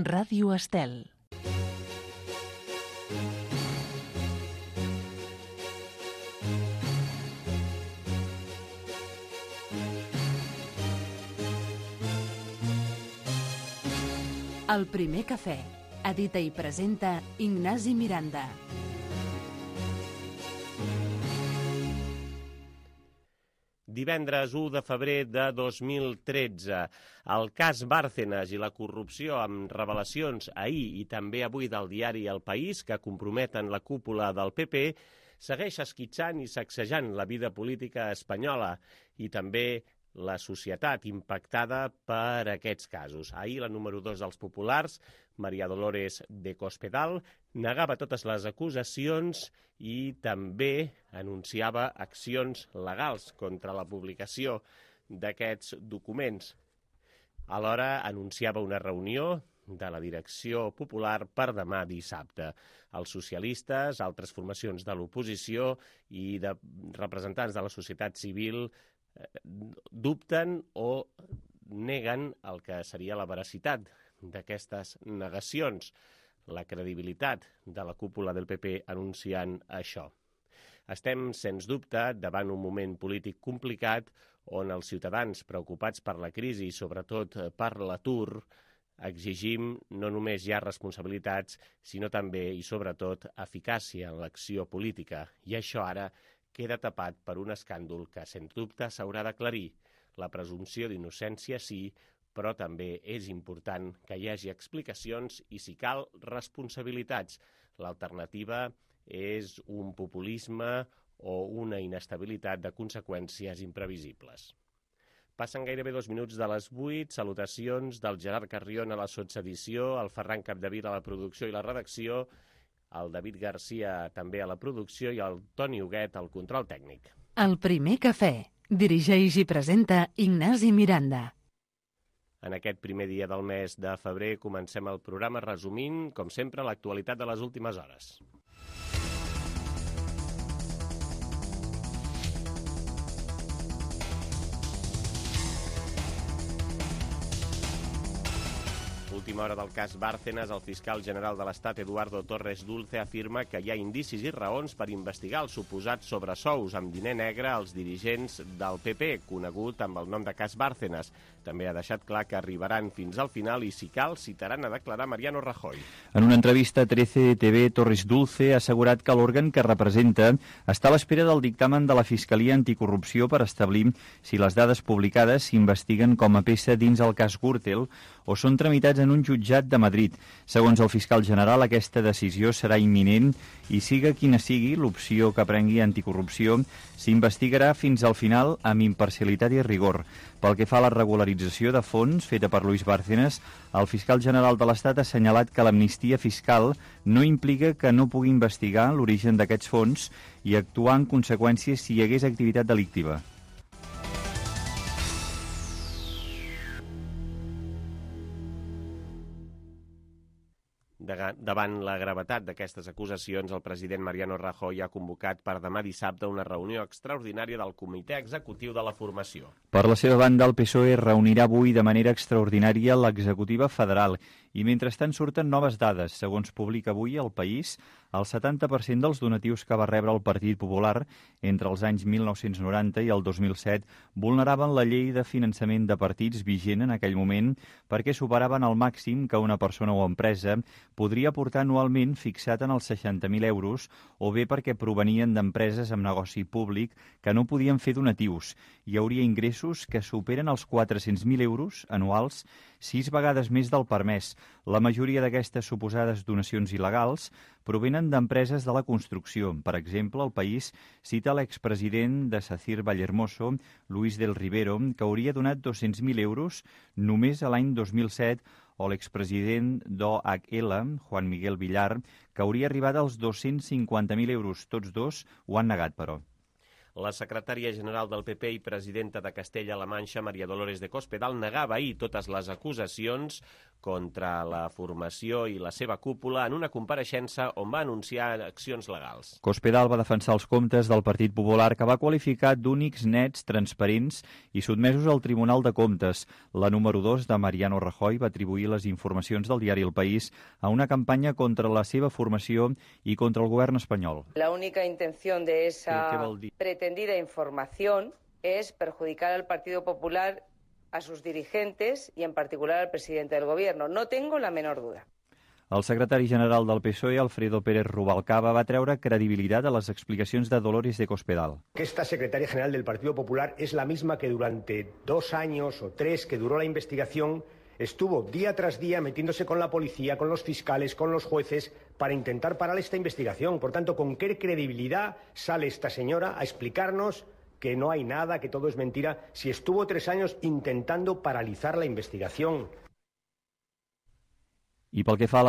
Ràdio Estel. El primer cafè. Edita i presenta Ignasi Miranda. Divendres 1 de febrer de 2013. El cas Bárcenas i la corrupció amb revelacions ahir i també avui del diari El País que comprometen la cúpula del PP segueix esquitxant i sacsejant la vida política espanyola i també la societat impactada per aquests casos. Ahir la número 2 dels populars, María Dolores de Cospedal, negava totes les acusacions i també anunciava accions legals contra la publicació d'aquests documents. Alhora anunciava una reunió de la direcció popular per demà dissabte. Els socialistes, altres formacions de l'oposició i de representants de la societat civil dubten o neguen el que seria la veracitat d'aquestes negacions, la credibilitat de la cúpula del PP anunciant això. Estem, sens dubte, davant un moment polític complicat on els ciutadans preocupats per la crisi i sobretot per l'atur exigim no només ja responsabilitats, sinó també i sobretot eficàcia en l'acció política. I això ara queda tapat per un escàndol que, sens dubte, s'haurà d'aclarir. La presumpció d'innocència sí, però també és important que hi hagi explicacions i, si cal, responsabilitats. L'alternativa és un populisme o una inestabilitat de conseqüències imprevisibles. Passen gairebé 2 minuts de les 8, salutacions del Gerard Carrion a la sotsedició, el Ferran Capdevila a la producció i la redacció, el David Garcia també a la producció i el Toni Huguet al control tècnic. El primer cafè. Dirigeix i presenta Ignasi Miranda. En aquest primer dia del mes de febrer comencem el programa resumint, com sempre, l'actualitat de les últimes hores. Última hora del cas Bárcenas, el fiscal general de l'Estat, Eduardo Torres Dulce, afirma que hi ha indicis i raons per investigar els suposats sobresous amb diner negre als dirigents del PP, conegut amb el nom de cas Bárcenas. També ha deixat clar que arribaran fins al final i, si cal, citaran a declarar Mariano Rajoy. En una entrevista a 13TV, Torres Dulce ha assegurat que l'òrgan que representa està a l'espera del dictamen de la Fiscalia Anticorrupció per establir si les dades publicades s'investiguen com a peça dins el cas Gürtel o són tramitats en un jutjat de Madrid. Segons el fiscal general, aquesta decisió serà imminent i, siga quina sigui l'opció que prengui Anticorrupció, s'investigarà fins al final amb imparcialitat i rigor. Pel que fa a la regularització de fons feta per Luis Bárcenas, el fiscal general de l'Estat ha assenyalat que l'amnistia fiscal no implica que no pugui investigar l'origen d'aquests fons i actuar en conseqüència si hi hagués activitat delictiva. Davant la gravetat d'aquestes acusacions, el president Mariano Rajoy ha convocat per demà dissabte una reunió extraordinària del Comitè Executiu de la Formació. Per la seva banda, el PSOE reunirà avui de manera extraordinària l'executiva federal i mentrestant surten noves dades. Segons publica avui El País, el 70% dels donatius que va rebre el Partit Popular entre els anys 1990 i el 2007 vulneraven la llei de finançament de partits vigent en aquell moment perquè superaven el màxim que una persona o empresa podria aportar anualment fixat en els 60.000 euros o bé perquè provenien d'empreses amb negoci públic que no podien fer donatius. Hi hauria ingressos que superen els 400.000 euros anuals, 6 vegades més del permès. La majoria d'aquestes suposades donacions il·legals provenen d'empreses de la construcció. Per exemple, El País cita l'expresident de SACIR Vallehermoso, Luis del Rivero, que hauria donat 200.000 euros només a l'any 2007, o l'expresident d'OHL, Juan Miguel Villar, que hauria arribat als 250.000 euros. Tots dos ho han negat, però. La secretària general del PP i presidenta de Castella-La Manxa, María Dolores de Cospedal, negava ahir totes les acusacions, contra la formació i la seva cúpula en una compareixença on va anunciar accions legals. Cospedal va defensar els comptes del Partit Popular, que va qualificar d'únics, nets, transparents i sotmesos al Tribunal de Comptes. La número 2 de Mariano Rajoy va atribuir les informacions del diari El País a una campanya contra la seva formació i contra el govern espanyol. La única intención de esa pretendida información es perjudicar al Partido Popular, a sus dirigentes y en particular al presidente del Gobierno. No tengo la menor duda. El secretari general del PSOE, Alfredo Pérez Rubalcaba, va treure credibilitat a les explicacions de Dolores de Cospedal. Esta secretaria general del Partido Popular es la misma que durante 2 años o 3 que duró la investigación estuvo día tras día metiéndose con la policía, con los fiscales, con los jueces para intentar parar esta investigación. Por tanto, ¿con qué credibilidad sale esta señora a explicarnos que no hay nada, que todo es mentira, si estuvo 3 años intentando paralizar la investigación? I pel que fa,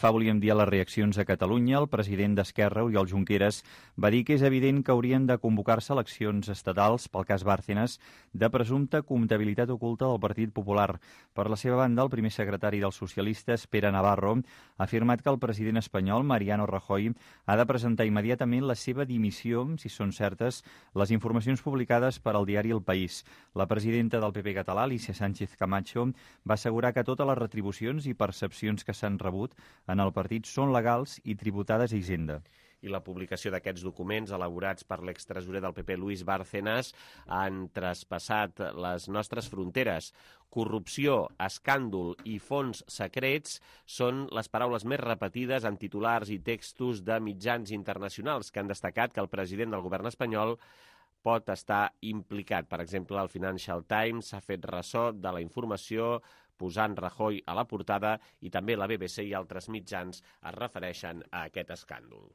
volíem dir, a les reaccions a Catalunya, el president d'Esquerra, Oriol Junqueras, va dir que és evident que haurien de convocar-se eleccions estatals pel cas Bárcenas de presumpta comptabilitat oculta del Partit Popular. Per la seva banda, el primer secretari dels socialistes, Pere Navarro, ha afirmat que el president espanyol, Mariano Rajoy, ha de presentar immediatament la seva dimissió, si són certes, les informacions publicades per al diari El País. La presidenta del PP català, Alicia Sánchez Camacho, va assegurar que totes les retribucions i percepcions que s'han rebut en el partit són legals i tributades a Hisenda. I la publicació d'aquests documents elaborats per l'extresorer del PP, Luis Bárcenas, han traspassat les nostres fronteres. Corrupció, escàndol i fons secrets són les paraules més repetides en titulars i textos de mitjans internacionals que han destacat que el president del govern espanyol pot estar implicat. Per exemple, el Financial Times s'ha fet ressò de la informació posant Rajoy a la portada i també la BBC i altres mitjans es refereixen a aquest escàndol.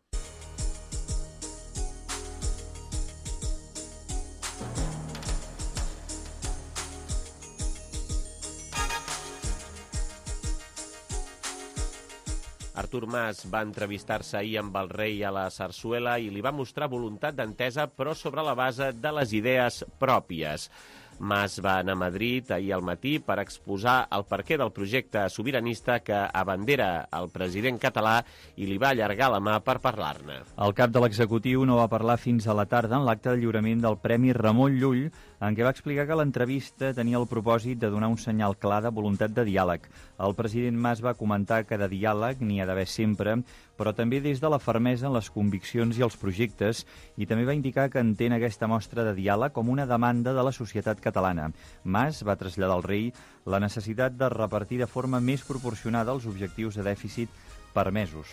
Artur Mas va entrevistar-se ahir amb el rei a la Sarsuela i li va mostrar voluntat d'entesa, però sobre la base de les idees pròpies. Mas va anar a Madrid ahir al matí per exposar el perquè del projecte sobiranista que abandera el president català i li va allargar la mà per parlar-ne. El cap de l'executiu no va parlar fins a la tarda en l'acte de lliurament del Premi Ramon Llull, en què va explicar que l'entrevista tenia el propòsit de donar un senyal clar de voluntat de diàleg. El president Mas va comentar que de diàleg n'hi ha d'haver sempre, però també des de la fermesa en les conviccions i els projectes, i també va indicar que entén aquesta mostra de diàleg com una demanda de la societat catalana. Mas va traslladar al rei la necessitat de repartir de forma més proporcionada els objectius de dèficit permesos.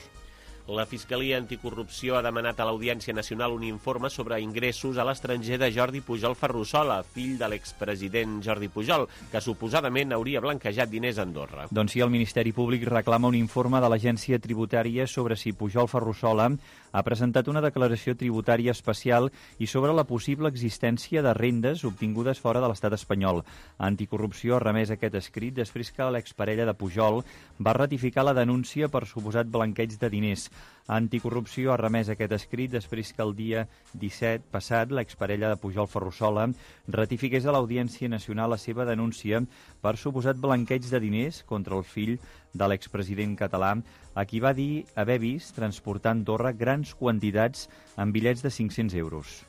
La Fiscalia Anticorrupció ha demanat a l'Audiència Nacional un informe sobre ingressos a l'estranger de Jordi Pujol Ferrusola, fill de l'expresident Jordi Pujol, que suposadament hauria blanquejat diners a Andorra. Doncs sí, el Ministeri Públic reclama un informe de l'Agència Tributària sobre si Pujol Ferrusola ha presentat una declaració tributària especial i sobre la possible existència de rendes obtingudes fora de l'estat espanyol. Anticorrupció ha remès aquest escrit després que l'exparella de Pujol va ratificar la denúncia per suposat blanqueig de diners. Anticorrupció ha remès aquest escrit després que el dia 17 passat l'exparella de Pujol Ferrusola ratifiqués a l'Audiència Nacional la seva denúncia per suposat blanqueig de diners contra el fill de l'expresident català, a qui va dir haver vist transportar a Andorra grans quantitats en bitllets de 500 euros.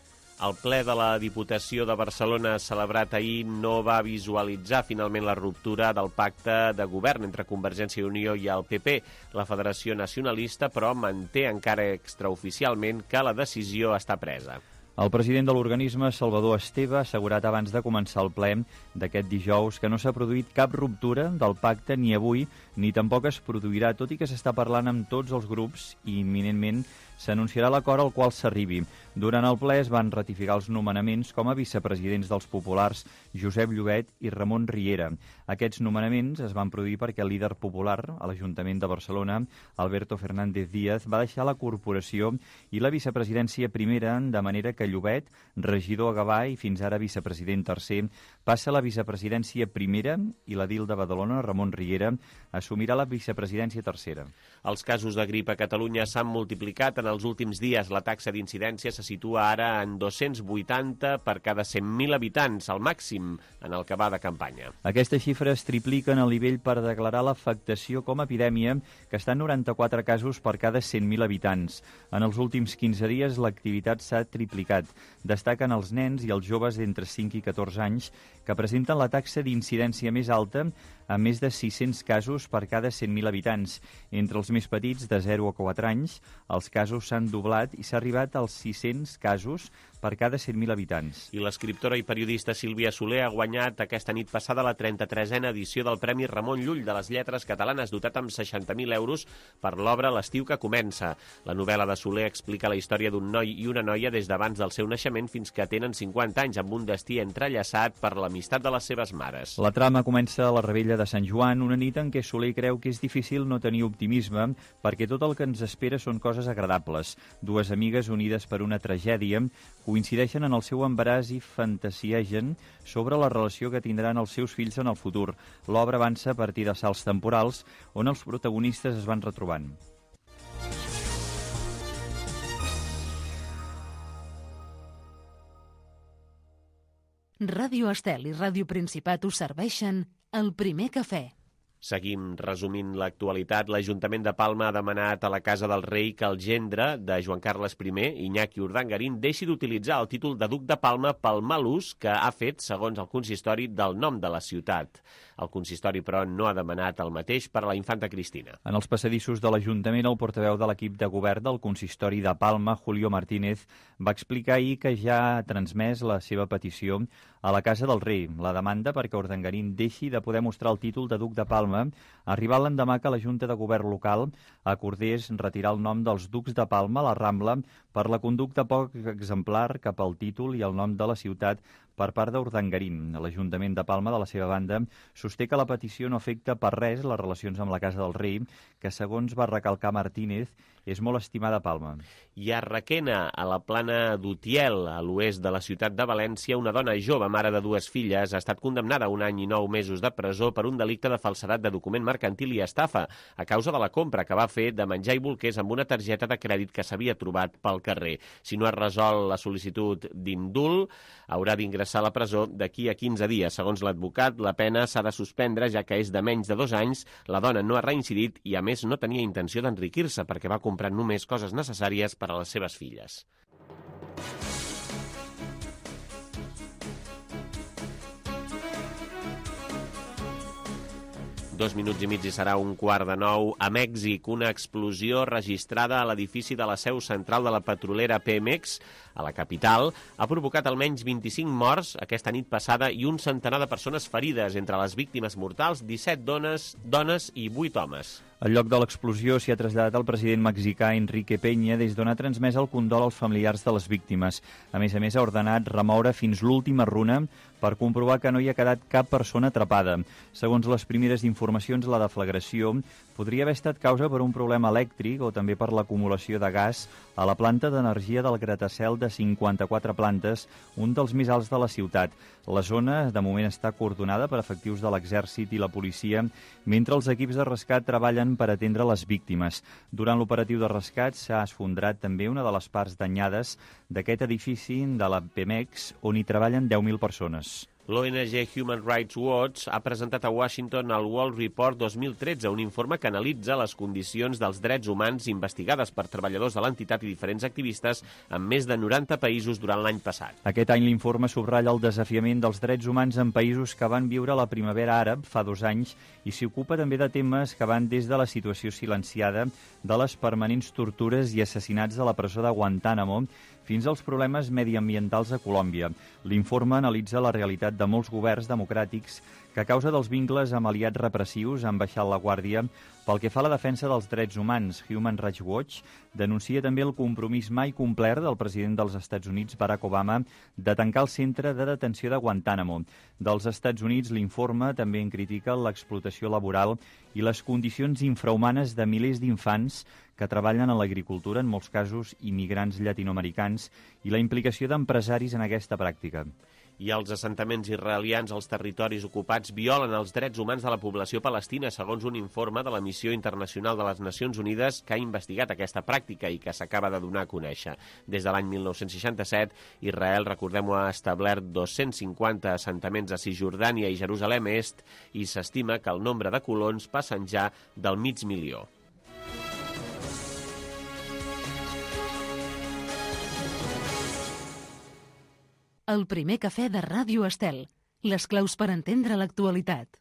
El ple de la Diputació de Barcelona celebrat ahir no va visualitzar finalment la ruptura del pacte de govern entre Convergència i Unió i el PP. La Federació Nacionalista, però, manté encara extraoficialment que la decisió està presa. El president de l'organisme, Salvador Esteve, ha assegurat abans de començar el ple d'aquest dijous que no s'ha produït cap ruptura del pacte ni avui ni tampoc es produirà, tot i que s'està parlant amb tots els grups i imminentment s'anunciarà l'acord al qual s'arribi. Durant el ple es van ratificar els nomenaments com a vicepresidents dels populars Josep Llobet i Ramon Riera. Aquests nomenaments es van produir perquè el líder popular a l'Ajuntament de Barcelona, Alberto Fernández Díaz, va deixar la corporació i la vicepresidència primera, de manera que a Llobet, regidor a Gavà i fins ara vicepresident tercer, passa a la vicepresidència primera i l'edil de Badalona, Ramon Riera, assumirà la vicepresidència tercera. Els casos de grip a Catalunya s'han multiplicat en els últims dies. La taxa d'incidència se situa ara en 280 per cada 100.000 habitants, el màxim en el que va de campanya. Aquestes xifres tripliquen el nivell per declarar l'afectació com a epidèmia, que està en 94 casos per cada 100.000 habitants. En els últims 15 dies l'activitat s'ha triplicat. Destaquen els nens i els joves d'entre 5 i 14 anys, que presenten la taxa d'incidència més alta, amb més de 600 casos per cada 100.000 habitants. Entre els més petits, de 0 a 4 anys, els casos s'han doblat i s'ha arribat als 600 casos per cada 100.000 habitants. I l'escriptora i periodista Sílvia Soler ha guanyat aquesta nit passada la 33a edició del Premi Ramon Llull de les Lletres Catalanes, dotat amb 60.000 euros per l'obra L'estiu que comença. La novel·la de Soler explica la història d'un noi i una noia des d'abans del seu naixement fins que tenen 50 anys, amb un destí entrellaçat per l'amistat de les seves mares. La trama comença a la Revetlla de Sant Joan, una nit en què Soler creu que és difícil no tenir optimisme perquè tot el que ens espera són coses agradables. Dues amigues unides per una tragèdia coincideixen en el seu embaràs i fantasiegen sobre la relació que tindran els seus fills en el futur. L'obra avança a partir de salts temporals on els protagonistes es van retrobant. Ràdio Estel i Ràdio Principat us serveixen el primer cafè. Seguim resumint l'actualitat. L'Ajuntament de Palma ha demanat a la Casa del Rei que el gendre de Joan Carles I, Iñaki Urdangarín, deixi d'utilitzar el títol de duc de Palma pel mal ús que ha fet, segons el consistori, del nom de la ciutat. El consistori, però, no ha demanat el mateix per a la infanta Cristina. En els passadissos de l'Ajuntament, el portaveu de l'equip de govern del consistori de Palma, Julio Martínez, va explicar ahir que ja ha transmès la seva petició a la Casa del Rei. La demanda perquè Urdangarín deixi de poder mostrar el títol de duc de Palma arribar l'endemà que la Junta de Govern local acordés retirar el nom dels ducs de Palma a la Rambla per la conducta poc exemplar cap al títol i el nom de la ciutat per part d'Urdangarín. L'Ajuntament de Palma, de la seva banda, sosté que la petició no afecta per res les relacions amb la Casa del Rei, que, segons va recalcar Martínez, és molt estimada a Palma. I a Requena, a la plana d'Utiel, a l'oest de la ciutat de València, una dona jove, mare de dues filles, ha estat condemnada a 1 any i 9 mesos de presó per un delicte de falsedat de document mercantil i estafa, a causa de la compra que va fer de menjar i bolquers amb una targeta de crèdit que s'havia trobat pel carrer. Si no es resol la sol·licitud d'indult, haurà d'ingressar a la presó d'aquí a 15 dies. Segons l'advocat, la pena s'ha de suspendre, ja que és de menys de 2 anys, la dona no ha reincidit i, a més, no tenia intenció d'enriquir-se perquè va comprar només coses necessàries per a les seves filles. Dos minuts i mig i serà 8:45. A Mèxic, una explosió registrada a l'edifici de la seu central de la petrolera Pemex, a la capital, ha provocat almenys 25 morts aquesta nit passada i un centenar de persones ferides. Entre les víctimes mortals, 17 dones i 8 homes. Al lloc de l'explosió s'hi ha traslladat el president mexicà Enrique Peña des d'on ha transmès el condol als familiars de les víctimes. A més, ha ordenat remoure fins l'última runa per comprovar que no hi ha quedat cap persona atrapada. Segons les primeres informacions, la deflagració podria haver estat causa per un problema elèctric o també per l'acumulació de gas a la planta d'energia del gratacel de 54 plantes, un dels més alts de la ciutat. La zona, de moment, està coordonada per efectius de l'exèrcit i la policia, mentre els equips de rescat treballen per atendre les víctimes. Durant l'operatiu de rescat s'ha esfondrat també una de les parts danyades d'aquest edifici de la Pemex, on hi treballen 10.000 persones. L'ONG Human Rights Watch ha presentat a Washington el World Report 2013, un informe que analitza les condicions dels drets humans investigades per treballadors de l'entitat i diferents activistes en més de 90 països durant l'any passat. Aquest any l'informe subratlla el desafiament dels drets humans en països que van viure la primavera àrab fa 2 anys i s'hi ocupa també de temes que van des de la situació silenciada de les permanents tortures i assassinats de la presó de Guantánamo fins als problemes mediambientals a Colòmbia. L'informe analitza la realitat de molts governs democràtics que a causa dels vincles amb aliats repressius han baixat la guàrdia pel que fa a la defensa dels drets humans. Human Rights Watch denuncia també el compromís mai complert del president dels Estats Units, Barack Obama, de tancar el centre de detenció de Guantánamo. Dels Estats Units, l'informe també en critica l'explotació laboral i les condicions infrahumanes de milers d'infants que treballen en l'agricultura, en molts casos immigrants llatinoamericans, i la implicació d'empresaris en aquesta pràctica. I els assentaments israelians als territoris ocupats violen els drets humans de la població palestina, segons un informe de la Missió Internacional de les Nacions Unides que ha investigat aquesta pràctica i que s'acaba de donar a conèixer. Des de l'any 1967, Israel, recordem-ho, ha establert 250 assentaments a Cisjordània i Jerusalem Est i s'estima que el nombre de colons passen ja del 500.000. El primer cafè de Ràdio Estel. Les claus per entendre l'actualitat.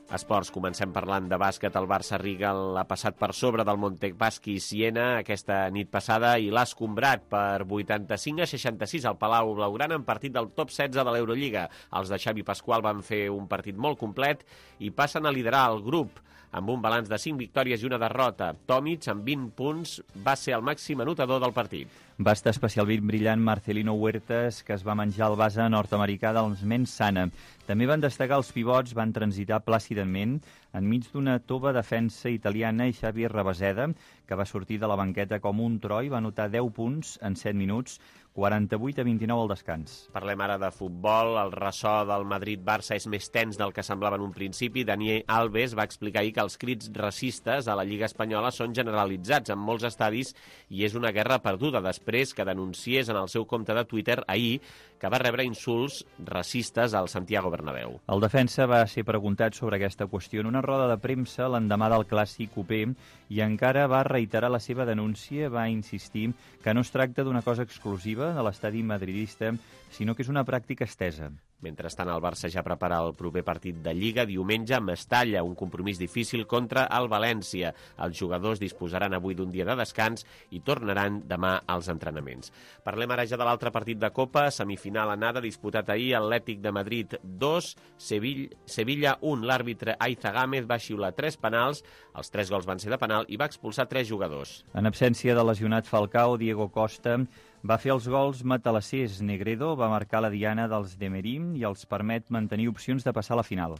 Esports, comencem parlant de bàsquet. El Barça-Riga l'ha passat per sobre del Montepaschi Siena aquesta nit passada i l'ha escombrat per 85-66 al Palau Blaugrana en partit del top 16 de l'Eurolliga. Els de Xavi Pasqual van fer un partit molt complet i passen a liderar el grup amb un balanç de 5 victòries i una derrota. Tomic, amb 20 punts, va ser el màxim anotador del partit. Va estar especialment brillant Marcelino Huertas, que es va menjar el base nord-americà dels Mensana. També van destacar els pivots, van transitar plàcidament enmig d'una tova defensa italiana i Xavi Rabaseda, que va sortir de la banqueta com un tro i va anotar 10 punts en 7 minuts, 48-29 al descans. Parlem ara de futbol. El ressò del Madrid-Barça és més tens del que semblava en un principi. Dani Alves va explicar ahir que els crits racistes a la Lliga Espanyola són generalitzats en molts estadis i és una guerra perduda després que denunciés en el seu compte de Twitter ahir que va rebre insults racistes al Santiago Bernabéu. El defensa va ser preguntat sobre aquesta qüestió en una roda de premsa l'endemà del clàssic copé i encara va reiterar la seva denúncia, va insistir que no es tracta d'una cosa exclusiva de l'estadi madridista, sinó que és una pràctica estesa. Mentrestant, el Barça ja prepara el proper partit de Lliga diumenge a Mestalla, un compromís difícil contra el València. Els jugadors disposaran avui d'un dia de descans i tornaran demà als entrenaments. Parlem ara ja de l'altre partit de Copa, semifinal anada, disputat ahir, Atlètic de Madrid 2, Sevilla 1. L'àrbitre Aiza Gámez va xiular 3 penals, els 3 gols van ser de penal i va expulsar 3 jugadors. En absència de lesionat Falcao, Diego Costa va fer els gols matalassers. Negredo va marcar la diana dels Demerim i els permet mantenir opcions de passar a la final.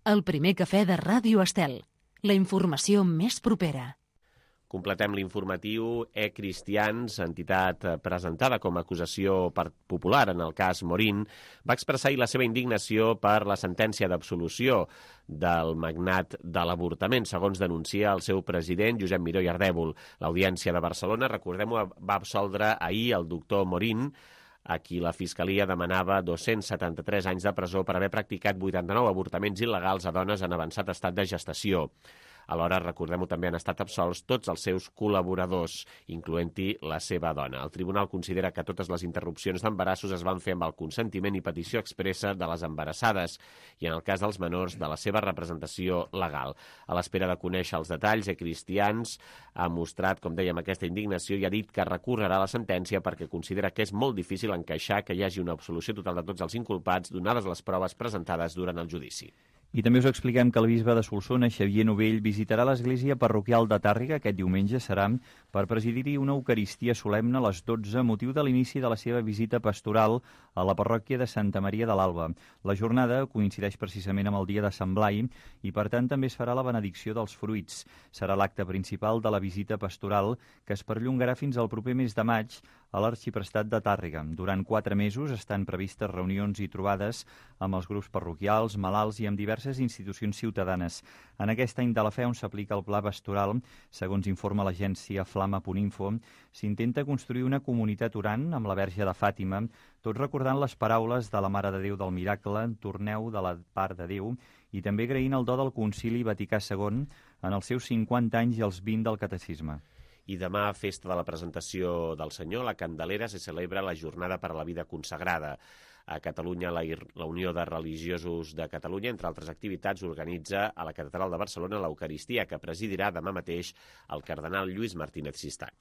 El primer cafè de Ràdio Estel. La informació més propera. Completem l'informatiu. Cristians, entitat presentada com a acusació popular en el cas Morín, va expressar ahir la seva indignació per la sentència d'absolució del magnat de l'avortament, segons denuncia el seu president, Josep Miró i Ardèvol. L'Audiència de Barcelona, recordem-ho, va absoldre ahir el doctor Morín, a qui la Fiscalia demanava 273 anys de presó per haver practicat 89 avortaments il·legals a dones en avançat estat de gestació. Alhora, recordem-ho, també han estat absolts tots els seus col·laboradors, incloent-hi la seva dona. El tribunal considera que totes les interrupcions d'embarassos es van fer amb el consentiment i petició expressa de les embarassades i, en el cas dels menors, de la seva representació legal. A l'espera de conèixer els detalls, Cristians ha mostrat, com dèiem, aquesta indignació i ha dit que recorrerà la sentència perquè considera que és molt difícil encaixar que hi hagi una absolució total de tots els inculpats donades les proves presentades durant el judici. I també us expliquem que el bisbe de Solsona, Xavier Novell, visitarà l'església parroquial de Tàrrega aquest diumenge. Serà per presidir-hi una eucaristia solemne a les 12, motiu de l'inici de la seva visita pastoral a la parròquia de Santa Maria de l'Alba. La jornada coincideix precisament amb el dia de Sant Blai i, per tant, també es farà la benedicció dels fruits. Serà l'acte principal de la visita pastoral, que es perllongarà fins al proper mes de maig a l'Arxiprestat de Tàrrega. Durant 4 mesos estan previstes reunions i trobades amb els grups parroquials, malalts i amb diverses institucions ciutadanes. En aquest any de la fe on s'aplica el pla pastoral, segons informa l'agència Flama.info, s'intenta construir una comunitat orant amb la Verge de Fàtima, tot recordant les paraules de la Mare de Déu del Miracle, torneu de la part de Déu, i també agraint el do del Concili Vaticà II en els seus 50 anys i els 20 del Catecisme. I demà, festa de la presentació del Senyor, la Candelera, se celebra la Jornada per a la Vida Consagrada. A Catalunya, la Unió de Religiosos de Catalunya, entre altres activitats, organitza a la Catedral de Barcelona l'Eucaristia, que presidirà demà mateix el cardenal Lluís Martínez Sistac.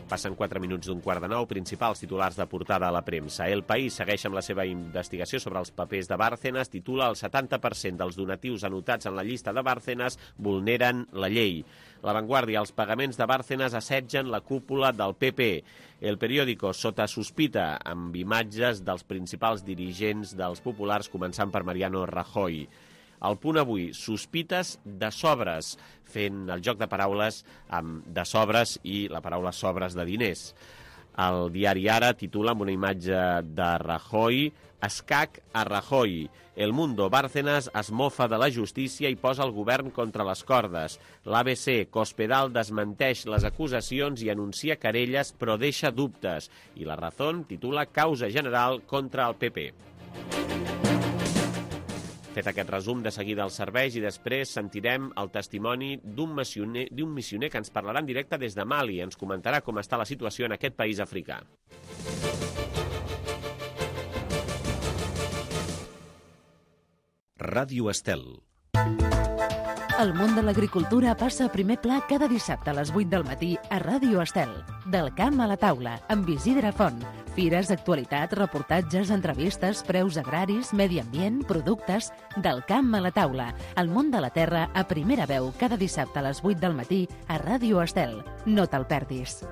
Passen 4 minuts d'un 8:15, principals titulars de portada a la premsa. El País segueix amb la seva investigació sobre els papers de Bárcenas, titula el 70% dels donatius anotats en la llista de Bárcenas vulneren la llei. La Vanguardia, els pagaments de Bárcenas assetgen la cúpula del PP. El Periódico, sota sospita, amb imatges dels principals dirigents dels populars, començant per Mariano Rajoy. El Punt Avui, sospites de sobres, fent el joc de paraules amb de sobres i la paraula sobres de diners. El diari Ara titula amb una imatge de Rajoy, escac a Rajoy. El Mundo, Bárcenas es mofa de la justícia i posa el govern contra les cordes. L'ABC, Cospedal desmenteix les acusacions i anuncia querelles però deixa dubtes. I La Razón titula causa general contra el PP. Fet aquest resum, de seguida els serveis i després sentirem el testimoni d'un missioner que ens parlarà en directe des de Mali. Ens comentarà com està la situació en aquest país africà. Ràdio Estel. El món de l'agricultura passa a primer pla cada dissabte a les 8 del matí a Ràdio Estel. Del camp a la taula, amb Isidre Font. Fires, actualitat, reportatges, entrevistes, preus agraris, medi ambient, productes... Del camp a la taula. El món de la terra a primera veu cada dissabte a les 8 del matí a Ràdio Estel. No te'l perdis.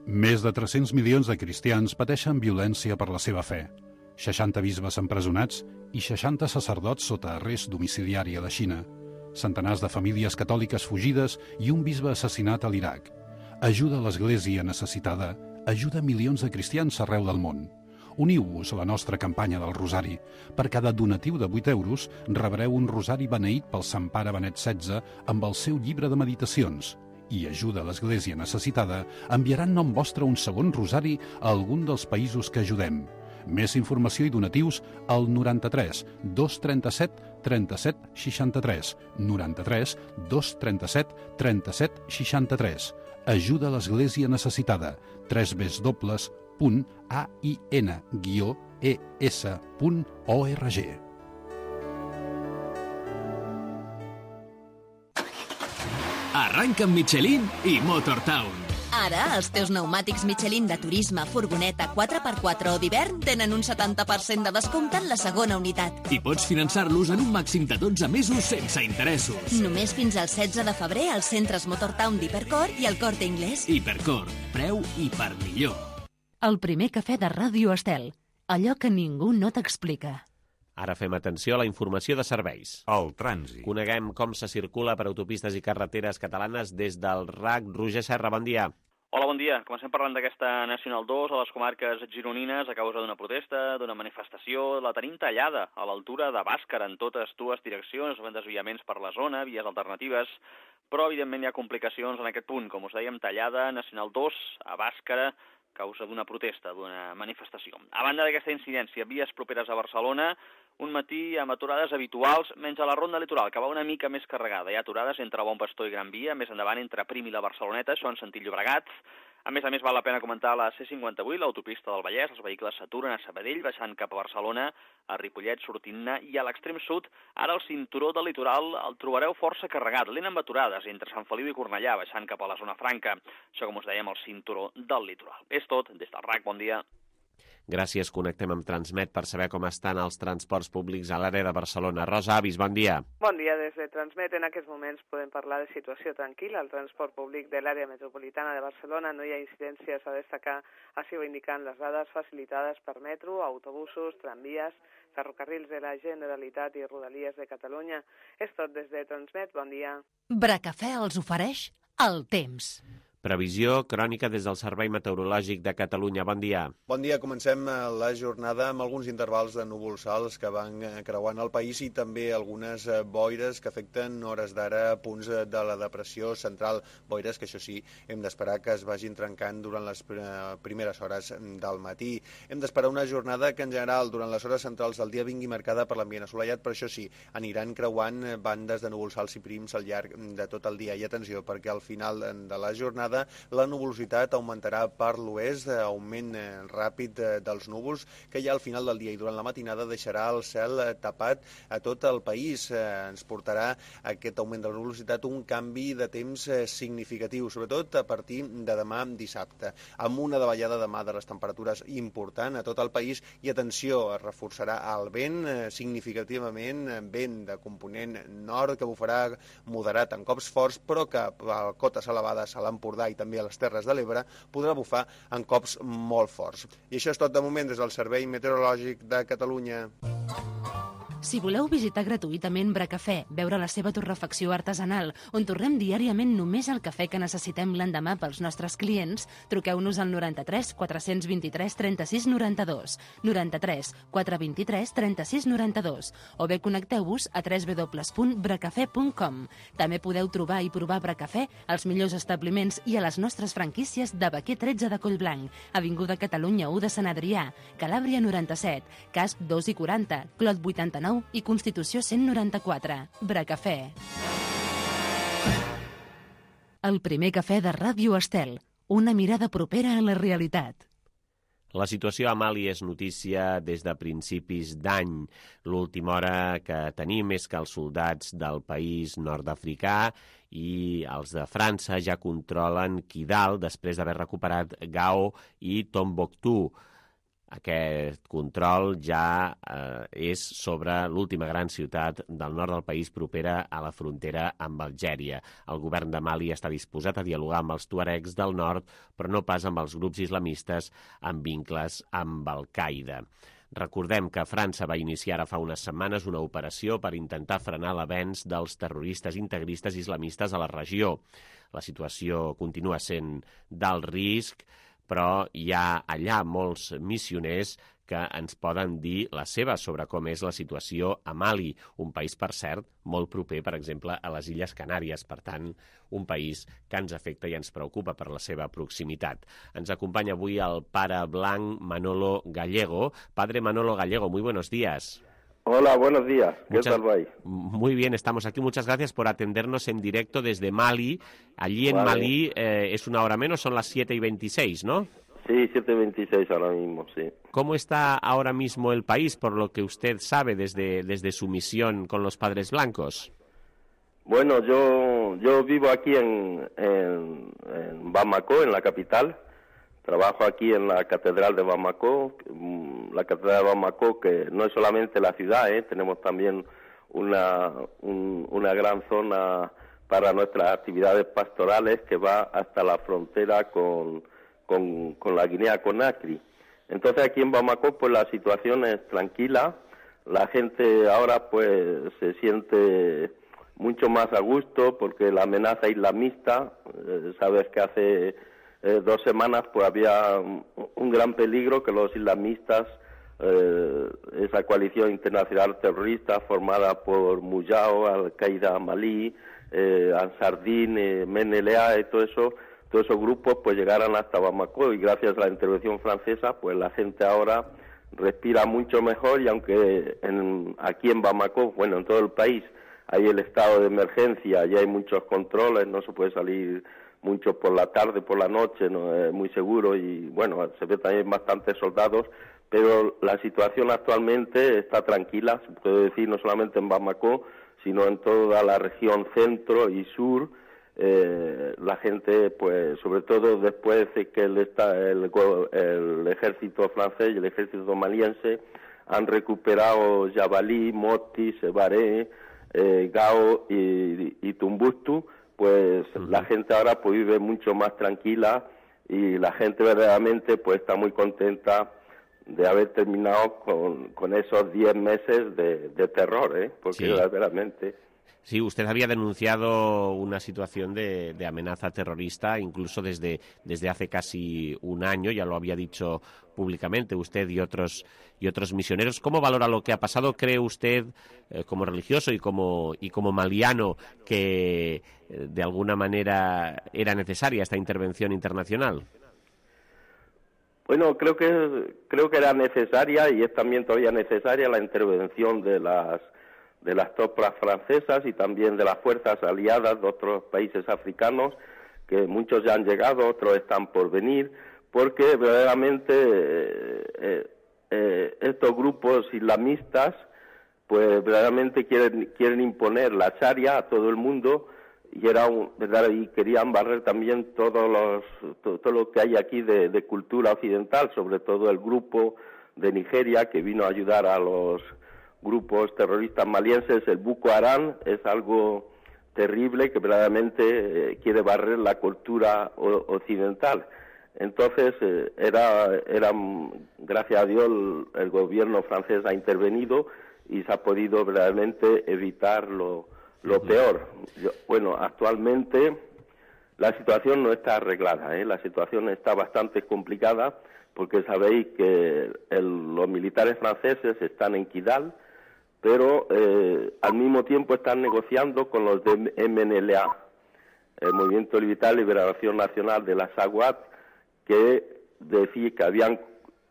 Més de 300 milions de cristians pateixen violència per la seva fe. 60 bisbes empresonats i 60 sacerdots sota arrest domiciliari a la Xina. Centenars de famílies catòliques fugides i un bisbe assassinat a l'Iraq. Ajuda a l'Església necessitada, ajuda milions de cristians arreu del món. Uniu-vos a la nostra campanya del Rosari. Per cada donatiu de 8 euros rebreu un rosari beneït pel Sant Pare Benet XVI amb el seu llibre de meditacions. I ajuda a l'Església necessitada enviaran nom vostre un segon rosari a algun dels països que ajudem. Més informació i donatius al 93 237 37 63. 93 237 37 63. Ajuda a l'Església necessitada. www.ain-es.org. Arranca amb Michelin i Motortown. Ara, els teus pneumàtics Michelin de turisme, furgoneta, 4x4 o d'hivern tenen un 70% de descompte en la segona unitat. I pots finançar-los en un màxim de 12 mesos sense interessos. Només fins al 16 de febrer als centres Motortown d'Hipercor i al Corte Inglés. Hipercor, preu i per millor. El primer cafè de Ràdio Estel. Allò que ningú no t'explica. Ara fem atenció a la informació de serveis. El trànsit. Coneguem com se circula per autopistes i carreteres catalanes des del RAC. Roger Serra, bon dia. Hola, bon dia. Comencem parlant d'aquesta Nacional 2 a les comarques gironines a causa d'una protesta, d'una manifestació. La tenim tallada a l'altura de Bàscara en totes dues direccions, amb desviaments per la zona, vies alternatives, però evidentment hi ha complicacions en aquest punt. Com us dèiem, tallada Nacional 2 a Bàscara a causa d'una protesta, d'una manifestació. A banda d'aquesta incidència, vies properes a Barcelona, un matí amb aturades habituals, menys a la ronda litoral, que va una mica més carregada. Hi ha aturades entre Bon Pastor i Gran Via, més endavant entre Prim i la Barceloneta, això en sentit Llobregat. A més, val la pena comentar la C58, l'autopista del Vallès. Els vehicles s'aturen a Sabadell, baixant cap a Barcelona, a Ripollet, sortint-ne, i a l'extrem sud, ara el cinturó del litoral el trobareu força carregat, lent amb aturades entre Sant Feliu i Cornellà, baixant cap a la zona franca. Això, com us dèiem, el cinturó del litoral. És tot, des del RAC, bon dia. Gràcies, connectem amb Transmet per saber com estan els transports públics a l'àrea de Barcelona. Rosa Avis, bon dia. Bon dia, des de Transmet. En aquests moments podem parlar de situació tranquil·la. El transport públic de l'àrea metropolitana de Barcelona no hi ha incidències a destacar. Així ho indiquen les dades facilitades per metro, autobusos, tramvies, ferrocarrils de la Generalitat i Rodalies de Catalunya. És tot des de Transmet. Bon dia. Bracafè els ofereix el temps. Previsió crònica des del Servei Meteorològic de Catalunya. Bon dia. Bon dia. Comencem la jornada amb alguns intervals de núvols alts que van creuant el país i també algunes boires que afecten hores d'ara punts de la depressió central. Boires que, això sí, hem d'esperar que es vagin trencant durant les primeres hores del matí. Hem d'esperar una jornada que, en general, durant les hores centrals del dia vingui marcada per l'ambient assolellat, però això sí, aniran creuant bandes de núvols alts i prims al llarg de tot el dia. I atenció, perquè al final de la jornada tarda la nuvolositat augmentarà per l'oest, augment ràpid dels núvols, que ja al final del dia i durant la matinada deixarà el cel tapat a tot el país. Ens portarà aquest augment de la nuvolositat un canvi de temps significatiu, sobretot a partir de demà dissabte, amb una davallada demà de les temperatures important a tot el país i, atenció, es reforçarà el vent significativament, vent de component nord que bufarà moderat en cops forts, però que a cotes elevades a l'Empordà i també a les Terres de l'Ebre podrà bufar en cops molt forts. I això és tot de moment des del Servei Meteorològic de Catalunya. Si voleu visitar gratuïtament Bracafè, veure la seva torrefacció artesanal, on torrem diàriament només el cafè que necessitem l'endemà pels nostres clients, truqueu-nos al 93 423 36 92, 93 423 36 92, o bé connecteu-vos a www.bracafè.com. També podeu trobar i provar Bracafè als millors establiments i a les nostres franquícies de Baquer 13 de Collblanc, Avinguda Catalunya 1 de Sant Adrià, Calàbria 97, Casp 2 i 40, Clot 89 i Constitució 194. Bracafè. El primer cafè de Ràdio Estel. Una mirada propera a la realitat. La situació a Mali és notícia des de principis d'any. L'última hora que tenim és que els soldats del país nord-africà i els de França ja controlen Kidal després d'haver recuperat Gao i Tombouctou. Aquest control ja és sobre l'última gran ciutat del nord del país propera a la frontera amb Algèria. El govern de Mali està disposat a dialogar amb els tuaregs del nord, però no pas amb els grups islamistes amb vincles amb Al-Qaeda. Recordem que França va iniciar ara fa unes setmanes una operació per intentar frenar l'avenç dels terroristes integristes islamistes a la regió. La situació continua sent d'alt risc, però hi ha allà molts missioners que ens poden dir la seva sobre com és la situació a Mali, un país, per cert, molt proper, per exemple, a les Illes Canàries. Per tant, un país que ens afecta i ens preocupa per la seva proximitat. Ens acompanya avui el pare blanc Manolo Gallego. Padre Manolo Gallego, muy buenos días. Hola, buenos días. ¿Qué tal vais? Muy bien, estamos aquí. Muchas gracias por atendernos en directo desde Mali. Allí en Mali es una hora menos, son las 7:26, ¿no? Sí, 7:26 ahora mismo, sí. ¿Cómo está ahora mismo el país, por lo que usted sabe desde su misión con los Padres Blancos? Bueno, yo vivo aquí en Bamako, en la capital. Trabajo aquí en la Catedral de Bamako, la Catedral de Bamako que no es solamente la ciudad, tenemos también una gran zona para nuestras actividades pastorales que va hasta la frontera con la Guinea-Conakry. Entonces aquí en Bamako pues la situación es tranquila, la gente ahora pues se siente mucho más a gusto porque la amenaza islamista, sabes que hace 2 semanas pues había un gran peligro que los islamistas, esa coalición internacional terrorista formada por Mujao, Al-Qaeda Malí, Ansardín, MNLA y todo esos grupos pues llegaran hasta Bamako, y gracias a la intervención francesa pues la gente ahora respira mucho mejor, y aunque aquí en Bamako, bueno, en todo el país hay el estado de emergencia, ya hay muchos controles, no se puede salir mucho por la tarde, por la noche, no es muy seguro, y bueno, se ve también bastantes soldados, pero la situación actualmente está tranquila, se puede decir, no solamente en Bamako, sino en toda la región centro y sur. La gente, pues, sobre todo después de que el ejército francés y el ejército maliense han recuperado Jabalí, Moti, Sebaré, Gao y Tombouctou, pues la gente ahora pues vive mucho más tranquila, y la gente verdaderamente pues está muy contenta de haber terminado con esos 10 meses de terror, porque verdaderamente... Sí, usted había denunciado una situación de amenaza terrorista incluso desde hace casi un año, ya lo había dicho públicamente usted y otros misioneros. ¿Cómo valora lo que ha pasado? ¿Cree usted, como religioso y como maliano, que de alguna manera era necesaria esta intervención internacional? Bueno, creo que era necesaria, y es también todavía necesaria la intervención de las tropas francesas y también de las fuerzas aliadas de otros países africanos que muchos ya han llegado, otros están por venir, porque verdaderamente estos grupos islamistas pues verdaderamente quieren imponer la Sharia a todo el mundo y querían barrer también todo lo que hay aquí de cultura occidental, sobre todo el grupo de Nigeria que vino a ayudar a los grupos terroristas malienses. El Boko Haram es algo terrible que verdaderamente quiere barrer la cultura occidental. Entonces, gracias a Dios, el gobierno francés ha intervenido y se ha podido verdaderamente evitar lo peor. Actualmente la situación no está arreglada, la situación está bastante complicada porque sabéis que los militares franceses están en Kidal, pero al mismo tiempo están negociando con los de MNLA, el Movimiento Militar de Liberación Nacional de la Sawat, que decía que habían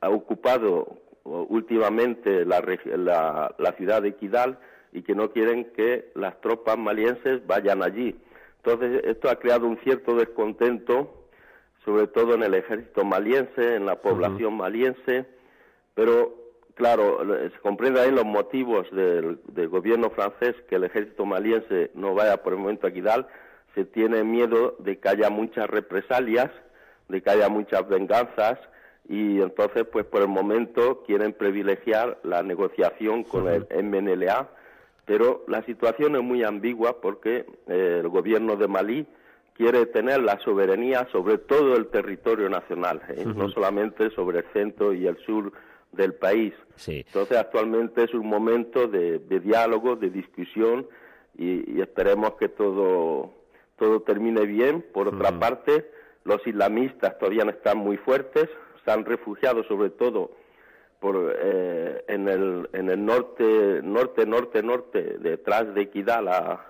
ocupado últimamente la ciudad de Kidal y que no quieren que las tropas malienses vayan allí. Entonces, esto ha creado un cierto descontento, sobre todo en el ejército maliense, en la población maliense, pero, claro, se comprende ahí los motivos del gobierno francés que el ejército maliense no vaya por el momento a Kidal. Se tiene miedo de que haya muchas represalias, de que haya muchas venganzas, y entonces, pues por el momento quieren privilegiar la negociación con el MNLA, pero la situación es muy ambigua porque el gobierno de Malí quiere tener la soberanía sobre todo el territorio nacional, no solamente sobre el centro y el sur del país. Sí. Entonces, actualmente es un momento de diálogo, de discusión, y esperemos que todo termine bien. Por otra parte, los islamistas todavía no están muy fuertes, se han refugiado sobre todo en el norte, detrás de Kidal, a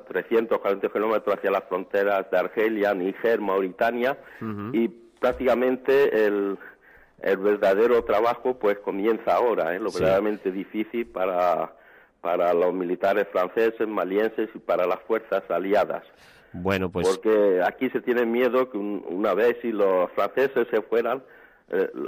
340 kilómetros hacia las fronteras de Argelia, Níger, Mauritania, y prácticamente el verdadero trabajo pues comienza ahora, lo verdaderamente difícil para los militares franceses, malienses y para las fuerzas aliadas. Bueno, pues... Porque aquí se tiene miedo que una vez si los franceses se fueran,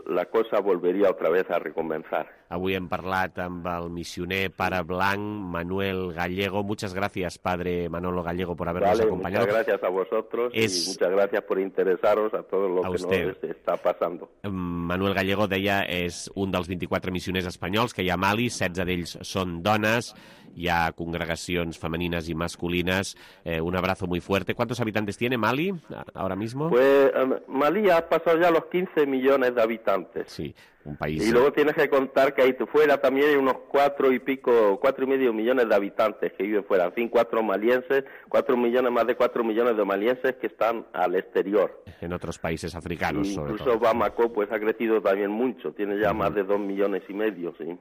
la cosa volveria otra vez a recomenzar. Avui hem parlat amb el missioner pare blanc Manuel Gallego. Muchas gracias, padre Manolo Gallego, por habernos acompañado. Muchas gracias a vosotros y muchas gracias por interesaros a todo lo que nos està passant. Manuel Gallego, deia, és un dels 24 missioners espanyols que hi ha a Mali, 16 d'ells són dones, hi ha congregacions femenines y masculinas. Un abrazo muy fuerte. ¿Cuántos habitantes tiene Mali ahora mismo? Pues Mali ha pasado ya los 15 millones de habitantes. Sí, un país... Y luego tienes que contar que ahí fuera también hay unos 4.5 millones de habitantes que viven fuera. En fin, 4 malienses, 4 millones, más de 4 millones de malienses que están al exterior. En otros países africanos, sobre todo. Incluso Bamako pues ha crecido también mucho, tiene ya más de 2 millones y medio, sí.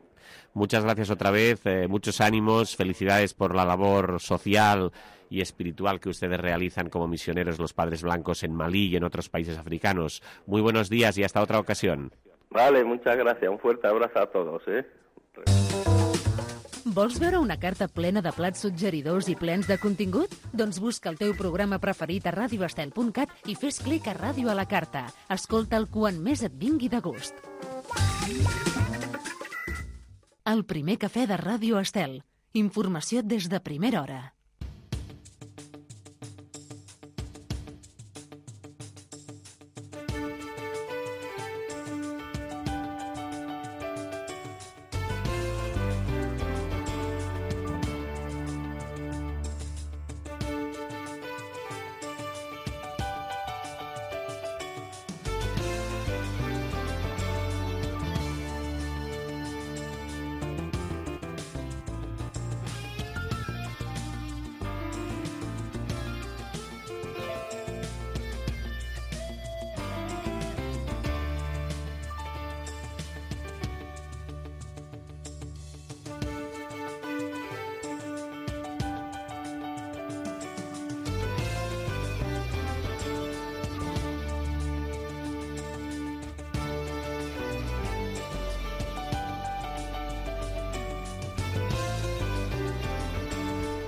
Muchas gracias otra vez, muchos ánimos, felicidades por la labor social y espiritual que ustedes realizan como misioneros los Padres Blancos en Malí y en otros países africanos. Muy buenos días y hasta otra ocasión. Vale, muchas gracias. Un fuerte abrazo a todos. Vols veure una carta plena de plats suggeridors i plens de contingut? Doncs busca el teu programa preferit a radioestel.cat i fes clic a Ràdio a la Carta. Escolta'l quan més et vingui de gust. El primer cafè de Ràdio Estel. Informació des de primera hora.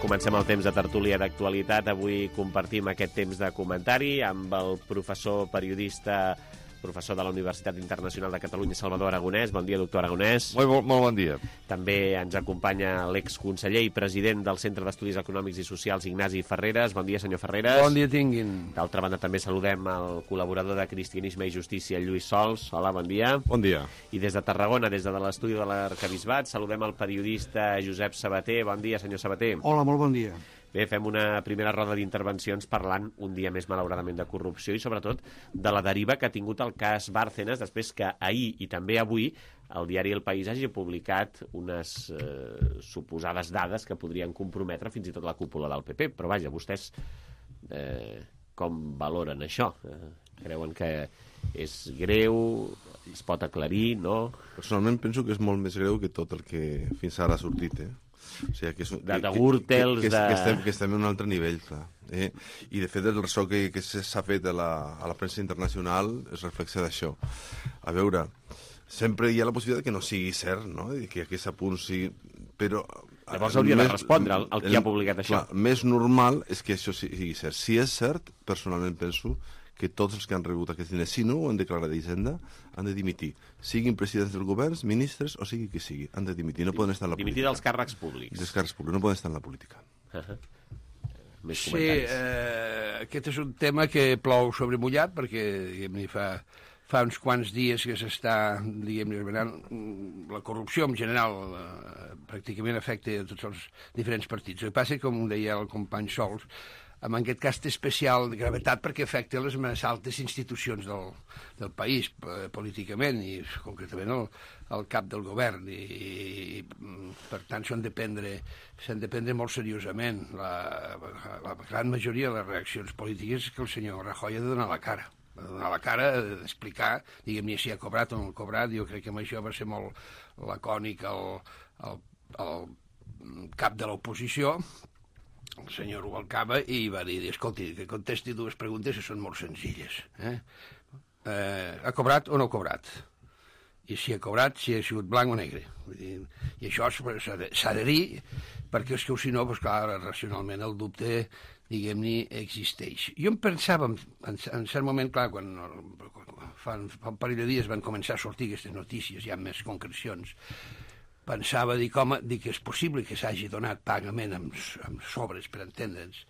Comencem el temps de tertúlia d'actualitat. Avui compartim aquest temps de comentari amb el professor periodista, professor de la Universitat Internacional de Catalunya, Salvador Aragonès. Bon dia, doctor Aragonès. Molt bon dia. També ens acompanya l'exconseller i president del Centre d'Estudis Econòmics i Socials, Ignasi Ferreres. Bon dia, senyor Ferreres. Bon dia tinguin. D'altra banda, també saludem el col·laborador de Cristianisme i Justícia, Lluís Sols. Hola, bon dia. Bon dia. I des de Tarragona, des de l'estudi de l'Arquebisbat, saludem el periodista Josep Sabater. Bon dia, senyor Sabater. Hola, molt bon dia. Bé, fem una primera roda d'intervencions parlant un dia més, malauradament, de corrupció i, sobretot, de la deriva que ha tingut el cas Bárcenas després que ahir i també avui el diari El País hagi publicat unes suposades dades que podrien comprometre fins i tot la cúpula del PP. Però, vaja, vostès com valoren això? Creuen que és greu? Es pot aclarir, no? Personalment penso que és molt més greu que tot el que fins ara ha sortit, O sigui, que de Gürtels, que estem en un altre nivell, clar. I, de fet, el ressò que s'ha fet a la premsa internacional es reflexa d'això. A veure, sempre hi ha la possibilitat que no sigui cert, no? I que aquest apunt sigui... Però... Llavors hauria de respondre al qui ha publicat això. Clar, més normal és que això sigui cert. Si és cert, personalment penso que tots els que han rebut aquests diners, si no ho han declarat d'Hisenda, han de dimitir. Siguin presidents del govern, ministres, o sigui qui sigui, han de dimitir. No poden estar en la política. Dimitir dels càrrecs públics. Dels càrrecs públics, no poden estar en la política. Més sí, comentaris. aquest és un tema que plou sobre mullat, perquè diguem-ne fa uns quants dies que s'està, diguem-ne, la corrupció en general pràcticament afecta a tots els diferents partits. El que passa, com deia el company Sols, en aquest cas té especial gravetat perquè afecta les més altes institucions del país, políticament, i concretament el cap del govern, i per tant s'han de prendre molt seriosament. La gran majoria de les reaccions polítiques és que el senyor Rajoy ha de donar la cara. Ha de donar la cara, d'explicar, diguem-ne, si ha cobrat o no ha cobrat. Jo crec que amb això va ser molt lacònic el cap de l'oposició, el senyor Rubalcaba, i va dir, escolti, que contesti dues preguntes que són molt senzilles. Ha cobrat o no ha cobrat? I si ha cobrat, si ha sigut blanc o negre. I això s'ha de dir, perquè és que si no, clar, racionalment el dubte, diguem-ne, existeix. Jo em pensava, en cert moment, clar, quan fa un parell de dies van començar a sortir aquestes notícies, ja amb més concrecions, pensava, dic, és possible que s'hagi donat pagament amb sobres, per entendre'ns,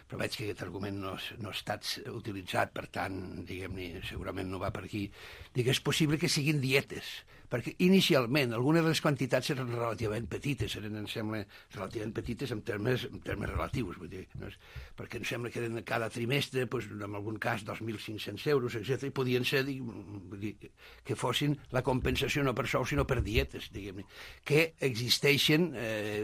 però veig que aquest argument no ha estat utilitzat, per tant, diguem-ne, segurament no va per aquí. Dic, és possible que siguin dietes, perquè inicialment algunes de les quantitats eren relativament petites, em sembla, relativament petites en termes relatius, vull dir, no? Perquè em sembla que eren cada trimestre, en algun cas 2.500 euros, etc. I podien ser, que fossin la compensació no per sou, sinó per dietes, diguem-ne, que existeixen,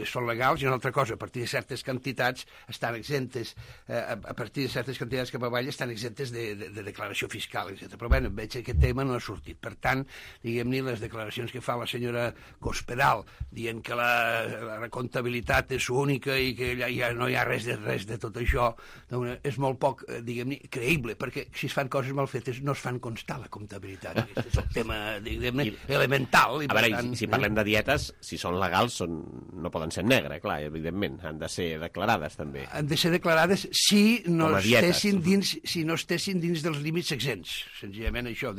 són legals, i una altra cosa, a partir de certes quantitats estan exemptes, a partir de certes quantitats cap avall estan exemptes de declaració fiscal, etc. Però bé, veig que aquest tema no ha sortit. Per tant, diguem-ne, les declaracions que fa la senyora Cospedal, dient que la comptabilitat és única i que ja no hi ha res de tot això, doncs és molt poc, diguem-ne, creïble, perquè si es fan coses mal fetes no es fan constar la comptabilitat. Aquest és el tema, diguem-ne, elemental. A veure, si parlem de dietes, si són legals, no poden ser negre, clar, evidentment, han de ser declarades també. Han de ser declarades si no estessin dins dels límits exempts, senzillament això,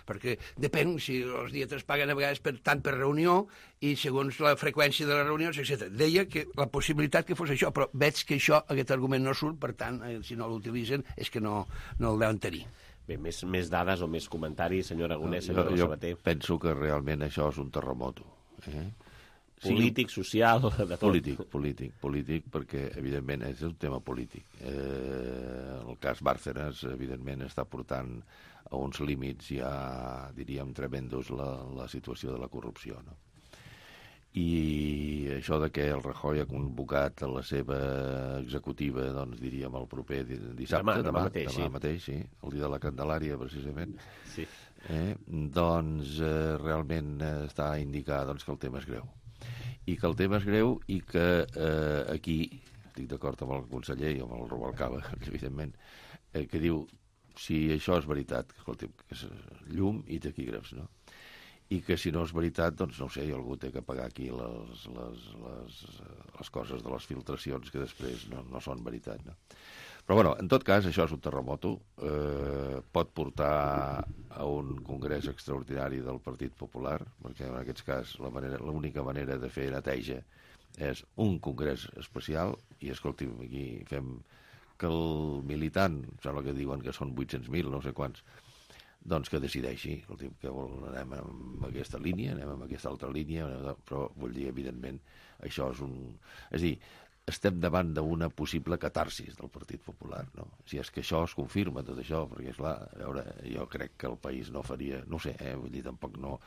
perquè depèn si els dietes paguen a vegades tant per reunió i segons la freqüència de les reunions, etc. Deia que la possibilitat que fos això, però veig que aquest argument no surt, per tant, si no l'utilitzen és que no el deuen tenir. Bé, més dades o més comentaris, senyor Aragonès, senyor Sabater. Jo penso que realment això és un terremoto. Polític, social, de tot. Polític, perquè, evidentment, és un tema polític. El cas Bárcenas, evidentment, està portant a uns límits ja, diríem, tremendos la situació de la corrupció, no? I això de que el Rajoy ha convocat a la seva executiva, doncs diríem el proper dissabte, demà mateix, sí, el dia de la Candelària, precisament, sí. Doncs realment està a indicar que el tema és greu. I que el tema és greu i que aquí, estic d'acord amb el conseller i amb el Rubalcaba, evidentment, que diu, si això és veritat, escolti, que és llum i taquígrafs, no? i que si no és veritat, doncs no ho sé, algú té que pagar aquí les coses de les filtracions que després no són veritat, no? Però, bueno, en tot cas, això és un terremoto, pot portar a un congrés extraordinari del Partit Popular, perquè en aquest cas l'única manera de fer neteja és un congrés especial, i escolti'm, aquí fem que el militant, sembla que diuen que són 800.000, no sé quants, doncs que decideixi, que anem en aquesta línia, anem en aquesta altra línia, però vull dir, evidentment, això és És dir, estem davant d'una possible catarsis del Partit Popular, no? Si és que això es confirma, tot això, perquè, esclar, a veure, jo crec que el país no faria, no sé, vull dir, tampoc no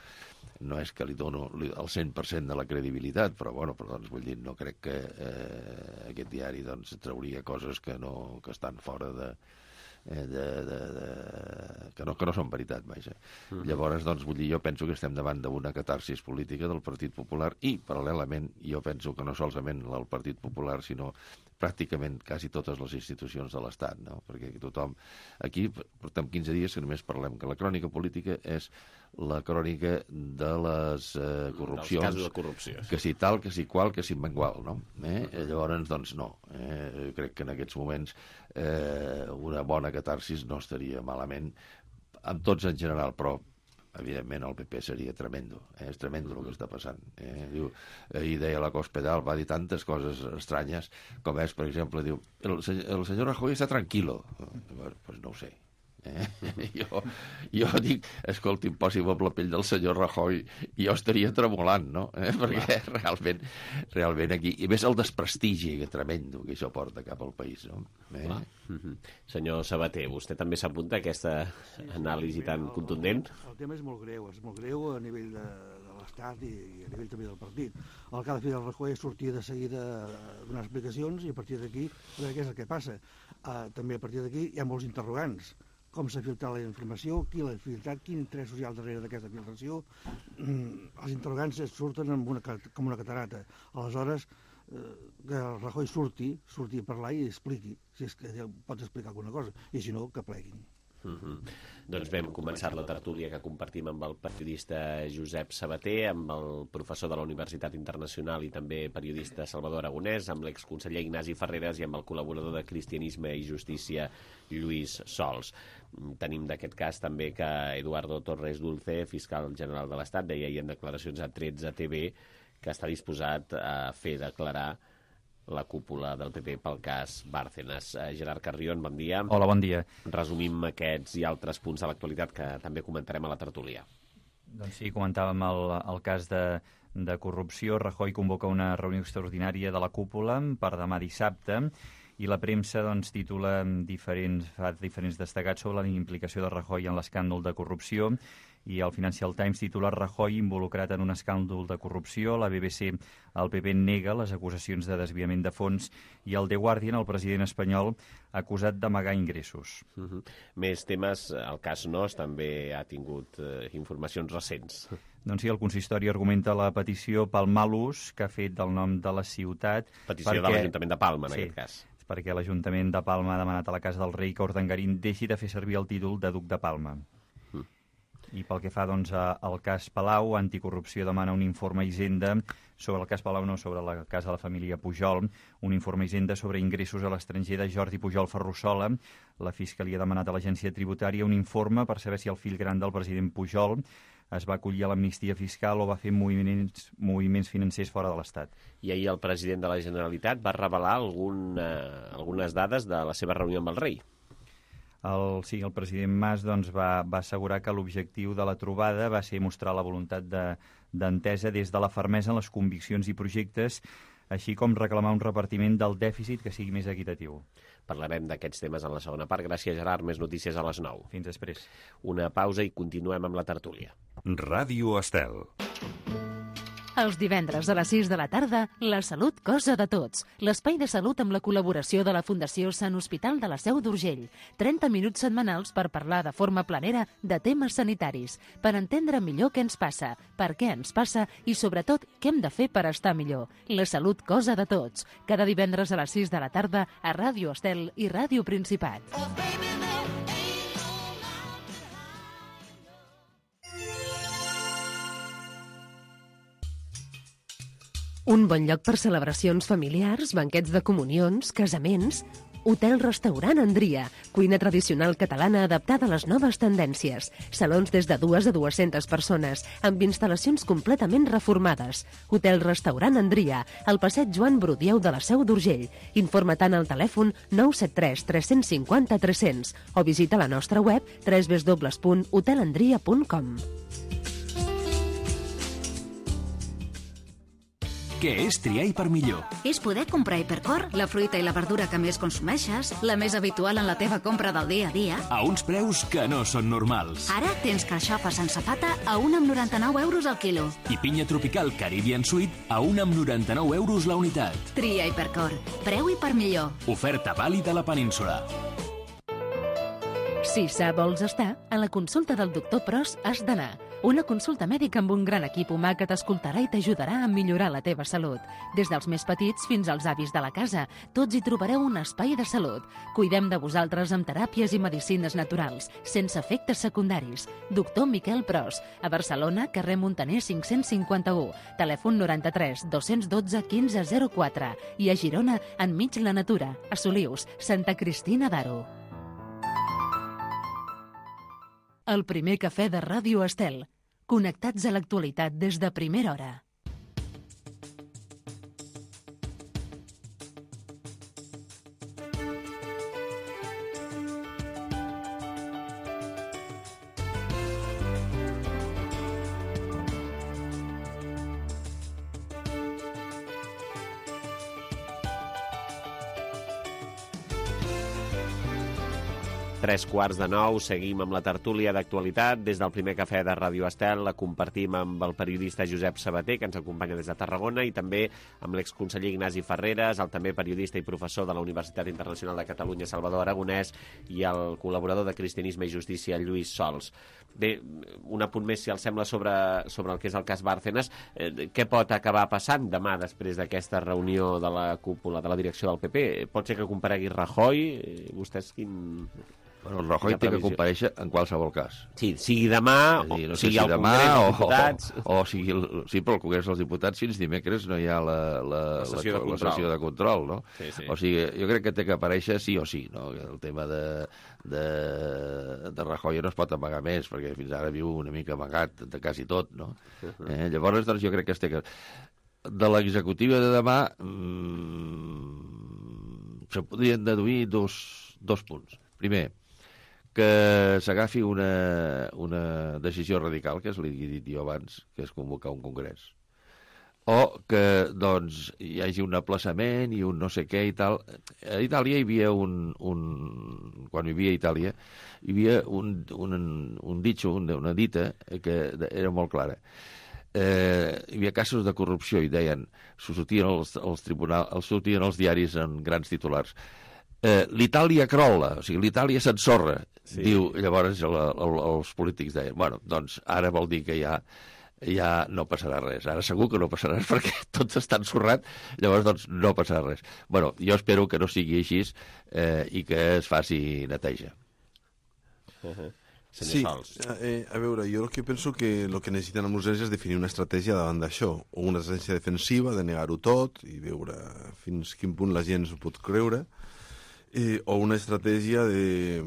és que li dono el 100% de la credibilitat, però, bueno, doncs, vull dir, no crec que aquest diari, doncs, trauria coses que estan fora que no són veritat, vaja. Llavors, doncs, vull dir, jo penso que estem davant d'una catarsis política del Partit Popular i, paral·lelament, jo penso que no solament el Partit Popular, sinó pràcticament quasi totes les institucions de l'Estat, no? Perquè tothom... Aquí portem 15 dies que només parlem que la crònica política és la crònica de les corrupcions... Dels casos de corrupció. Que si tal, que si qual, que si mengual, no? Llavors, doncs, no. Crec que en aquests moments una bona catarsis no estaria malament, amb tots en general, però evidentment el PP seria tremendo, és tremendo el que està passant. Diu, ahir deia la Cospedal, va dir tantes coses estranyes, com és, per exemple, diu, el senyor Rajoy està tranquilo. Pues no ho sé. Jo dic, escolti, posi'm la pell del senyor Rajoy, i jo estaria tremolant, no? Perquè realment aquí, i més el desprestigi que tremendo que això porta cap al país, no? Senyor Sabater, vostè també s'apunta a aquesta anàlisi tan contundent? El tema és molt greu a nivell de l'Estat i a nivell també del partit. El que ha de fer el Rajoy és sortir de seguida a donar explicacions i a partir d'aquí, a veure què és el que passa. També a partir d'aquí hi ha molts interrogants. Com s'ha filtrat la informació, qui l'ha filtrat, quin interès social darrere d'aquesta filtració. Els interrogants surten com una catarata. Aleshores, que el Rajoy surti a parlar i expliqui, si és que pot explicar alguna cosa, i si no, que pleguin. Doncs bé, hem començat la tertúlia que compartim amb el periodista Josep Sabater, amb el professor de la Universitat Internacional i també periodista Salvador Aragonès, amb l'exconseller Ignasi Ferreres i amb el col·laborador de Cristianisme i Justícia Lluís Sols. Tenim d'aquest cas també que Eduardo Torres Dulce, fiscal general de l'Estat, deia ahir en declaracions a 13TV que està disposat a fer declarar la cúpula del PP pel cas Bárcenas. Gerard Carrion, bon dia. Hola, bon dia. Resumim aquests i altres punts de l'actualitat que també comentarem a la tertúlia. Doncs sí, comentàvem el cas de corrupció. Rajoy convoca una reunió extraordinària de la cúpula per demà dissabte i la premsa doncs, titula diferents destacats sobre la implicació de Rajoy en l'escàndol de corrupció i el Financial Times titula Rajoy involucrat en un escàndol de corrupció. La BBC, el PP nega les acusacions de desviament de fons i el The Guardian, el president espanyol, acusat d'amagar ingressos. Més temes, el cas NOS també ha tingut informacions recents. Doncs sí, el consistori argumenta la petició pel mal ús que ha fet del nom de la ciutat. Petició de l'Ajuntament de Palma, en aquest cas. Perquè l'Ajuntament de Palma ha demanat a la Casa del Rei que Urdangarín deixi de fer servir el títol de Duc de Palma. I pel que fa doncs, al cas Palau, Anticorrupció demana un informe Hisenda sobre el cas Palau, no sobre el cas de la família Pujol, un informe Hisenda sobre ingressos a l'estranger de Jordi Pujol Ferrusola. La Fiscalia ha demanat a l'Agència Tributària un informe per saber si el fill gran del president Pujol es va acollir a l'amnistia fiscal o va fer moviments financers fora de l'Estat. I ahir el president de la Generalitat va revelar algunes dades de la seva reunió amb el rei. El president Mas doncs, va assegurar que l'objectiu de la trobada va ser mostrar la voluntat d'entesa des de la fermesa en les conviccions i projectes, així com reclamar un repartiment del dèficit que sigui més equitatiu. Parlarem d'aquests temes en la segona part. Gràcies, Gerard. Més notícies a les 9. Fins després. Una pausa i continuem amb la tertúlia. Ràdio Estel. Els divendres a les 6 de la tarda, La Salut, cosa de tots. L'espai de salut amb la col·laboració de la Fundació Sant Hospital de la Seu d'Urgell. 30 minuts setmanals per parlar de forma planera de temes sanitaris, per entendre millor què ens passa, per què ens passa i, sobretot, què hem de fer per estar millor. La Salut, cosa de tots. Cada divendres a les 6 de la tarda a Ràdio Estel i Ràdio Principat. Un bon lloc per celebracions familiars, banquets de comunions, casaments... Hotel-restaurant Andria, cuina tradicional catalana adaptada a les noves tendències. Salons des de 2 a 200 persones, amb instal·lacions completament reformades. Hotel-restaurant Andria, al passeig Joan Brudieu de la Seu d'Urgell. Informa tant al telèfon 973 350 300 o visita la nostra web www.hotelandria.com. Què és triar Hipermillor? És poder comprar Hipercor, la fruita i la verdura que més consumeixes, la més habitual en la teva compra del dia a dia. A uns preus que no són normals. Ara tens carxofa sense pata a 1,99 € al quilo. I pinya tropical Caribbean Sweet a 1,99 € la unitat. Tria Hipercor. Preu Hipermillor. Oferta vàlida a la península. Si sa vols estar, a la consulta del doctor Pros has d'anar. Una consulta mèdica amb un gran equip humà que t'escoltarà i t'ajudarà a millorar la teva salut. Des dels més petits fins als avis de la casa, tots hi trobareu un espai de salut. Cuidem de vosaltres amb teràpies i medicines naturals, sense efectes secundaris. Doctor Miquel Pros, a Barcelona, carrer Montaner 551, telèfon 93 212 1504 i a Girona, enmig la natura, a Solius, Santa Cristina d'Aro. El primer cafè de Ràdio Estel. Connectats a l'actualitat des de primera hora. Tres quarts de 9, seguim amb la tertúlia d'actualitat. Des del primer cafè de Ràdio Estel la compartim amb el periodista Josep Sabater, que ens acompanya des de Tarragona, i també amb l'exconseller Ignasi Ferreres, el també periodista i professor de la Universitat Internacional de Catalunya, Salvador Aragonès, i el col·laborador de Cristianisme i Justícia, Lluís Sols. Bé, un apunt més, si els sembla, sobre el que és el cas Bárcenas. Què pot acabar passant demà després d'aquesta reunió de la cúpula de la direcció del PP? Pot ser que comparegui Rajoy? Vostès quin... Bueno, el Rajoy té que comparèixer en qualsevol cas. Sí, sigui demà, dir, no sigui al demà, Congrés dels Diputats... Sí, però al Congrés dels Diputats fins dimecres no hi ha la sessió de control, no? Sí. O sigui, jo crec que té que aparèixer sí o sí, no? El tema de Rajoy no es pot amagar més, perquè fins ara viu una mica amagat de quasi tot, no? Llavors, doncs, jo crec que es té que... De l'executiva de demà se podrien deduir dos punts. Primer, que s'agafi una decisió radical, que és l'he dit jo abans, que és convocar un congrés. O que, doncs, hi hagi un aplaçament i un no sé què i tal. A Itàlia hi havia quan vivia a Itàlia, hi havia un ditxo, una dita, que era molt clara. Hi havia casos de corrupció i deien, sortien els tribunals, sortien els diaris en grans titulars. L'Itàlia crolla, o sigui, l'Itàlia s'ensorra, sí. Diu, llavors els polítics deien, bueno, doncs ara vol dir que ja no passarà res, ara segur que no passarà res perquè tot està ensorrat, llavors doncs no passarà res. Bueno, jo espero que no sigui així i que es faci neteja. Sí, a veure, jo penso que el que necessiten amb urgència és definir una estratègia davant d'això, o una estratègia defensiva de negar-ho tot i veure fins quin punt la gent s'ho pot creure, o una estratègia de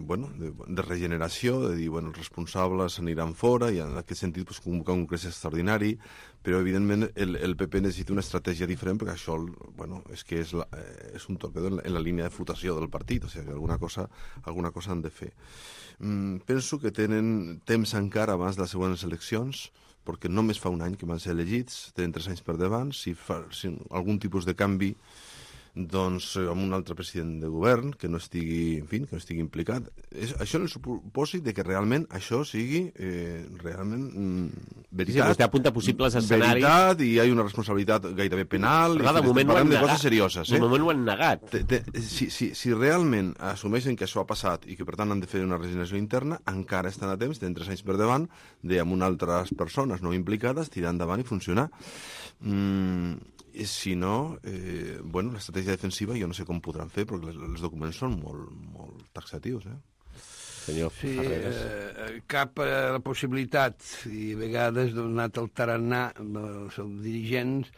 regeneració, de dir, els responsables aniran fora i en aquest sentit convocar un congrés extraordinari, però evidentment el PP necessita una estratègia diferent perquè això és que és un torpedor en la línia de flotació del partit, o sigui que alguna cosa han de fer. Penso que tenen temps encara abans de les següents eleccions, perquè només fa un any que van ser elegits, tenen 3 anys per davant, si algun tipus de canvi doncs amb un altre president de govern que no estigui implicat. Això en el supòsit de que realment això sigui realment veritat. Sí, vostè apunta possibles escenaris. Veritat, i hi ha una responsabilitat gairebé penal. Però de moment parlem de coses serioses. De moment ho han negat. Si realment assumeixen que això ha passat i que per tant han de fer una regeneració interna, encara estan a temps, tenen 3 anys per davant, amb altres persones no implicades, tirar endavant i funcionar. Si no, l'estratègia defensiva jo no sé com podran fer, perquè els documents són molt taxatius. Senyor Ferreres. Cap a la possibilitat, i a vegades donat el tarannà dels dirigents,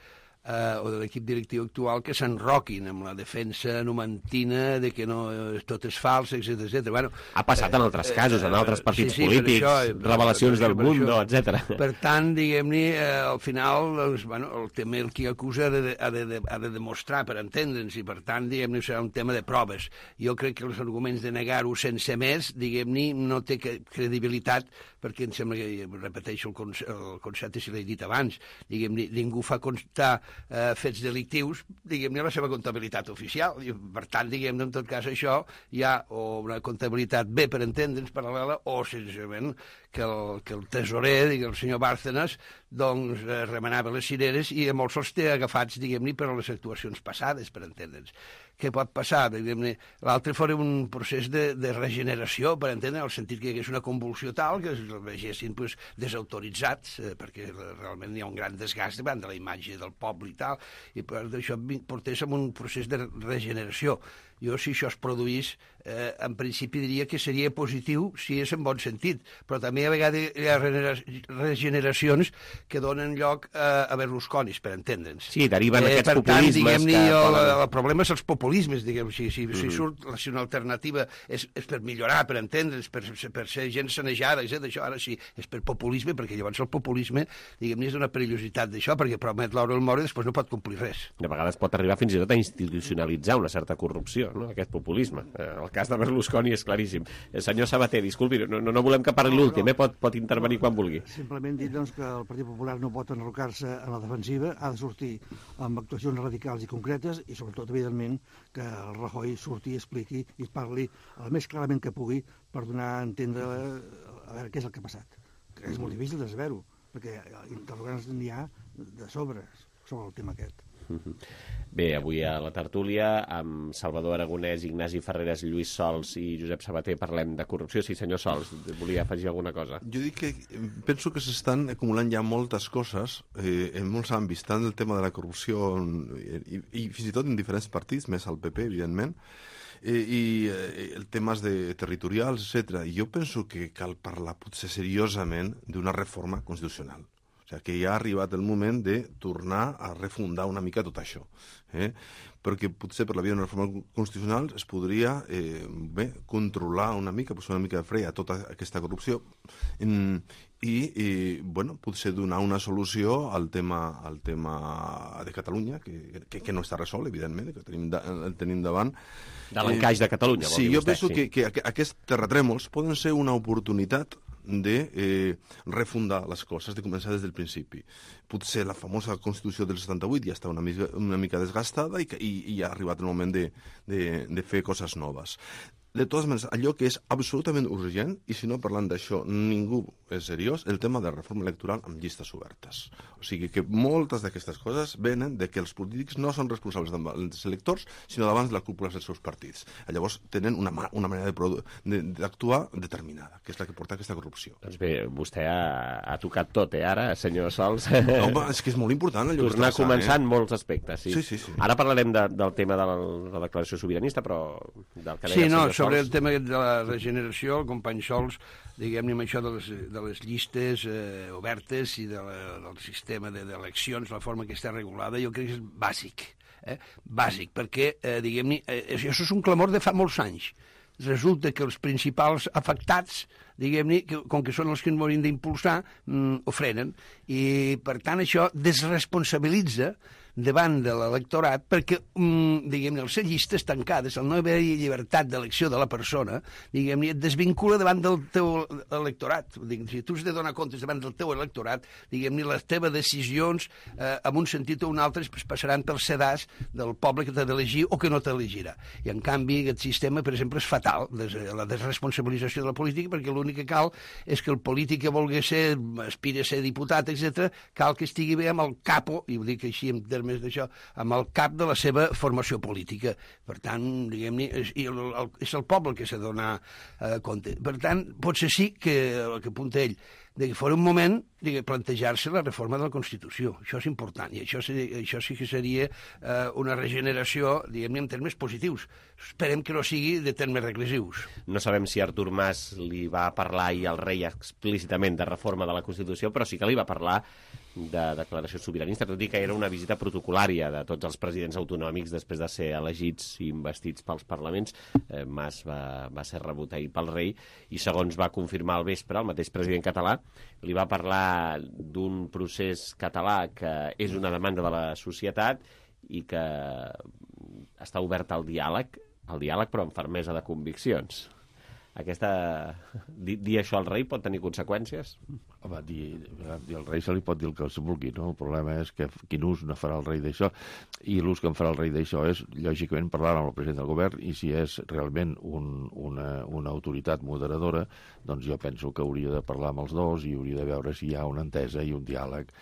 o de l'equip directiu actual que s'enroquin amb la defensa numantina de que no tot és fals, etc. Bueno, ha passat en altres casos, en altres partits polítics, revelacions del Mundo, etc. Per tant, diguem-ne, al final, doncs, bueno, el tema el qui acusa ha de demostrar per entendre'ns, i per tant, diguem-ne, serà un tema de proves. Jo crec que els arguments de negar-ho sense més, diguem-ne, no té credibilitat, perquè em sembla que, repeteixo el concepte si l'he dit abans, diguem-ne, ningú fa constar fets delictius, diguem-ne, la seva comptabilitat oficial. I, per tant, diguem-ne, en tot cas, això hi ha o una comptabilitat bé per entendre'ns paral·lela, o senzillament que el tesorer, el senyor Bárcenas, doncs remenava les cireres i a molts els té agafats, diguem-ne, per a les actuacions passades, per entendre'ns. Què pot passar? L'altre fora un procés de regeneració, per entendre, en el sentit que hi hagués una convulsió tal que es vegessin desautoritzats, perquè realment hi ha un gran desgast davant de la imatge del poble i tal, i per això portés a un procés de regeneració. Jo, si això es produís, en principi diria que seria positiu si és en bon sentit, però també a vegades hi ha regeneracions que donen lloc a Berlusconis, per entendre'ns. Sí, deriven aquests populismes. Per tant, diguem-ne, el problema és els populismes, diguem, si surt una alternativa és per millorar, per entendre'ns, per ser gent sanejada, etc. Això ara sí, és per populisme, perquè llavors el populisme, diguem-ne, és una perillositat d'això, perquè promet l'hora el moro i després no pot complir res. De vegades pot arribar fins i tot a institucionalitzar una certa corrupció, no? Aquest populisme. El cas de Berlusconi és claríssim. Senyor Sabater, disculpi, no volem que parli l'últim, pot intervenir quan vulgui. Simplement dir doncs, que el Partit Popular no pot enrocar-se en la defensiva, ha de sortir amb actuacions radicals i concretes i, sobretot, evidentment, que el Rajoy surti, expliqui i parli el més clarament que pugui per donar a entendre a veure què és el que ha passat. Que és molt difícil de saber-ho, perquè interrogants n'hi ha de sobre el tema aquest. Bé, avui a la tertúlia amb Salvador Aragonès, Ignasi Ferreres, Lluís Sols i Josep Sabater parlem de corrupció. Sí, senyor Sols, volia afegir alguna cosa. Jo dic que penso que s'estan acumulant ja moltes coses en molts àmbits, tant el tema de la corrupció i fins i tot en diferents partits, més al PP, evidentment, i temes territorials, etc. I jo penso que cal parlar potser seriosament d'una reforma constitucional. O sigui, que ja ha arribat el moment de tornar a refundar una mica tot això. Perquè potser per la via d'una reforma constitucional es podria controlar una mica, posar una mica de fre a tota aquesta corrupció i potser donar una solució al tema de Catalunya, que no està resolt, evidentment, que el tenim davant. De l'encaix de Catalunya, vol dir vostè. Sí, jo penso que aquests terratrèmols poden ser una oportunitat de refundar les coses, de començar des del principi. Potser la famosa Constitució del 78 ja està una mica desgastada i ha arribat el moment de fer coses noves. De totes maneres, allò que és absolutament urgent, i si no parlant d'això ningú és seriós, el tema de reforma electoral amb llistes obertes. O sigui que moltes d'aquestes coses venen de que els polítics no són responsables dels electors, sinó davant de les cúpules dels seus partits. Llavors tenen una manera d'actuar determinada, que és la que porta a aquesta corrupció. Doncs bé, vostè ha tocat tot, ara, senyor Sols? Home, és que és molt important allò que està passant. Tornar a començar en molts aspectes, sí. Sí. Ara parlarem del tema de la declaració sobiranista, però del que deia el senyor Sols. Sobre el tema de la regeneració, el company Sols, diguem-ne amb això de les llistes obertes i del sistema d'eleccions, la forma que està regulada, jo crec que és bàsic. Bàsic, perquè, diguem-ne, això és un clamor de fa molts anys. Resulta que els principals afectats, diguem-ne, com que són els que ens haurien d'impulsar, ho frenen. I, per tant, això desresponsabilitza davant de l'electorat perquè, diguem-ne, les llistes tancades, el no haver-hi llibertat d'elecció de la persona, diguem-ne, et desvincula davant del teu electorat. Si tu has de donar comptes davant del teu electorat, diguem-ne, les teves decisions, en un sentit o un altre, passaran pel sedàs del poble que t'ha d'elegir o que no t'elegirà. I, en canvi, aquest sistema, per exemple, és fatal, la desresponsabilització de la política, perquè l'únic que cal és que el polític que vulgui ser, aspira a ser diputat, etc., cal que estigui bé amb el capo, i ho dic així en termes d'això, amb el cap de la seva formació política. Per tant, diguem-ne, és el poble que s'ha de donar compte. Per tant, potser sí que el que apunta ell, que fora un moment de plantejar-se la reforma de la Constitució. Això és important, i això sí que seria una regeneració, diguem-ne, en termes positius. Esperem que no sigui de termes regressius. No sabem si Artur Mas li va parlar ahir al rei explícitament de reforma de la Constitució, però sí que li va parlar de declaració sobiranista, tot i que era una visita protocolària de tots els presidents autonòmics després de ser elegits i investits pels parlaments. Mas va ser rebut ahir pel rei i, segons va confirmar al vespre, el mateix president català li va parlar d'un procés català que és una demanda de la societat i que està obert al diàleg però amb fermesa de conviccions. Dir això al rei pot tenir conseqüències? Home, dir al rei se li pot dir el que es vulgui, no? El problema és que quin ús no farà el rei d'això, i l'ús que en farà el rei d'això és, lògicament, parlar amb el president del govern, i si és realment una autoritat moderadora, doncs jo penso que hauria de parlar amb els dos i hauria de veure si hi ha una entesa i un diàleg.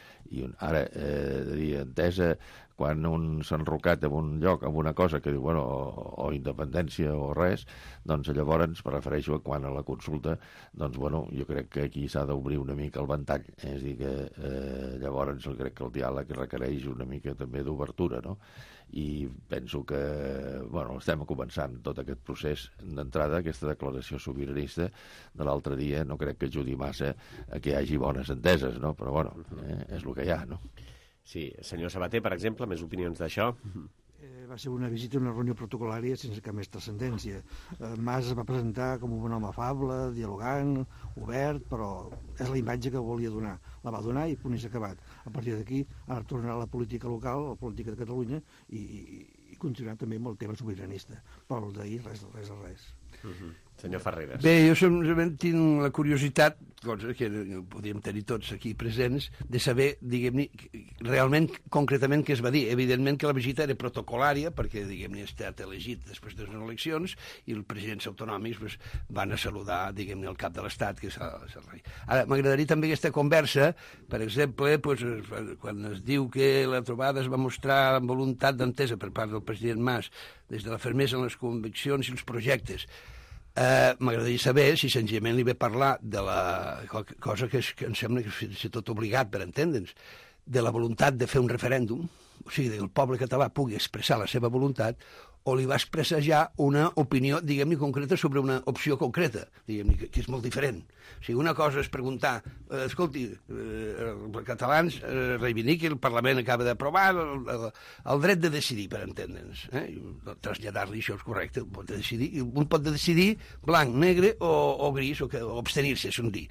Ara, de dir entesa quan un s'ha enrocat en un lloc, en una cosa que diu, bueno, o independència o res, doncs llavors, me refereixo a quan a la consulta, doncs, bueno, jo crec que aquí s'ha d'obrir una mica el ventall, és a dir, que llavors crec que el diàleg requereix una mica també d'obertura, no? I penso que, bueno, estem començant tot aquest procés d'entrada, aquesta declaració sobiranista de l'altre dia, no crec que ajudi massa a que hi hagi bones enteses, no? Però, bueno, és el que hi ha, no? Sí, senyor Sabater, per exemple, més opinions d'això? Va ser una visita, una reunió protocolària sense cap més transcendència. Mas es va presentar com un home afable, dialogant, obert, però és la imatge que volia donar. La va donar i punt i s'ha acabat. A partir d'aquí ha tornat a la política local, a la política de Catalunya, i continuar també amb el tema sobiranista. Però el d'ahir, res de res. Senyor Ferreres. Bé, jo simplement tinc la curiositat, cosa que podríem tenir tots aquí presents, de saber, diguem-ne, realment, concretament, què es va dir. Evidentment que la visita era protocolària, perquè, diguem-ne, ha estat elegit després de les eleccions, i els presidents autonòmics van a saludar, diguem-ne, el cap de l'Estat, que és el rei. Ara, m'agradaria també aquesta conversa, per exemple, quan es diu que la trobada es va mostrar amb voluntat d'entesa per part del president Mas, des de la fermesa en les conviccions i els projectes. M'agradaria saber si senzillament li ve parlar de la cosa que em sembla que és tot obligat per entendre'ns, de la voluntat de fer un referèndum, o sigui, que el poble català pugui expressar la seva voluntat, o li va expressar ja una opinió, diguem-ne, concreta sobre una opció concreta, diguem-ne, que és molt diferent. O sigui, una cosa és preguntar, escolti, els catalans reivindiquen, el Parlament acaba d'aprovar el dret de decidir, per entendre'ns. Traslladar-li això és correcte, un pot decidir blanc, negre o gris, o abstenir-se, és un dir.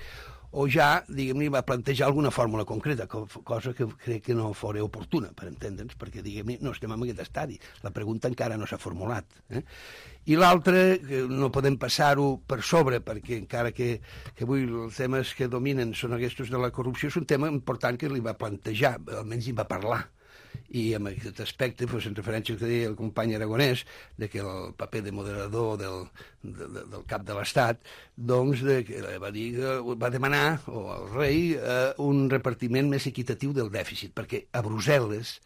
O ja, diguem-ne, va plantejar alguna fórmula concreta, cosa que crec que no fora oportuna, per entendre'ns, perquè, diguem-ne, no estem en aquest estadi. La pregunta encara no s'ha formulat. I l'altre, que no podem passar-ho per sobre, perquè encara que avui els temes que dominen són aquests de la corrupció, és un tema important que li va plantejar, almenys hi va parlar. I en aquest aspecte, en referència al que deia el company Aragonès, de que el paper de moderador del cap de l'Estat, doncs va demanar, o el rei, un repartiment més equitatiu del dèficit, perquè a Brussel·les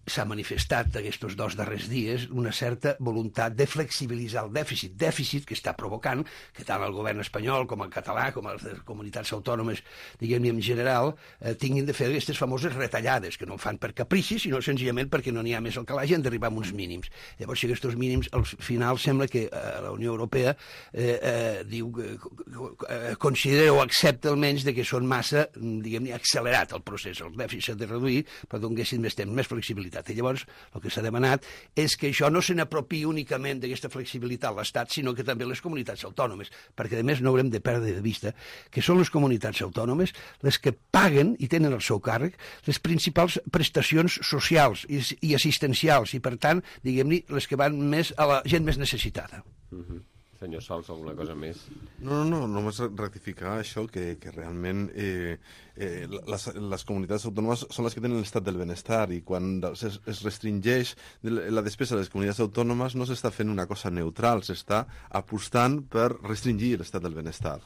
s'ha manifestat aquests 2 darrers dies una certa voluntat de flexibilitzar el dèficit que està provocant que tant el govern espanyol com el català, com les comunitats autònomes, diguem-ne en general, tinguin de fer aquestes famoses retallades, que no fan per caprici, sinó senzillament perquè no n'hi ha més al calaix i han d'arribar a uns mínims. Llavors, si aquests mínims, al final sembla que la Unió Europea diu, considera o accepta almenys que són massa, diguem-ne, accelerat el procés. El dèficit s'ha de reduir, però donguessin més temps, més flexibilitat. I llavors el que s'ha demanat és que això no se n'apropi únicament d'aquesta flexibilitat l'Estat, sinó que també les comunitats autònomes, perquè a més no haurem de perdre de vista que són les comunitats autònomes les que paguen i tenen al seu càrrec les principals prestacions socials i assistencials i, per tant, diguem-ne, les que van més a la gent més necessitada. Senyor Sols, alguna cosa més? No, només rectificar això, que realment les comunitats autònomes són les que tenen l'estat del benestar, i quan es restringeix la despesa de les comunitats autònomes no s'està fent una cosa neutral, s'està apostant per restringir l'estat del benestar.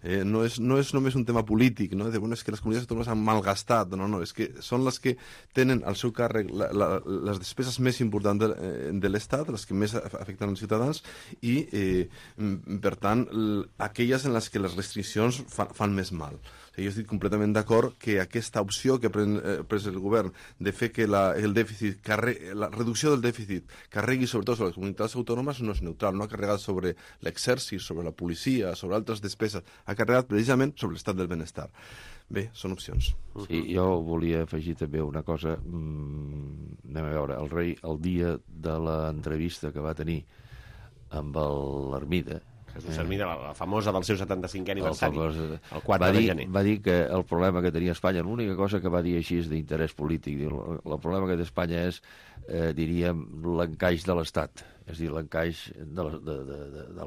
No és només un tema polític, no? És que les comunitats autònomes han malgastat, no, és que són les que tenen al seu càrrec les despeses més importants de l'Estat, les que més afecten els ciutadans, i, per tant, aquelles en les que les restriccions fan més mal. Jo estic completament d'acord que aquesta opció que ha pres el govern de fer que la reducció del dèficit carregui sobretot sobre les comunitats autònomes no és neutral, no ha carregat sobre l'exèrcit, sobre la policia, sobre altres despeses, ha carregat precisament sobre l'estat del benestar. Bé, són opcions. Sí, jo volia afegir també una cosa. Anem a veure, el rei, el dia de l'entrevista que va tenir amb l'Ermida, Jesús Hermida, la famosa del seu 75è aniversari, el 4 de gener. Va dir que el problema que tenia Espanya, l'única cosa que va dir així és d'interès polític, el problema que té Espanya és, diríem, l'encaix de l'Estat, és a dir, l'encaix de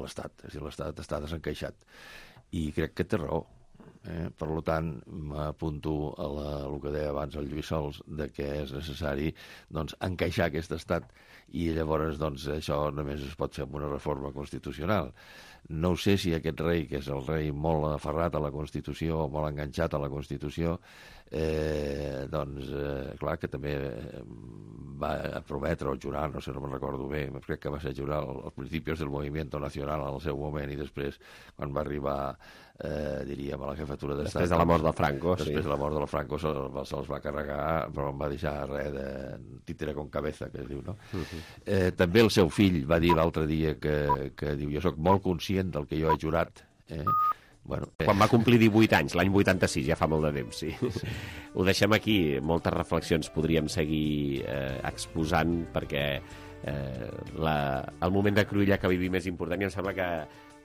l'Estat, és a dir, l'Estat està desencaixat. I crec que té raó. Per tant, m'apunto a el que deia abans el Lluís Sols, de que és necessari encaixar aquest estat, i llavors això només es pot fer amb una reforma constitucional. No sé si aquest rei, que és el rei molt aferrat a la Constitució, molt enganxat a la Constitució, clar, que també va prometre o jurar, no sé, no me'n recordo bé, crec que va ser jurar els principis del Movimiento Nacional al seu moment, i després, quan va arribar, diríem, a la jefatura d'estat... Després de la mort de Franco, sí. Després de la mort de Franco se'ls va carregar, però no va deixar res de títere con cabeza, que es diu, no? També el seu fill va dir l'altre dia que diu, jo sóc molt conscient del que jo he jurat, Quan va complir 18 anys, l'any 86, ja fa molt de temps, sí. Ho deixem aquí, moltes reflexions podríem seguir exposant, perquè el moment de cruïlla que vivim és important, i em sembla que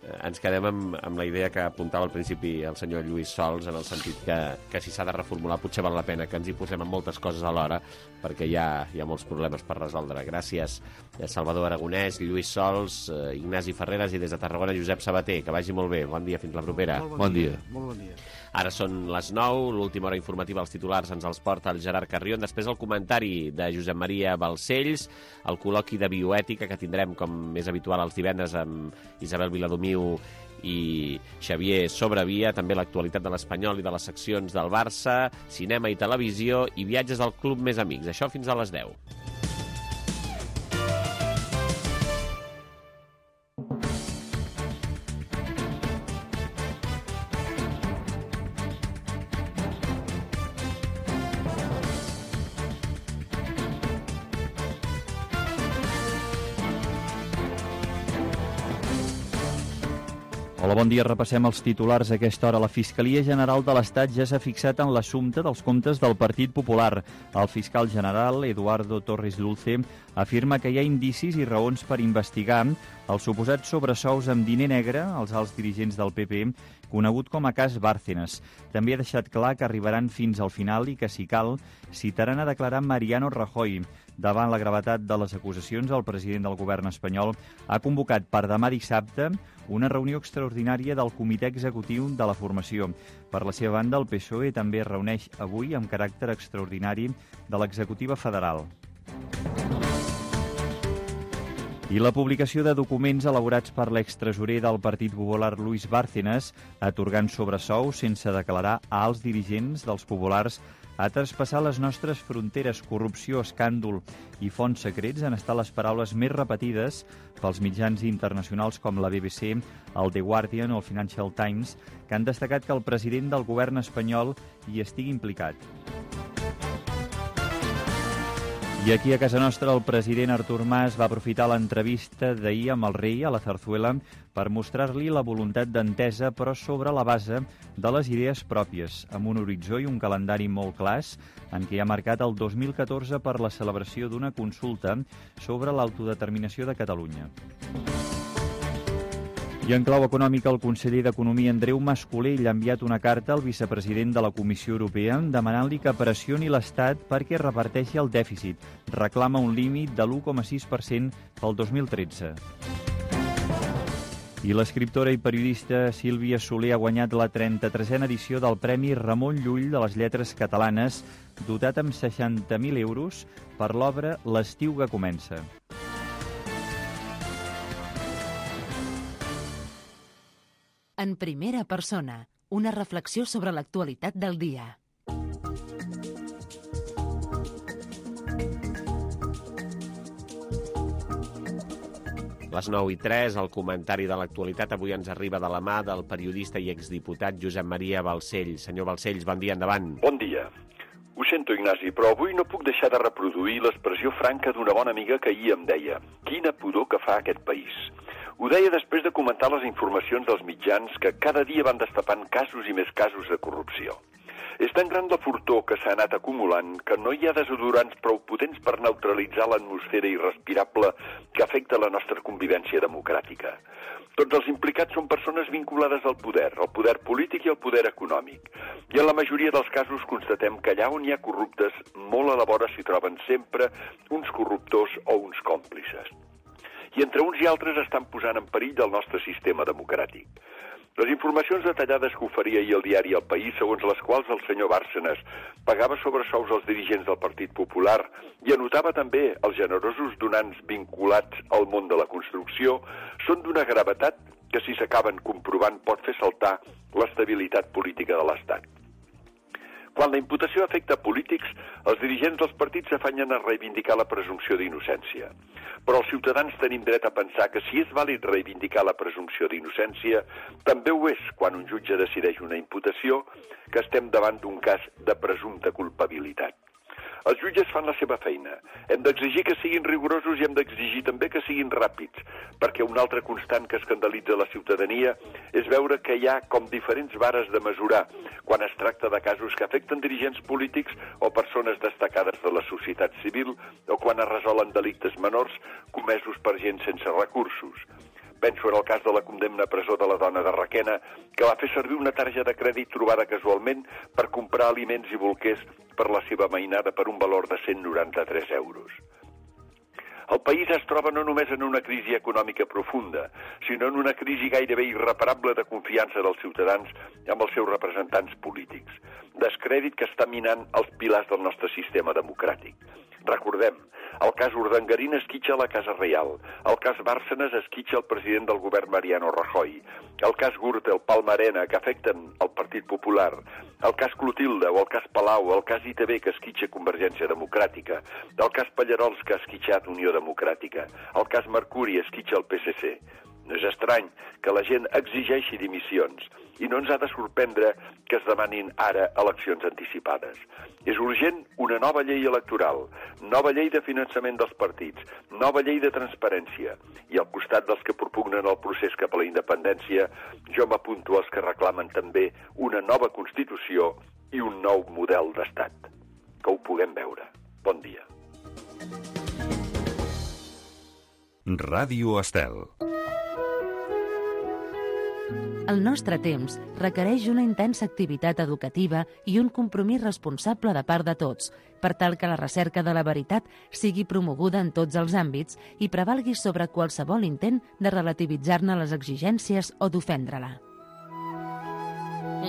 ens quedem amb la idea que apuntava al principi el senyor Lluís Sols, en el sentit que si s'ha de reformular potser val la pena que ens hi posem amb moltes coses alhora, perquè hi ha molts problemes per resoldre. Gràcies, Salvador Aragonès, Lluís Sols, Ignasi Ferreres, i des de Tarragona, Josep Sabater. Que vagi molt bé. Bon dia, fins la propera. Bon dia. Molt bon dia. Ara són les 9, l'última hora informativa, els titulars ens els porta el Gerard Carrion, després el comentari de Josep Maria Balcells, el col·loqui de bioètica que tindrem, com és habitual, els divendres amb Isabel Viladomiu i Xavier Sobrevia, també l'actualitat de l'Espanyol i de les seccions del Barça, cinema i televisió i viatges al Club Més Amics. Això fins a les 10. Hola, bon dia. Repassem els titulars a aquesta hora. La Fiscalia General de l'Estat ja s'ha fixat en l'assumpte dels comptes del Partit Popular. El fiscal general, Eduardo Torres Dulce, afirma que hi ha indicis i raons per investigar els suposats sobresous amb diner negre als alts dirigents del PP, conegut com a cas Bárcenas. També ha deixat clar que arribaran fins al final i que, si cal, citaran a declarar Mariano Rajoy. Davant la gravetat de les acusacions, el president del govern espanyol ha convocat per demà dissabte una reunió extraordinària del Comitè Executiu de la Formació. Per la seva banda, el PSOE també es reuneix avui amb caràcter extraordinari de l'executiva federal. I la publicació de documents elaborats per l'extresorer del Partit Popular Luis Bárcenas, atorgant sobresous sense declarar a alts dirigents dels populars, ha traspassat les nostres fronteres. Corrupció, escàndol i fons secrets han estat les paraules més repetides pels mitjans internacionals com la BBC, el The Guardian o el Financial Times, que han destacat que el president del govern espanyol hi estigui implicat. I aquí a casa nostra el president Artur Mas va aprofitar l'entrevista d'ahir amb el rei a la Zarzuela per mostrar-li la voluntat d'entesa, però sobre la base de les idees pròpies, amb un horitzó i un calendari molt clars, en què ha marcat el 2014 per la celebració d'una consulta sobre l'autodeterminació de Catalunya. I en clau econòmica, el conseller d'Economia, Andreu Mas-Colell, ha enviat una carta al vicepresident de la Comissió Europea demanant-li que pressioni l'Estat perquè reparteixi el dèficit. Reclama un límit de l'1,6% pel 2013. I l'escriptora i periodista Sílvia Soler ha guanyat la 33a edició del Premi Ramon Llull de les Lletres Catalanes, dotat amb 60.000 euros per l'obra L'estiu que comença. En primera persona, una reflexió sobre l'actualitat del dia. Les 9:03, el comentari de l'actualitat avui ens arriba de la mà del periodista i exdiputat Josep Maria Balcells. Senyor Balcells, bon dia, endavant. Bon dia. Ho sento, Ignasi, però avui no puc deixar de reproduir l'expressió franca d'una bona amiga que ahir em deia: quina pudor que fa aquest país. Ho deia després de comentar les informacions dels mitjans que cada dia van destapant casos i més casos de corrupció. És tan gran la fortor que s'ha anat acumulant que no hi ha desodorants prou potents per neutralitzar l'atmosfera irrespirable que afecta la nostra convivència democràtica. Tots els implicats són persones vinculades al poder polític i al poder econòmic. I en la majoria dels casos constatem que allà on hi ha corruptes, molt a la vora s'hi troben sempre uns corruptors o uns còmplices. I entre uns i altres estan posant en perill el nostre sistema democràtic. Les informacions detallades que oferia ahir el diari El País, segons les quals el senyor Bárcenas pagava sobresous als dirigents del Partit Popular i anotava també els generosos donants vinculats al món de la construcció, són d'una gravetat que, si s'acaben comprovant, pot fer saltar l'estabilitat política de l'Estat. Quan la imputació afecta polítics, els dirigents dels partits s'afanyen a reivindicar la presumpció d'innocència. Però els ciutadans tenim dret a pensar que si és vàlid reivindicar la presumpció d'innocència, també ho és quan un jutge decideix una imputació que estem davant d'un cas de presumpta culpabilitat. Els jutges fan la seva feina. Hem d'exigir que siguin rigorosos i hem d'exigir també que siguin ràpids, perquè un altre constant que escandalitza la ciutadania és veure que hi ha com diferents vares de mesurar quan es tracta de casos que afecten dirigents polítics o persones destacades de la societat civil o quan es resolen delictes menors comesos per gent sense recursos. Penso en el cas de la condemna a presó de la dona de Requena, que va fer servir una targeta de crèdit trobada casualment per comprar aliments i bolquers per la seva mainada per un valor de 193 euros. El país es troba no només en una crisi econòmica profunda, sinó en una crisi gairebé irreparable de confiança dels ciutadans amb els seus representants polítics. Descrèdit que està minant els pilars del nostre sistema democràtic. Recordem, el cas Urdangarín esquitxa la Casa Reial, el cas Bárcenas esquitxa el president del govern Mariano Rajoy, el cas Gürtel, Palma-Arena, que afecten el Partit Popular, el cas Clotilde o el cas Palau, el cas ITV que esquitxa Convergència Democràtica, el cas Pallarols que ha esquitxat Unió Democràtica, el cas Mercuri esquitxa el PSC. No és estrany que la gent exigeixi dimissions i no ens ha de sorprendre que es demanin ara eleccions anticipades. És urgent una nova llei electoral, nova llei de finançament dels partits, nova llei de transparència i al costat dels que propugnen el procés cap a la independència, jo m'apunto als que reclamen també una nova Constitució i un nou model d'Estat. Que ho puguem veure. Bon dia. Ràdio Estel. El nostre temps requereix una intensa activitat educativa i un compromís responsable de part de tots, per tal que la recerca de la veritat sigui promoguda en tots els àmbits i prevalgui sobre qualsevol intent de relativitzar-ne les exigències o d'ofendre-la.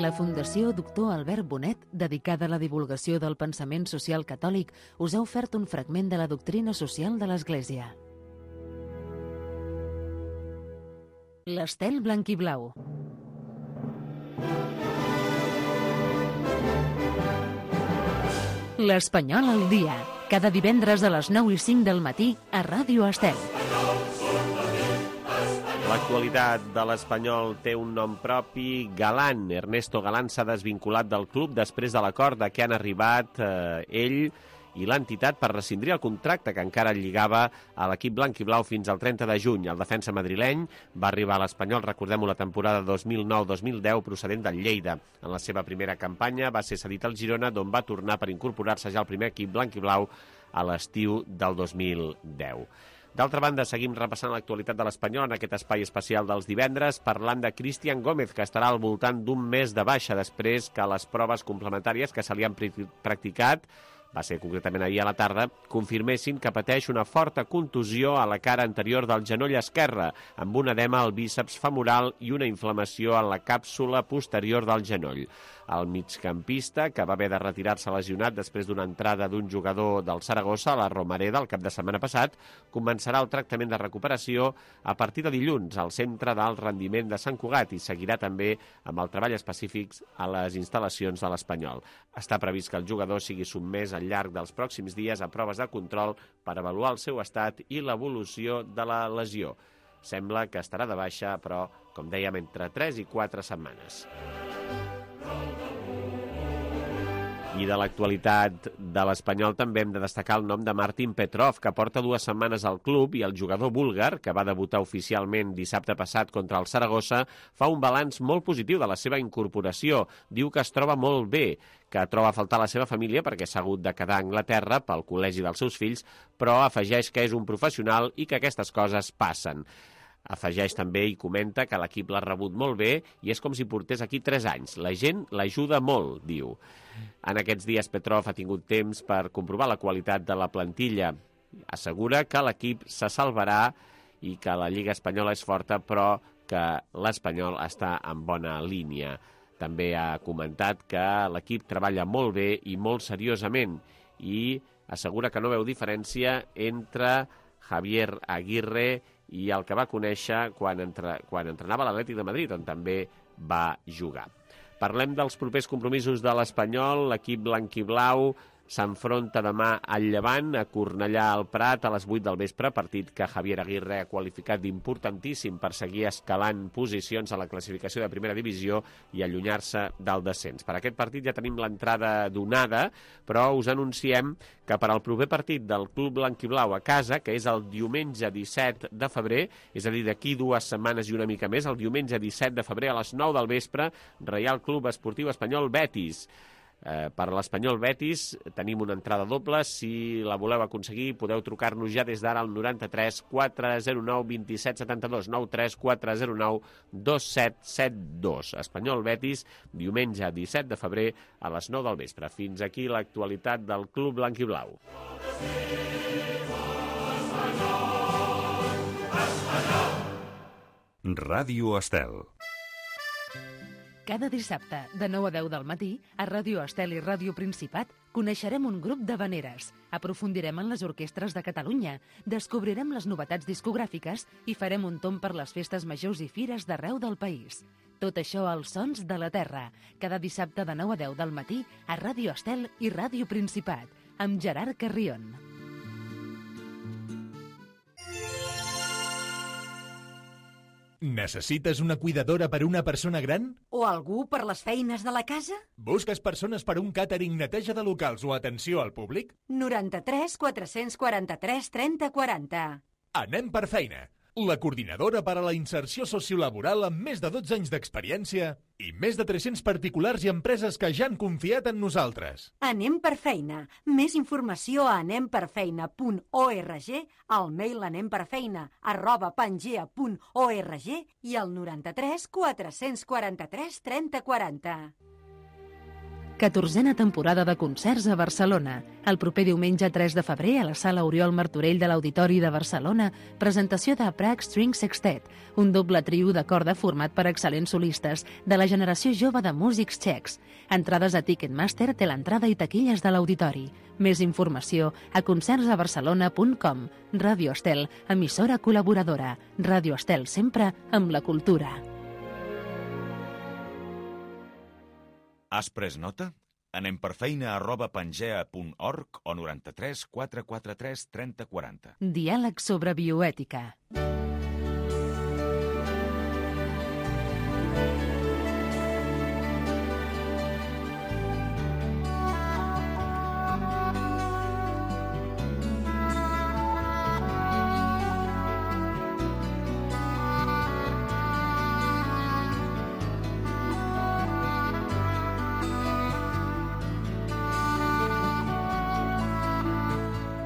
La Fundació Doctor Albert Bonet, dedicada a la divulgació del pensament social catòlic, us ha ofert un fragment de la doctrina social de l'Església. L'estel blanc i blau. L'Espanyol al dia, cada divendres a les 9:05 del matí a Ràdio Estel. L'actualitat de l'Espanyol té un nom propi, Galán. Ernesto Galán s'ha desvinculat del club després de l'acord de què han arribat ell i l'entitat per rescindir el contracte que encara lligava a l'equip blanc i blau fins al 30 de juny. El defensa madrileny va arribar a l'Espanyol, recordem-ho, la temporada 2009-2010, procedent del Lleida. En la seva primera campanya va ser cedit al Girona, d'on va tornar per incorporar-se ja al primer equip blanc i blau a l'estiu del 2010. D'altra banda, seguim repassant l'actualitat de l'Espanyol en aquest espai especial dels divendres, parlant de Cristian Gómez, que estarà al voltant d'un mes de baixa després que les proves complementàries que se li han practicat, va ser concretament ahir a la tarda, confirmessin que pateix una forta contusió a la cara anterior del genoll esquerre, amb un edema al bíceps femoral i una inflamació en la càpsula posterior del genoll. El migcampista, que va haver de retirar-se lesionat després d'una entrada d'un jugador del Saragossa a la Romareda el cap de setmana passat, començarà el tractament de recuperació a partir de dilluns al Centre d'Alt Rendiment de Sant Cugat i seguirà també amb el treball específic a les instal·lacions de l'Espanyol. Està previst que el jugador sigui sotmès al llarg dels pròxims dies a proves de control per avaluar el seu estat i l'evolució de la lesió. Sembla que estarà de baixa, però, com dèiem, entre 3 i 4 setmanes. I de l'actualitat de l'Espanyol també hem de destacar el nom de Martin Petrov, que porta 2 setmanes al club, i el jugador búlgar, que va debutar oficialment dissabte passat contra el Saragossa, fa un balanç molt positiu de la seva incorporació. Diu que es troba molt bé, que troba a faltar la seva família perquè s'ha hagut de quedar a Anglaterra pel col·legi dels seus fills, però afegeix que és un professional i que aquestes coses passen. Afegeix també i comenta que l'equip l'ha rebut molt bé i és com si portés aquí 3 anys. La gent l'ajuda molt, diu. En aquests dies Petrov ha tingut temps per comprovar la qualitat de la plantilla. Assegura que l'equip se salvarà i que la Lliga Espanyola és forta, però que l'Espanyol està en bona línia. També ha comentat que l'equip treballa molt bé i molt seriosament i assegura que no veu diferència entre Javier Aguirre i el que va conèixer quan entrenava a l'Atlètic de Madrid, on també va jugar. Parlem dels propers compromisos de l'Espanyol. L'equip blanquiblau s'enfronta demà al Llevant, a Cornellà al Prat, a les 8 del vespre, partit que Javier Aguirre ha qualificat d'importantíssim per seguir escalant posicions a la classificació de primera divisió i allunyar-se del descens. Per aquest partit ja tenim l'entrada donada, però us anunciem que per al proper partit del Club Blanquiblau a casa, que és el diumenge 17 de febrer, és a dir, d'aquí 2 setmanes i una mica més, el diumenge 17 de febrer a les 9 del vespre, Reial Club Esportiu Espanyol Betis. Per l'Espanyol Betis tenim una entrada doble. Si la voleu aconseguir, podeu trucar-nos ja des d'ara al 93 409 27 72, 93 409 2772. Espanyol Betis, diumenge 17 de febrer a les 9 del vespre. Fins aquí l'actualitat del Club Blanquiblau. Ràdio Estel. Cada dissabte, de 9 a 10 del matí, a Ràdio Estel i Ràdio Principat, coneixerem un grup d'havaneres, aprofundirem en les orquestres de Catalunya, descobrirem les novetats discogràfiques i farem un tomb per les festes majors i fires d'arreu del país. Tot això als Sons de la Terra, cada dissabte de 9 a 10 del matí, a Ràdio Estel i Ràdio Principat, amb Gerard Carrion. Necessites una cuidadora per a una persona gran? O algú per les feines de la casa? Busques persones per a un càtering, neteja de locals o atenció al públic? 93 443 30 40. Anem per feina. La coordinadora per a la inserció sociolaboral amb més de 12 anys d'experiència i més de 300 particulars i empreses que ja han confiat en nosaltres. Anem per feina. Més informació a anemperfeina.org, al mail anemperfeina@pangea.org i al 93 443 30 40. 14a temporada de concerts a Barcelona. El proper diumenge 3 de febrer a la Sala Oriol Martorell de l'Auditori de Barcelona, presentació de Prague String Sextet, un doble trio de corda format per excel·lents solistes de la generació jove de músics txecs. Entrades a Ticketmaster té l'entrada i taquilles de l'Auditori. Més informació a concertsabarcelona.com. Ràdio Estel, emissora col·laboradora. Ràdio Estel, sempre amb la cultura. Has pres nota? Anem per feina@pangea.org o 93 443 30 40. Diàleg sobre bioètica.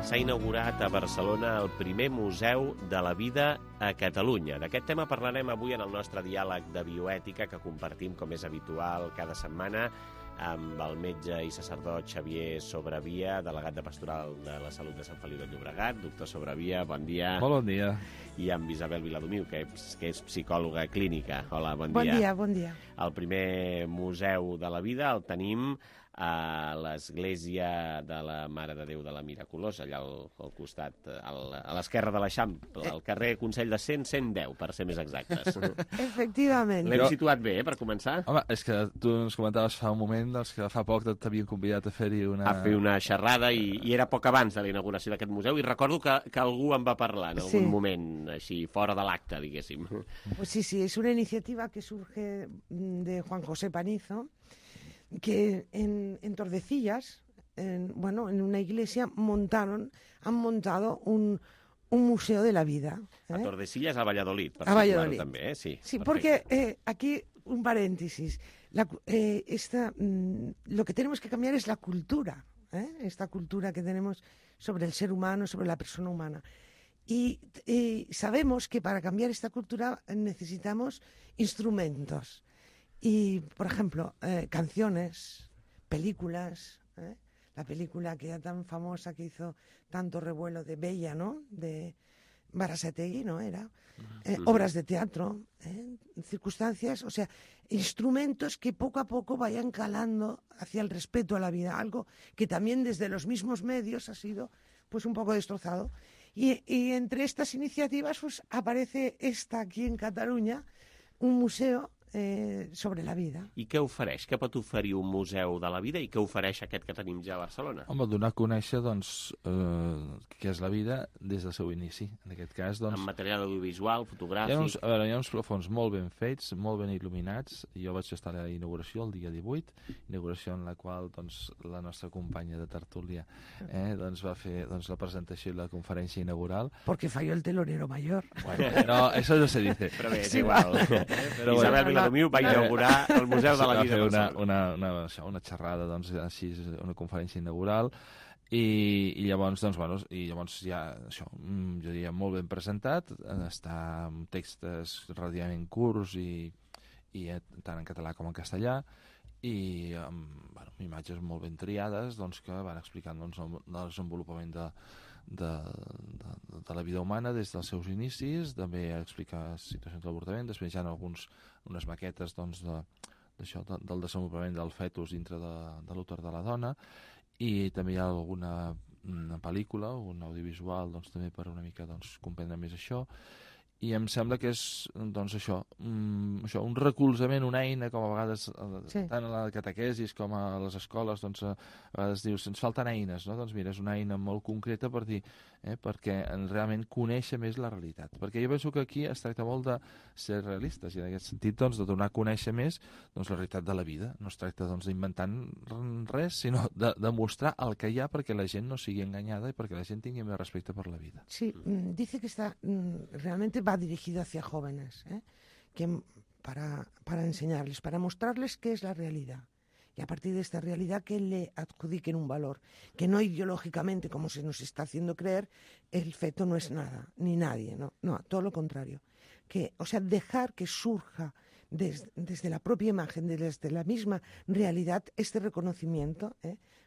S'ha inaugurat a Barcelona el primer Museu de la Vida a Catalunya. D'aquest tema parlarem avui en el nostre diàleg de bioètica que compartim, com és habitual, cada setmana amb el metge i sacerdot Xavier Sobravia, delegat de Pastoral de la Salut de Sant Feliu de Llobregat. Doctor Sobravia, bon dia. Molt bon dia. I amb Isabel Viladomiu, que és psicòloga clínica. Hola, bon dia. Bon dia, bon dia. El primer Museu de la Vida el tenim a l'església de la Mare de Déu de la Miraculosa, allà al costat, a l'esquerra de l'Eixample, al carrer Consell de 110, per ser més exactes. Efectivament. L'hem situat bé, per començar? Home, és que tu ens comentaves fa un moment que fa poc t'havien convidat a fer-hi una... A fer una xerrada, i era poc abans de la inauguració d'aquest museu, i recordo que algú en va parlar en algun moment, així, fora de l'acte, diguéssim. Pues sí, es una iniciativa que surge de Juan José Panizo, que en Tordesillas, en una iglesia han montado un museo de la vida. A Tordesillas, a Valladolid, per a Valladolid també, sí. Sí, porque aquí, un paréntesis, lo que tenemos que cambiar es la cultura, esta cultura que tenemos sobre el ser humano, sobre la persona humana. Y sabemos que para cambiar esta cultura necesitamos instrumentos. Y, por ejemplo, canciones, películas, la película que era tan famosa, que hizo tanto revuelo, de Bella, ¿no?, de Berasategui, ¿no?, era. Obras de teatro, circunstancias, o sea, instrumentos que poco a poco vayan calando hacia el respeto a la vida, algo que también desde los mismos medios ha sido pues un poco destrozado. Y entre estas iniciativas pues aparece esta aquí en Cataluña, un museo sobre la vida. I què ofereix? Què pot oferir un museu de la vida i què ofereix aquest que tenim ja a Barcelona? Home, donar a conèixer, doncs, què és la vida des del seu inici. En aquest cas, doncs... En material audiovisual, fotogràfic... Hi ha uns plafons molt ben fets, molt ben il·luminats. Jo vaig estar a la inauguració el dia 18, inauguració en la qual, doncs, la nostra companya de tertúlia doncs, va fer la presentació i la conferència inaugural. Porque falló el telonero mayor. Bueno, no, eso no se dice. Però bé, és igual. Isabel Viladomiu va inaugurar el Museu de la Vida. Va fer una xerrada, doncs, així, una conferència inaugural, i llavors, doncs, bueno, ja, això, jo diria, molt ben presentat, està amb textos relativament curts i tant en català com en castellà, i amb imatges molt ben triades, doncs, que van explicant, doncs, el desenvolupament de la vida humana des dels seus inicis, també explicar situacions d'avortament, després hi ha unes maquetes, doncs, del desenvolupament del fetus dintre de l'úter de la dona, i també hi ha alguna pel·lícula, un audiovisual, doncs, també per una mica, doncs, comprendre més això. I em sembla que és, doncs, això, un recolzament, una eina, com a vegades, tant a la catequesis com a les escoles, doncs, a vegades dius, ens falten eines, no? Doncs mira, és una eina molt concreta per dir, perquè realment conèixer més la realitat. Perquè jo penso que aquí es tracta molt de ser realistes, i en aquest sentit, doncs, de donar a conèixer més, doncs, la realitat de la vida. No es tracta, doncs, d'inventar res, sinó de mostrar el que hi ha perquè la gent no sigui enganyada i perquè la gent tingui més respecte per la vida. Sí, dice que está realmente va dirigido hacia jóvenes, que para enseñarles, para mostrarles qué es la realidad. Y a partir de esta realidad que le adjudiquen un valor, que no ideológicamente, como se nos está haciendo creer, el feto no es nada, ni nadie, no, todo lo contrario. O sea, dejar que surja desde la propia imagen, desde la misma realidad, este reconocimiento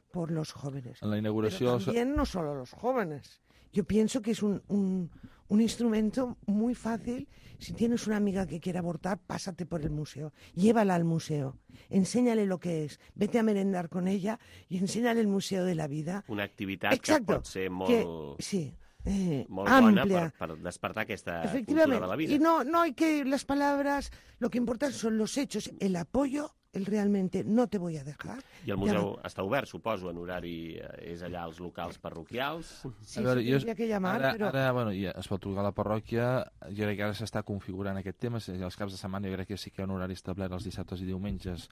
por los jóvenes. En la inauguración... Pero también no solo los jóvenes. Yo pienso que es un instrumento muy fácil. Si tienes una amiga que quiere abortar, pásate por el museo, llévala al museo, enséñale lo que es, vete a merendar con ella y enséñale el Museo de la Vida. Una activitat que pot ser molt... Sí. Molt amplia. Bona per despertar aquesta cultura Efectivamente. de la vida. Y no hay que las palabras, lo que importa son los hechos, el apoyo, el realmente no te voy a dejar. I el museu està obert, suposo, en horari, és allà als locals parroquials. Sí, tindria que llamar, però... Ara, bueno, ja es pot trucar a la parròquia, jo crec que ara s'està configurant aquest tema, els caps de setmana jo crec que sí que hi ha un horari establert els dissabtes i diumenges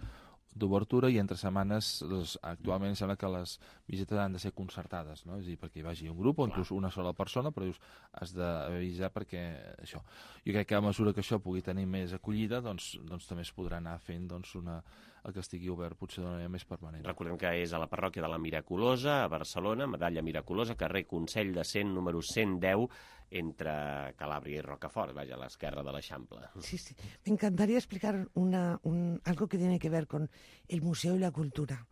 d'obertura, i entre setmanes actualment sembla que les visites han de ser concertades, no? És a dir, perquè hi vagi un grup o inclús una sola persona, però dius, has d'avisar perquè això. Jo crec que a mesura que això pugui tenir més acollida, doncs també es podrà anar fent el que estigui obert potser d'una manera més permanent. Recordem que és a la parròquia de la Miraculosa, a Barcelona, Medalla Miraculosa, carrer Consell de Cent, número 110, entre Calàbria i Rocafort, vaja, a l'esquerra de l'Eixample. Sí. Me encantaría explicar algo que tiene que ver con el museo y la cultura.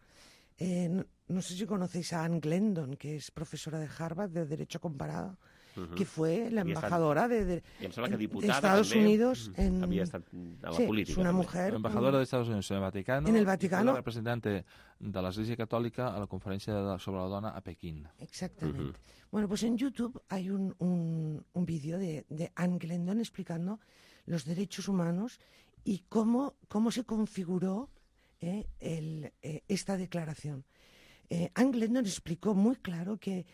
No sé si conocéis a Anne Glendon, que es profesora de Harvard de Derecho Comparado, que fue la embajadora de Estados Unidos en... Había estado en la política. Es una mujer... Embajadora de Estados Unidos en el Vaticano. La representante de la Iglesia Católica a la Conferencia sobre la Dona a Pekín. Exactamente. Bueno, pues en YouTube hay un vídeo de Anne Glendon explicando los derechos humanos y cómo se configuró esta declaración. Anne Glendon explicó muy claro que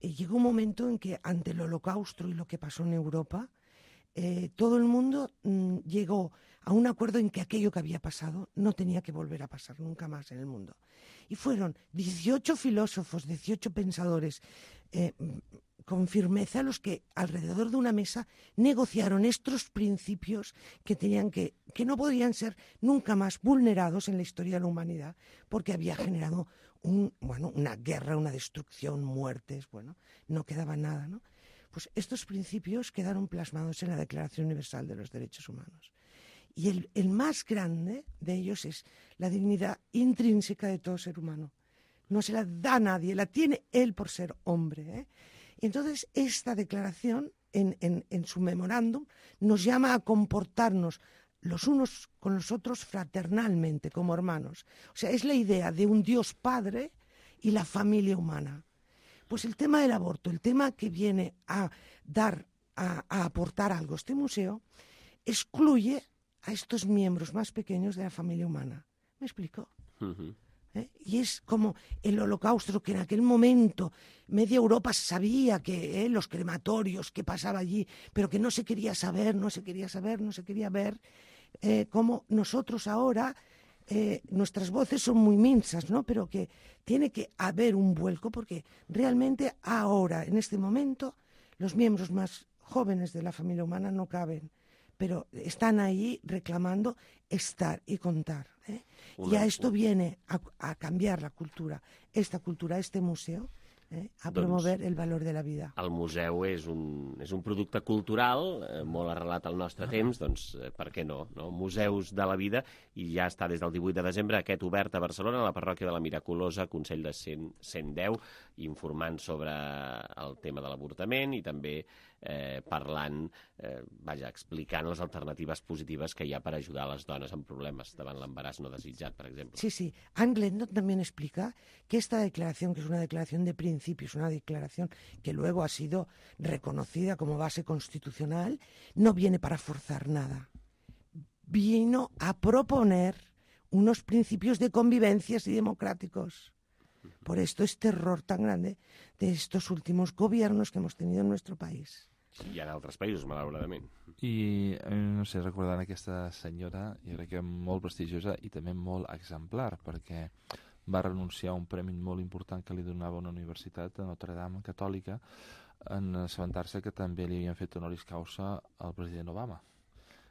llegó un momento en que ante el Holocausto y lo que pasó en Europa, todo el mundo llegó a un acuerdo en que aquello que había pasado no tenía que volver a pasar nunca más en el mundo. Y fueron 18 filósofos, 18 pensadores con firmeza los que alrededor de una mesa negociaron estos principios que no podían ser nunca más vulnerados en la historia de la humanidad, porque había generado una guerra, una destrucción, muertes, no quedaba nada, ¿no? Pues estos principios quedaron plasmados en la Declaración Universal de los Derechos Humanos. Y el más grande de ellos es la dignidad intrínseca de todo ser humano. No se la da a nadie, la tiene él por ser hombre, ¿eh? Y entonces esta declaración, en su memorándum, nos llama a comportarnos los unos con los otros fraternalmente, como hermanos. O sea, es la idea de un Dios Padre y la familia humana. Pues el tema del aborto, el tema que viene a aportar algo este museo, excluye a estos miembros más pequeños de la familia humana. ¿Me explico? Uh-huh. Y es como el holocausto, que en aquel momento media Europa sabía que los crematorios, que pasaba allí, pero que no se quería saber, no se quería ver, como nosotros ahora, nuestras voces son muy minsas, ¿no? Pero que tiene que haber un vuelco, porque realmente ahora, en este momento, los miembros más jóvenes de la familia humana no caben, pero están ahí reclamando estar y contar, ¿eh? Y a esto viene a cambiar la cultura, esta cultura, este museu, a promover el valor de la vida. El museu és un producte cultural molt arrelat al nostre temps, doncs per què no? Museus de la vida, i ja està des del 18 de desembre aquest obert a Barcelona, a la parròquia de la Miraculosa, Consell de 110, informant sobre el tema de l'avortament i també parlant, explicant les alternatives positives que hi ha per ajudar a les dones amb problemes davant l'embaràs no desitjat, per exemple. Sí. Anne Glendon también explica que esta declaración, que es una declaración de principios, una declaración que luego ha sido reconocida como base constitucional, no viene para forzar nada. Vino a proponer unos principios de convivencias y democráticos. Por esto es terror tan grande de estos últimos gobiernos que hemos tenido en nuestro país. I en altres països, malauradament. I, no sé, recordant aquesta senyora, jo crec que molt prestigiosa i també molt exemplar, perquè va renunciar a un premi molt important que li donava una universitat a Notre Dame catòlica en assabentar-se que també li havien fet honoris causa al president Obama.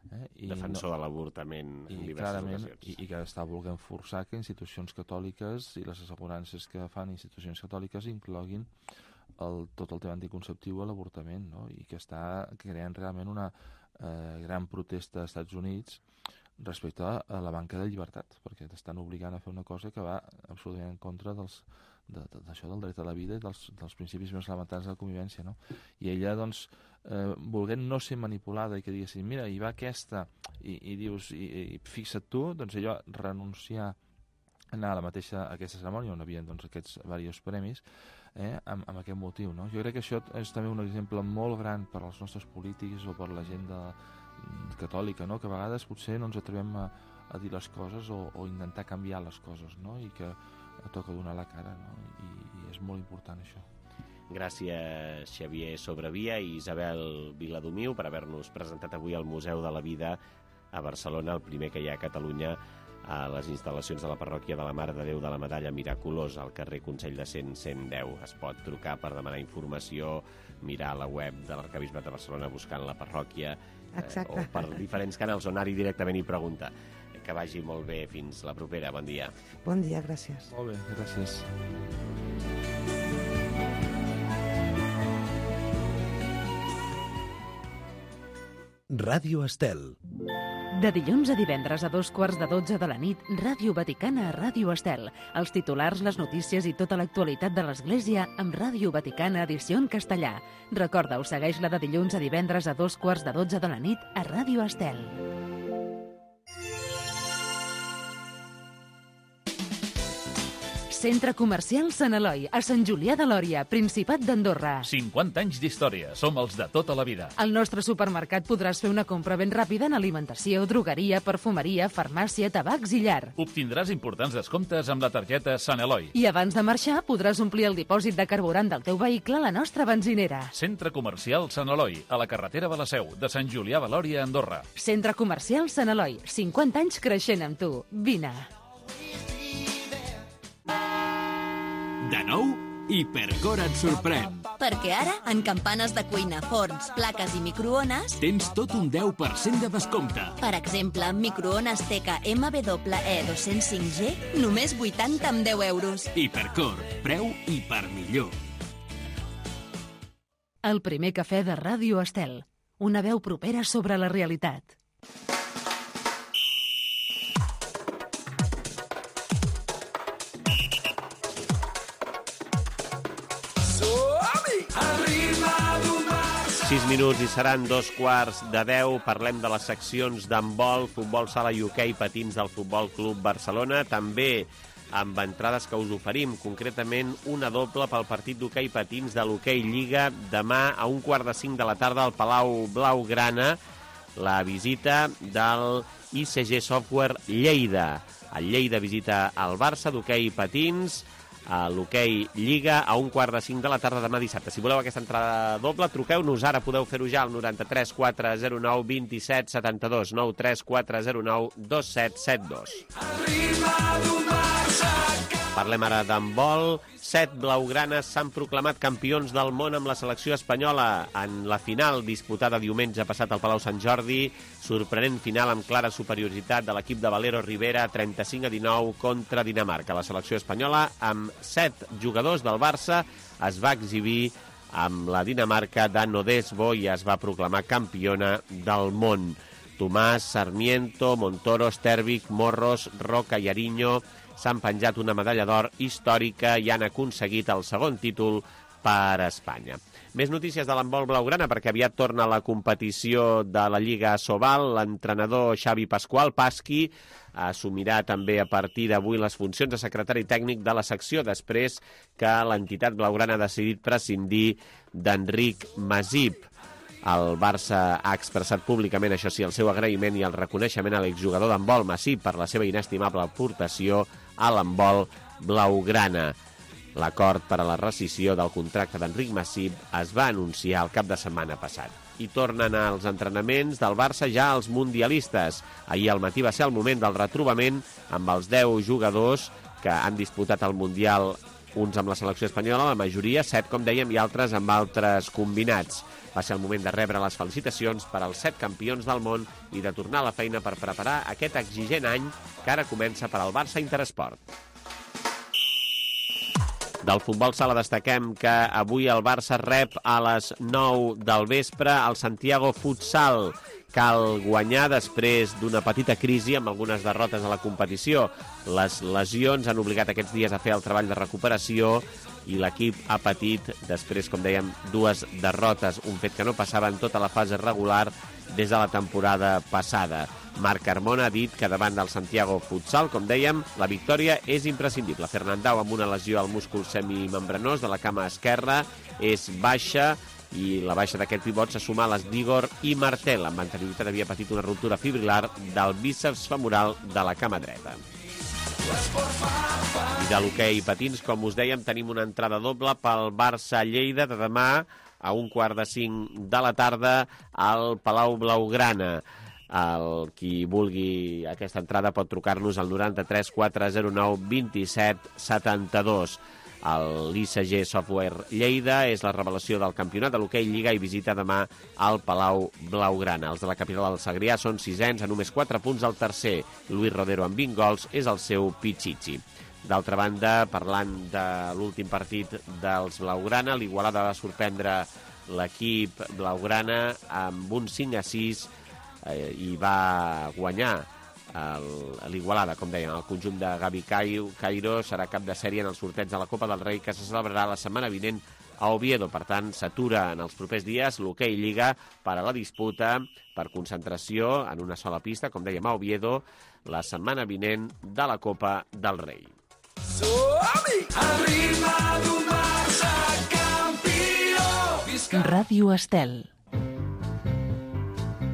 Defensor de l'avortament en diverses ocasions. I que està volent forçar que institucions catòliques i les assegurances que fan institucions catòliques incloguin tot el tema anticonceptiu a l'avortament, no? I que està creant realment una gran protesta als Estats Units respecte a la manca de llibertat, perquè t'estan obligant a fer una cosa que va absolutament en contra d'això del dret a la vida i dels principis més elementals de la convivència, no? I ella, doncs, volent no ser manipulada i que diguessin, mira, hi va aquesta, i dius, i fixa't tu, doncs ella renunciar a anar a aquesta cerimònia on hi havia doncs, aquests diversos premis amb aquest motiu, no? Jo crec que això és també un exemple molt gran per als nostres polítics o per la gent catòlica, no? Que a vegades potser no ens atrevem a dir les coses o intentar canviar les coses, no? I que toca donar la cara, no? I és molt important això. Gràcies, Xavier Sobrevia i Isabel Viladomiu, per haver-nos presentat avui al Museu de la Vida a Barcelona, el primer que hi ha a Catalunya, a les instal·lacions de la parròquia de la Mare de Déu de la Medalla Miraculosa, al carrer Consell de 110. Es pot trucar per demanar informació, mirar la web de l'Arquebisbat de Barcelona buscant la parròquia, o per diferents canals o anar-hi directament i preguntar. Que vagi molt bé. Fins la propera. Bon dia. Bon dia, gràcies. Molt bé, gràcies. Ràdio Estel. De dilluns a divendres a 2:15 de la nit, Ràdio Vaticana a Ràdio Estel. Els titulars, les notícies i tota l'actualitat de l'Església amb Ràdio Vaticana edició en castellà. Recorda-ho, segueix-la de dilluns a divendres a 2:15 de la nit a Ràdio Estel. Centre Comercial Sant Eloi, a Sant Julià de Lòria, Principat d'Andorra. 50 anys d'història. Som els de tota la vida. Al nostre supermercat podràs fer una compra ben ràpida en alimentació, drogueria, perfumeria, farmàcia, tabacs i llar. Obtindràs importants descomptes amb la targeta Sant Eloi. I abans de marxar podràs omplir el dipòsit de carburant del teu vehicle a la nostra benzinera. Centre Comercial Sant Eloi, a la carretera de la Seu, de Sant Julià de Lòria, Andorra. Centre Comercial Sant Eloi, 50 anys creixent amb tu. Vine. De nou, Hipercor et sorprèn. Perquè ara, en campanes de cuina, forns, plaques i microones... Tens tot un 10% de descompte. Per exemple, microones Teca MWE 205G, només 80 amb 10 euros. Hipercor, preu hipermillor. El primer cafè de Ràdio Estel. Una veu propera sobre la realitat. Sis minuts i seran 2:15. Parlem de les seccions d'handbol, futbol sala i hoquei patins del Futbol Club Barcelona, també amb entrades que us oferim, concretament una doble pel partit d'hoquei patins de l'hoquei Lliga, demà a 4:45 de la tarda al Palau Blaugrana, la visita del ICG Software Lleida. El Lleida visita el Barça d'hoquei patins, a l'hoquei Lliga a 4:45 de la tarda demà dissabte. Si voleu aquesta entrada doble, truqueu-nos ara, podeu fer-ho ja al 93 409 27 72, 93 409 2772. Parlem ara d'handbol. 7 blaugranes s'han proclamat campions del món amb la selecció espanyola en la final disputada diumenge passat al Palau Sant Jordi. Sorprenent final amb clara superioritat de l'equip de Valero Rivera, 35-19 contra Dinamarca. La selecció espanyola, amb 7 jugadors del Barça, es va exhibir amb la Dinamarca d'Anno Desbo i es va proclamar campiona del món. Tomàs, Sarmiento, Montoro, Stervik, Morros, Roca i Ariño s'han penjat una medalla d'or històrica i han aconseguit el segon títol per Espanya. Més notícies de l'handbol blaugrana, perquè aviat torna a la competició de la Lliga Sobal. L'entrenador Xavi Pasqual, Pasqui, assumirà també a partir d'avui les funcions de secretari tècnic de la secció, després que l'entitat blaugrana ha decidit prescindir d'Enric Masip. El Barça ha expressat públicament, això sí, el seu agraïment i el reconeixement a l'exjugador d'handbol Masip per la seva inestimable aportació a l'handbol blaugrana. L'acord per a la rescissió del contracte d'Enric Masip es va anunciar el cap de setmana passat. I tornen als entrenaments del Barça ja els mundialistes. Ahir al matí va ser el moment del retrobament amb els 10 jugadors que han disputat el Mundial, uns amb la selecció espanyola, la majoria, 7, com dèiem, i altres amb altres combinats. Va ser el moment de rebre les felicitacions per als 7 campions del món i de tornar a la feina per preparar aquest exigent any que ara comença per al Barça Interesport. Del futbol sala destaquem que avui el Barça rep a les 9 del vespre el Santiago Futsal. Cal guanyar després d'una petita crisi amb algunes derrotes a la competició. Les lesions han obligat aquests dies a fer el treball de recuperació i l'equip ha patit, després, com dèiem, 2 derrotes, un fet que no passava en tota la fase regular des de la temporada passada. Marc Carmona ha dit que davant del Santiago Futsal, com dèiem, la victòria és imprescindible. Fernandao, amb una lesió al múscul semimembranós de la cama esquerra, és baixa, i la baixa d'aquest pivot se suma a les d'Igor i Martel. Amb anterioritat havia patit una ruptura fibrilar del bíceps femoral de la cama dreta. I de l'hoquei patins, com us dèiem, tenim una entrada doble pel Barça-Lleida de demà a 4:45 de la tarda al Palau Blaugrana. Qui vulgui aquesta entrada pot trucar-nos al 93 409 27 72. L'ICG Software Lleida és la revelació del campionat de l'hoquei Lliga i visita demà al Palau Blaugrana. Els de la capital del Segrià són 6ens a només 4 punts al tercer. Luis Rodero, amb 20 gols, és el seu pitxitxi. D'altra banda, parlant de l'últim partit dels Blaugrana, l'Igualada va sorprendre l'equip Blaugrana amb un 5-6 i va guanyar l'Igualada, com deien. El conjunt de Gavi Cairo serà cap de sèrie en el sorteig de la Copa del Rei que se celebrarà la setmana vinent a Oviedo. Per tant, s'atura en els propers dies l'hoquei Lliga per a la disputa per concentració en una sola pista, com dèiem, a Oviedo, la setmana vinent de la Copa del Rei. Al ritme d'un Barça campió. Ràdio Estel.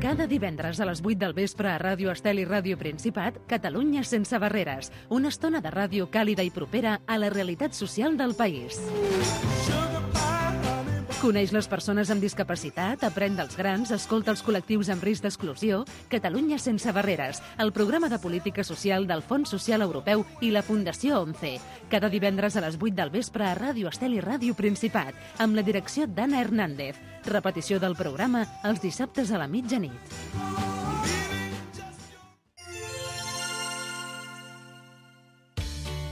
Cada divendres a les 8 del vespre a Ràdio Estel i Ràdio Principat, Catalunya sense barreres. Una estona de ràdio càlida i propera a la realitat social del país. Coneix les persones amb discapacitat, aprèn dels grans, escolta els col·lectius amb risc d'exclusió. Catalunya sense barreres, el programa de política social del Fons Social Europeu i la Fundació ONCE. Cada divendres a les 8 del vespre a Ràdio Estel i Ràdio Principat, amb la direcció d'Anna Hernández. Repetició del programa els dissabtes a la mitjanit.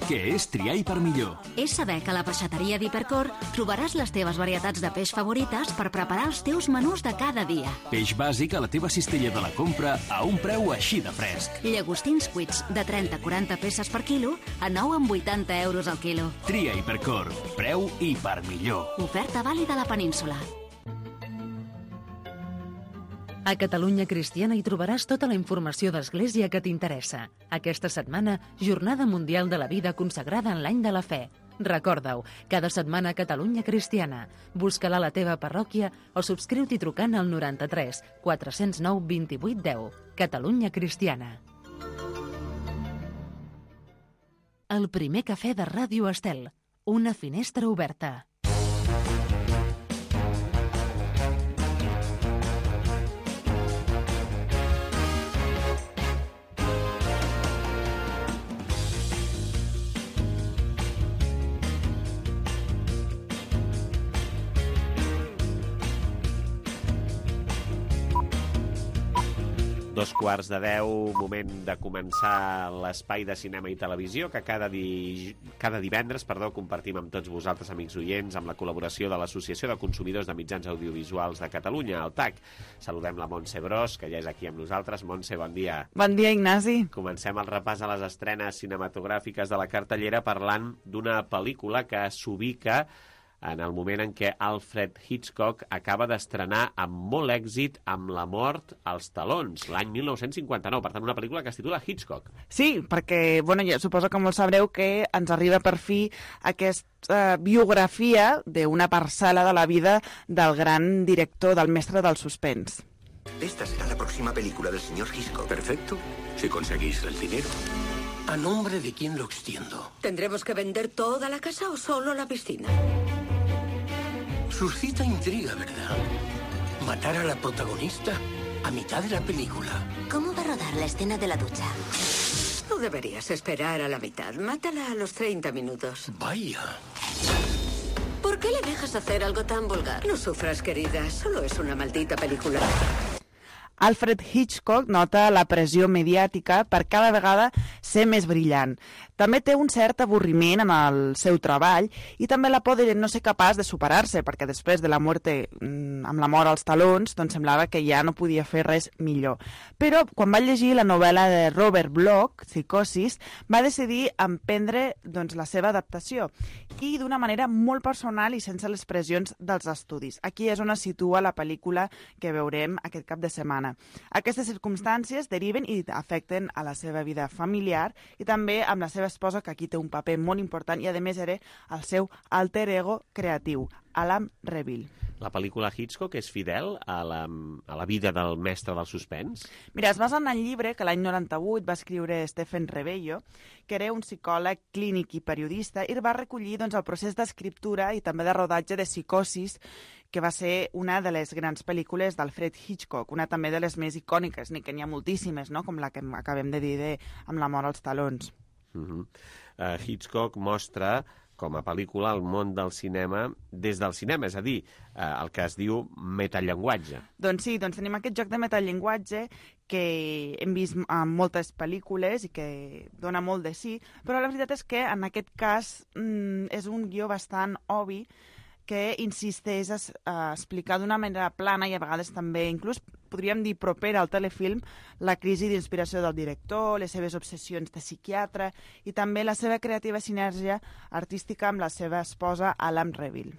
Què és triar per millor? És saber que a la peixateria d'Hipercor trobaràs les teves varietats de peix favorites per preparar els teus menús de cada dia. Peix bàsic a la teva cistella de la compra a un preu així de fresc. Llagostins cuits de 30-40 peces per quilo a 9,80 euros al quilo. Tria Hipercor. Preu i per millor. Oferta vàlida a la península. A Catalunya Cristiana hi trobaràs tota la informació d'Església que t'interessa. Aquesta setmana, Jornada Mundial de la Vida consagrada en l'any de la fe. Recorda-ho, cada setmana a Catalunya Cristiana. Busca-la a la teva parròquia o subscriu-t'hi trucant al 93 409 28 10. Catalunya Cristiana. El primer cafè de Ràdio Estel. Una finestra oberta. Dos quarts de 10, moment de començar l'espai de cinema i televisió que cada divendres compartim amb tots vosaltres, amics oients, amb la col·laboració de l'Associació de Consumidors de Mitjans Audiovisuals de Catalunya, el TAC. Saludem la Montse Bros, que ja és aquí amb nosaltres. Montse, bon dia. Bon dia, Ignasi. Comencem el repàs a les estrenes cinematogràfiques de la cartellera parlant d'una pel·lícula que s'ubica en el moment en què Alfred Hitchcock acaba d'estrenar amb molt èxit Amb la mort als talons, l'any 1959. Per tant, una pel·lícula que es titula Hitchcock. Sí, perquè, ja suposo que molts sabreu que ens arriba per fi aquesta biografia d'una parcel·la de la vida del gran director, del mestre del suspens. Esta será la próxima película del señor Hitchcock. Perfecto, si conseguís el dinero. ¿A nombre de quién lo extiendo? ¿Tendremos que vender toda la casa o solo la piscina? Suscita intriga, ¿verdad? Matar a la protagonista a mitad de la película. ¿Cómo va a rodar la escena de la ducha? No deberías esperar a la mitad. Mátala a los 30 minutos. Vaya. ¿Por qué le dejas hacer algo tan vulgar? No sufras, querida. Solo es una maldita película. Alfred Hitchcock nota la pressió mediàtica per cada vegada ser més brillant. També té un cert avorriment en el seu treball i també la por de no ser capaç de superar-se, perquè després de la mort amb la mort als talons, doncs semblava que ja no podia fer res millor. Però quan va llegir la novel·la de Robert Bloch, Psicosis, va decidir emprendre la seva adaptació i d'una manera molt personal i sense les pressions dels estudis. Aquí és on es situa la pel·lícula que veurem aquest cap de setmana. Aquestes circumstàncies deriven i afecten a la seva vida familiar i també amb la seva esposa, que aquí té un paper molt important i a més era el seu alter ego creatiu, Alan Reville. La pel·lícula Hitchcock és fidel a la vida del mestre del suspens? Mira, es basa en el llibre que l'any 98 va escriure Stephen Rebello, que era un psicòleg clínic i periodista, i va recollir el procés d'escriptura i també de rodatge de Psicosis, que va ser una de les grans pel·lícules d'Alfred Hitchcock, una també de les més icòniques, ni que n'hi ha moltíssimes, no? Com la que acabem de dir Amb la mort als talons. Hitchcock mostra com a pel·lícula el món del cinema des del cinema, és a dir, el que es diu metallenguatge. Doncs sí, tenim aquest joc de metallenguatge que hem vist en moltes pel·lícules i que dona molt de sí, però la veritat és que en aquest cas és un guió bastant obvi que insisteix a explicar d'una manera plana i a vegades també inclús podríem dir propera al telefilm la crisi d'inspiració del director, les seves obsessions de psiquiatre i també la seva creativa sinergia artística amb la seva esposa Alan Reville.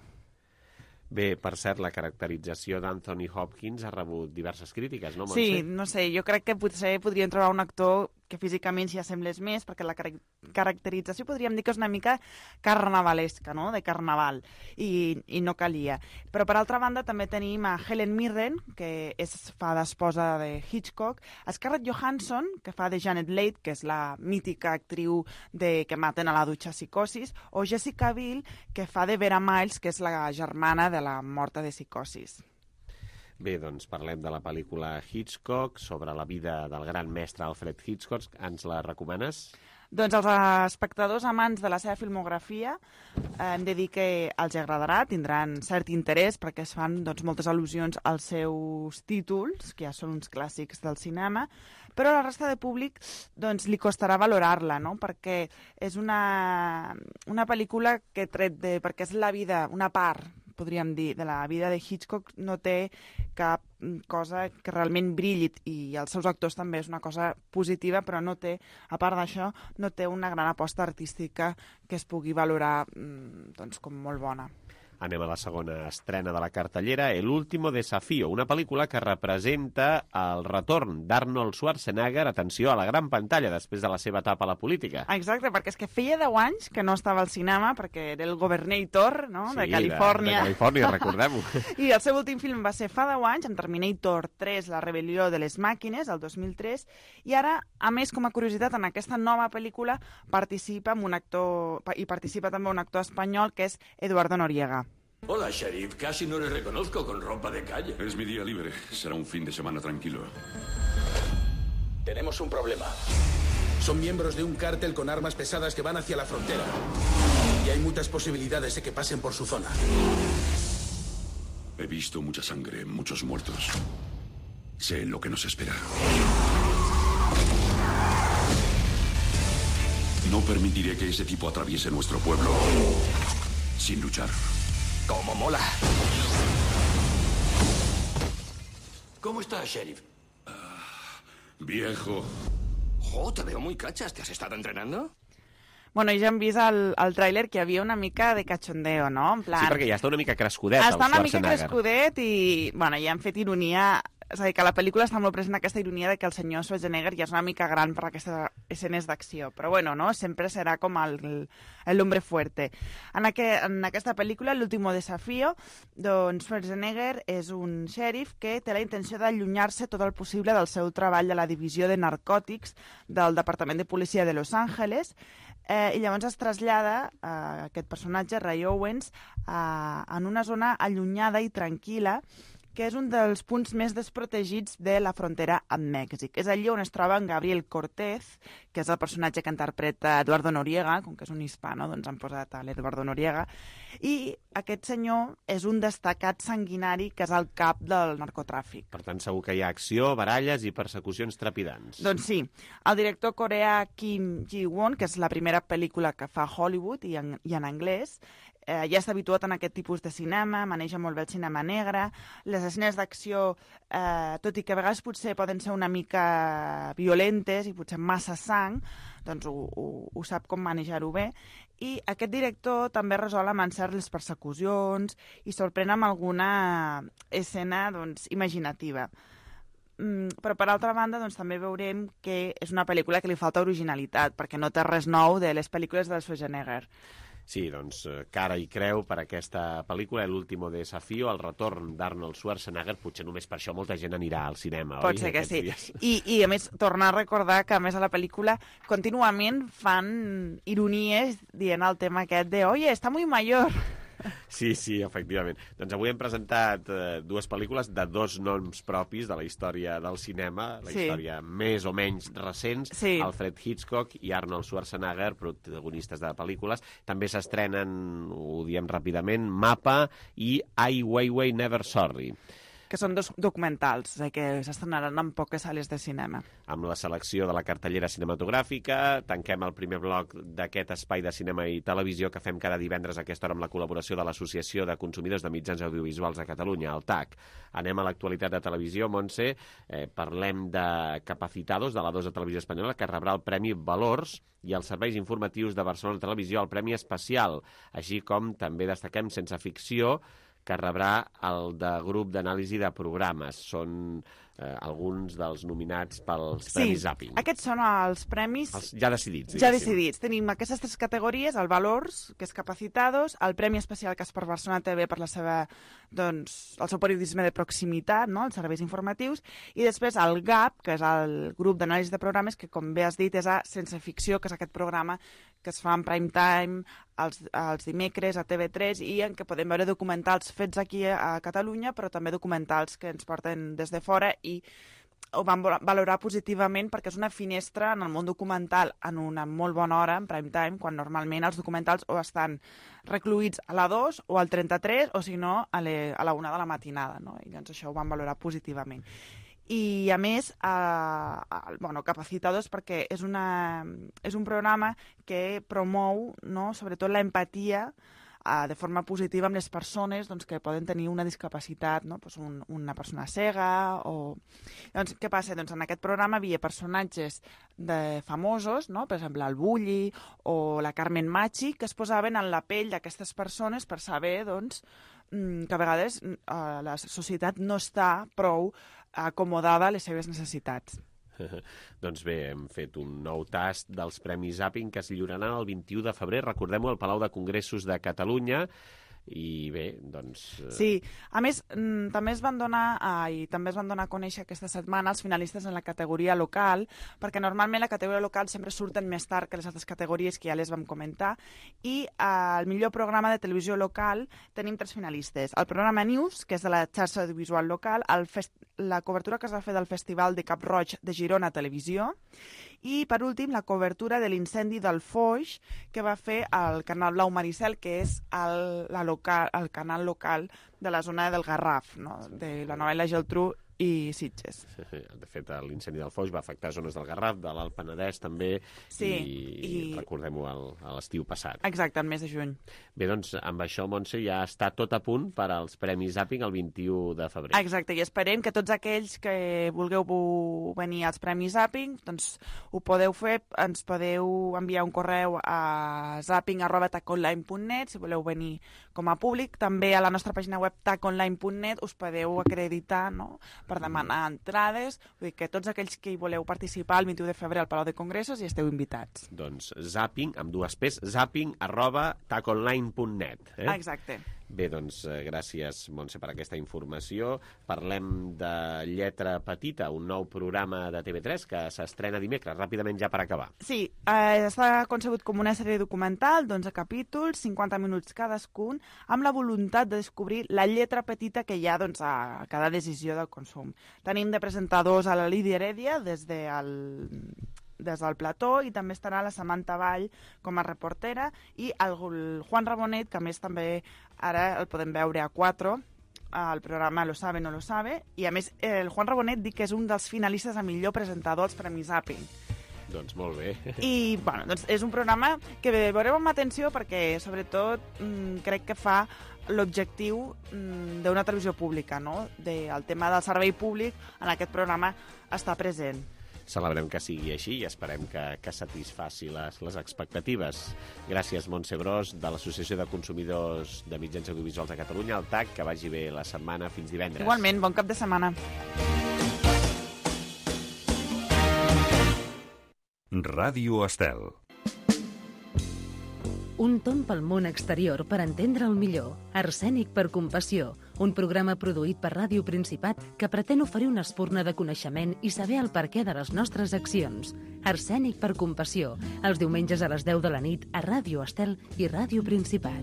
Bé, per cert, la caracterització d'Anthony Hopkins ha rebut diverses crítiques, no, Montse? Sí, no sé, jo crec que potser podríem trobar un actor que físicament s'hi assemblés més, perquè la caracterització podríem dir que és una mica carnavalesca, no?, de carnaval, i no calia. Però, per altra banda, també tenim a Helen Mirren, que fa d'esposa de Hitchcock, a Scarlett Johansson, que fa de Janet Leigh, que és la mítica actriu que maten a la dutxa Psicosis, o Jessica Biel, que fa de Vera Miles, que és la germana de la morta de Psicosis. Bé, doncs parlem de la pel·lícula Hitchcock, sobre la vida del gran mestre Alfred Hitchcock. Ens la recomanes? Doncs als espectadors amants de la seva filmografia hem de dir que els agradarà, tindran cert interès perquè es fan moltes al·lusions als seus títols, que ja són uns clàssics del cinema, però a la resta de públic li costarà valorar-la, no?, perquè és una pel·lícula que perquè és la vida, una part, podríem dir, de la vida de Hitchcock, no té cap cosa que realment brilli, i els seus actors també és una cosa positiva, però no té, a part d'això, no té una gran aposta artística que es pugui valorar com molt bona. Anem a la segona estrena de la cartellera, El último desafío, una pel·lícula que representa el retorn d'Arnold Schwarzenegger, atenció, a la gran pantalla després de la seva etapa a la política. Exacte, perquè és que feia 10 anys que no estava al cinema, perquè era el governator, no?, de Califòrnia. De Califòrnia, recordem-ho. I el seu últim film va ser fa 10 anys, amb Terminator 3, La rebel·lió de les màquines, el 2003, i ara, a més, com a curiositat, en aquesta nova pel·lícula participa també un actor espanyol, que és Eduardo Noriega. Hola, Sheriff. Casi no le reconozco con ropa de calle. Es mi día libre. Será un fin de semana tranquilo. Tenemos un problema. Son miembros de un cártel con armas pesadas que van hacia la frontera. Y hay muchas posibilidades de que pasen por su zona. He visto mucha sangre, muchos muertos. Sé lo que nos espera. No permitiré que ese tipo atraviese nuestro pueblo sin luchar. ¡Cómo mola! ¿Cómo estás, Sheriff? Viejo. Te veo muy cachas. ¿Te has estado entrenando? Bueno, ja hem vist al tràiler que hi havia una mica de cachondeo, no? En plan... Sí, perquè ja està una mica crescudet, el Schwarzenegger. Està una mica crescudet i, ja han fet ironia... És a dir, que la pel·lícula està molt present aquesta ironia de que el senyor Schwarzenegger ja és una mica gran per aquestes escenes d'acció. Però bueno, no? Sempre serà com l'hombre fuerte. En aquesta pel·lícula, L'último desafío, doncs Schwarzenegger és un xèrif que té la intenció d'allunyar-se tot el possible del seu treball a la divisió de narcòtics del Departament de Policia de Los Angeles, i llavors es trasllada aquest personatge, Ray Owens, en una zona allunyada i tranquil·la, que és un dels punts més desprotegits de la frontera amb Mèxic. És allí on es troba en Gabriel Cortez, que és el personatge que interpreta Eduardo Noriega, com que és un hispano, doncs han posat a l'Eduardo Noriega, i aquest senyor és un destacat sanguinari que és el cap del narcotràfic. Per tant, segur que hi ha acció, baralles i persecucions trepidants. Doncs sí. El director coreà Kim Ji-won, que és la primera pel·lícula que fa a Hollywood i en anglès, ja està habituat en aquest tipus de cinema, maneja molt bé el cinema negre, les escenes d'acció, tot i que a vegades potser poden ser una mica violentes i potser massa sang, doncs ho sap com manejar-ho bé. I aquest director també resol amb encert les persecucions i sorprèn amb alguna escena imaginativa. Però, per altra banda, també veurem que és una pel·lícula que li falta originalitat, perquè no té res nou de les pel·lícules del Schwarzenegger. Sí, doncs, cara i creu per aquesta pel·lícula, L'último desafío, el retorn d'Arnold Schwarzenegger. Potser només per això molta gent anirà al cinema, oi? Pot ser que sí. I, a més, tornar a recordar que, a més, a la pel·lícula contínuament fan ironies dient el tema aquest de «Oye, está muy mayor». Sí, efectivament. Doncs avui hem presentat dues pel·lícules de dos noms propis de la història del cinema, la història més o menys recents, Alfred Hitchcock i Arnold Schwarzenegger, protagonistes de pel·lícules. També s'estrenen, ho diem ràpidament, Mapa i Ai Weiwei Never Sorry, que són dos documentals que s'estrenaran en poques sales de cinema. Amb la selecció de la cartellera cinematogràfica, tanquem el primer bloc d'aquest espai de cinema i televisió que fem cada divendres a aquesta hora amb la col·laboració de l'Associació de Consumidors de Mitjans Audiovisuals de Catalunya, el TAC. Anem a l'actualitat de televisió, Montse. Parlem de Capacitados, de la 2 de Televisió Espanyola, que rebrà el Premi Valors, i els serveis informatius de Barcelona Televisió el Premi Especial, així com també destaquem Sense Ficció, que rebrà el de grup d'anàlisi de programes. Són alguns dels nominats pels Premis Zapping. Sí, aquests són els premis... Ja decidits. Ja decidits. Tenim aquestes 3 categories, el Valors, que és Capacitados, el Premi Especial Caspar Barcelona TV per la seva, doncs, el seu periodisme de proximitat, no?, els serveis informatius, i després el GAP, que és el grup d'anàlisi de programes, que com bé has dit és a Sense Ficció, que és aquest programa que es fa en prime time els dimecres a TV3 i en què podem veure documentals fets aquí a Catalunya, però també documentals que ens porten des de fora i ho vam valorar positivament perquè és una finestra en el món documental en una molt bona hora, en prime time, quan normalment els documentals o estan recluïts a la 2 o al 33 o si no a la 1 de la matinada, no? I doncs això ho vam valorar positivament. I, a més, Capacitados perquè és un programa que promou, no?, sobretot l'empatia de forma positiva amb les persones doncs, que poden tenir una discapacitat, no? Pues una persona cega o... Doncs, què passa? Doncs en aquest programa hi havia personatges famosos, no? Per exemple, el Bulli o la Carmen Machi, que es posaven en la pell d'aquestes persones per saber doncs, que a vegades la societat no està prou acomodada a les seves necessitats. Doncs bé, hem fet un nou tast dels Premis Zapping que es lliuraran el 21 de febrer, recordem-ho, al Palau de Congressos de Catalunya. I bé, doncs... Sí, a més, també es van donar a conèixer aquesta setmana els finalistes en la categoria local, perquè normalment la categoria local sempre surten més tard que les altres categories que ja les vam comentar, i al millor programa de televisió local tenim 3 finalistes. El programa News, que és de la xarxa audiovisual local, la cobertura que es va fer del Festival de Cap-roig de Girona Televisió, i, per últim, la cobertura de l'incendi del Foix que va fer el Canal Blau Maricel, que és el canal local de la zona del Garraf, no?, de la novel·la Geltrú i Sitges. De fet, l'incendi del Foix va afectar zones del Garraf, de l'Alt Penedès també, sí, i recordem-ho a l'estiu passat. Exacte, el mes de juny. Bé, doncs, amb això, Montse, ja està tot a punt per als Premis Zapping el 21 de febrer. Exacte, i esperem que tots aquells que vulgueu venir als Premis Zapping, doncs ho podeu fer, ens podeu enviar un correu a zapping@taconline.net si voleu venir com a públic. També a la nostra pàgina web taconline.net us podeu acreditar, no?, per demanar entrades, vull dir que tots aquells que hi voleu participar el 21 de febrer al Palau de Congressos hi esteu invitats. Doncs zapping, amb 2 P's, zapping@taconline.net. Exacte. Bé, doncs gràcies, Montse, per aquesta informació. Parlem de Lletra Petita, un nou programa de TV3 que s'estrena dimecres, ràpidament ja per acabar. Sí, està concebut com una sèrie documental d'11 capítols, 50 minuts cadascun, amb la voluntat de descobrir la lletra petita que hi ha doncs, a cada decisió del consum. Tenim de presentadors a la Lídia Heredia des del plató, i també estarà la Samantha Vall com a reportera i el Juan Rabonet, que a més també ara el podem veure a 4 al programa Lo sabe, no lo sabe, i a més el Juan Rabonet dic que és un dels finalistes a millor presentador als Premis Zapping. Doncs molt bé. I bueno, doncs és un programa que veureu amb atenció perquè sobretot crec que fa l'objectiu d'una televisió pública, no? El tema del servei públic en aquest programa està present. Celebrem que sigui així i esperem que satisfaci les expectatives. Gràcies, Montse Bros, de l'Associació de Consumidors de Mitjans Audiovisuals de Catalunya, el TAC, que vagi bé la setmana fins divendres. Igualment, bon cap de setmana. Ràdio Estel. Un tomb pel món exterior per entendre'l millor. Arsènic per compassió, un programa produït per Ràdio Principat que pretén oferir una espurna de coneixement i saber el perquè de les nostres accions. Arsènic per compassió, els diumenges a les 10 de la nit a Ràdio Estel i Ràdio Principat.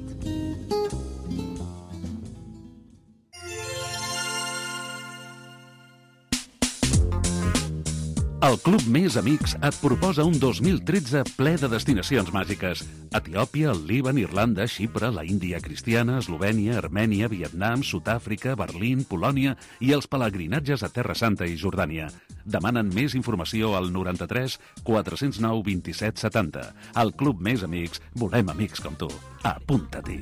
El Club Més Amics et proposa un 2013 ple de destinacions màgiques. Etiòpia, el Líban, Irlanda, Xipre, la Índia cristiana, Eslovènia, Armènia, Vietnam, Sud-àfrica, Berlín, Polònia i els pelegrinatges a Terra Santa i Jordània. Demanen més informació al 93 409 27 70. Al Club Més Amics volem amics com tu. Apunta-t'hi.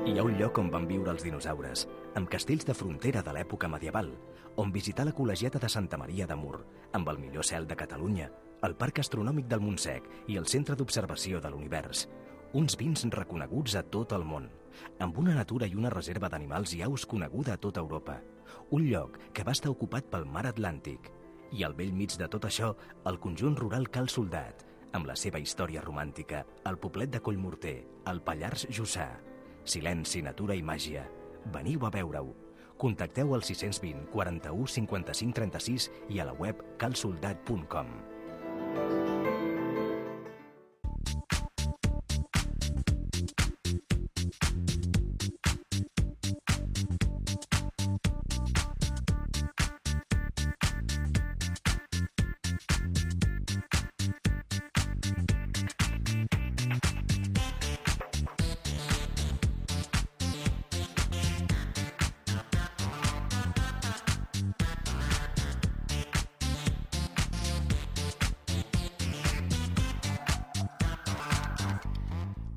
Hi ha un lloc on van viure els dinosaures, amb castells de frontera de l'època medieval, on visitar la col·legiata de Santa Maria de Mur, amb el millor cel de Catalunya, el Parc Astronòmic del Montsec i el Centre d'Observació de l'Univers. Uns vins reconeguts a tot el món. amb una natura i una reserva d'animals i aus coneguda a tota Europa. Un lloc que va estar ocupat pel mar Atlàntic. I al bell mig de tot això, el conjunt rural Cal Soldat, amb la seva història romàntica, el poblet de Collmorter, el Pallars Jussà. Silenci, natura i màgia. Veniu a veure-ho. Contacteu al 620 41 55 36 i a la web calsoldat.com.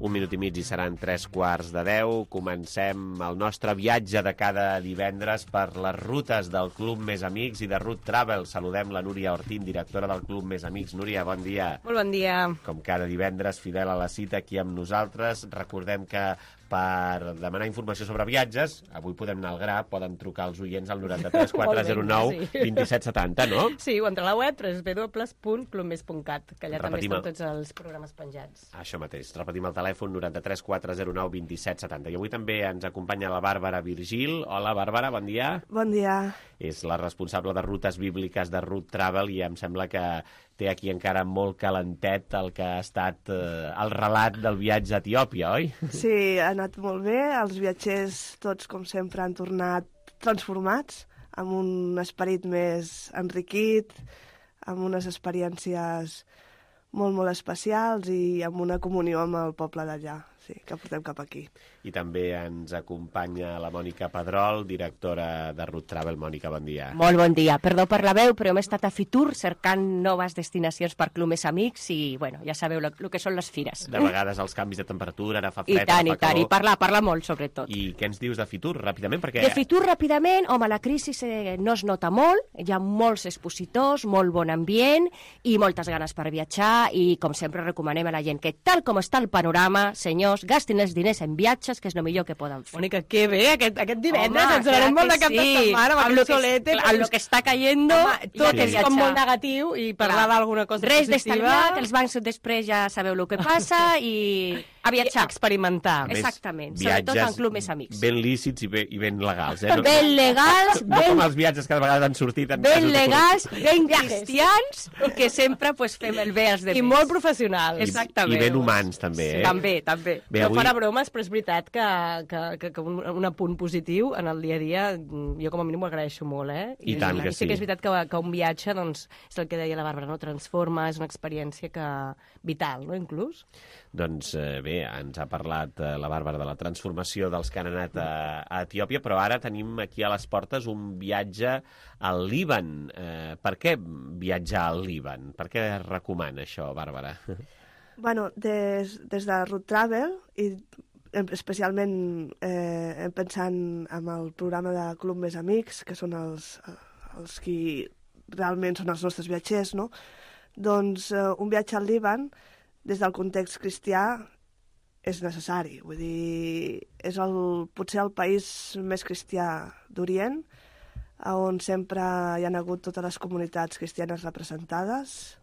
Un minut i mig i seran 9:45. Comencem el nostre viatge de cada divendres per les rutes del Club Més Amics i de Route Travel. Saludem la Núria Ortín, directora del Club Més Amics. Núria, bon dia. Molt bon dia. Com cada divendres, fidel a la cita aquí amb nosaltres. Recordem que per demanar informació sobre viatges, avui podem anar al gra, poden trucar els oients al 93 409 2770, no? Sí, o entre la web www.clubmes.cat, que allà Repetim també estan tots els programes penjats. Això mateix. Repetim el telèfon 93 409 2770. I avui també ens acompanya la Bàrbara Virgil. Hola, Bàrbara, bon dia. Bon dia. És la responsable de rutes bíbliques de Route Travel i em sembla que té aquí encara molt calentet el que ha estat el relat del viatge a Etiòpia, oi? Sí, ha anat molt bé. Els viatgers, tots com sempre, han tornat transformats, amb un esperit més enriquit, amb unes experiències molt, molt especials i amb una comunió amb el poble d'allà, sí, que portem cap aquí. I també ens acompanya la Mònica Pedrol, directora de Route Travel. Mònica, bon dia. Molt bon dia. Perdó per la veu, però hem estat a Fitur cercant noves destinacions per Club Més Amics i, bueno, ja sabeu el que són les fires. De vegades els canvis de temperatura, ara fa fred, I tant, ara fa calor. I parlar molt, sobretot. I què ens dius de Fitur, ràpidament? Perquè... De Fitur, ràpidament, home, la crisi no es nota molt, hi ha molts expositors, molt bon ambient i moltes ganes per viatjar i, com sempre, recomanem a la gent que, tal com està el panorama, senyors, gastin els diners en viatges, que és el millor que poden fer. Mònica, que bé, aquest divendres ens donarem molt de cap de setmana amb aquest solete. Amb el que està cayendo, tot és com molt negatiu i parlar d'alguna cosa res positiva. Res d'estalviat, els bancs després ja sabeu el que passa i a viatjar. Experimentar. Exactament, sobretot en Club Més Amics. Ben lícits i ben legals. Ben legals. No com els viatges que de vegades han sortit. Ben legals, ben cristians, que sempre fem el bé als demés. I molt professionals. Exactament. I ben humans, també. També. No farà bromes, però és veritat que un apunt positiu en el dia a dia, jo com a mínim ho agraeixo molt, I tant que sí. Sí que és veritat que un viatge, doncs, és el que deia la Bàrbara, no? Transforma, és una experiència vital, no, inclús? Doncs bé, ens ha parlat la Bàrbara de la transformació dels que han anat a Etiòpia, però ara tenim aquí a les portes un viatge al Líban. Per què viatjar al Líban? Per què es recomana això, Bàrbara? Bueno, des de Route Travel i especialment pensant en el programa de Club Més Amics, que són els qui realment són els nostres viatgers, no? Doncs un viatge al Líban, des del context cristià, és necessari. Vull dir, és potser el país més cristià d'Orient, on sempre hi han hagut totes les comunitats cristianes representades,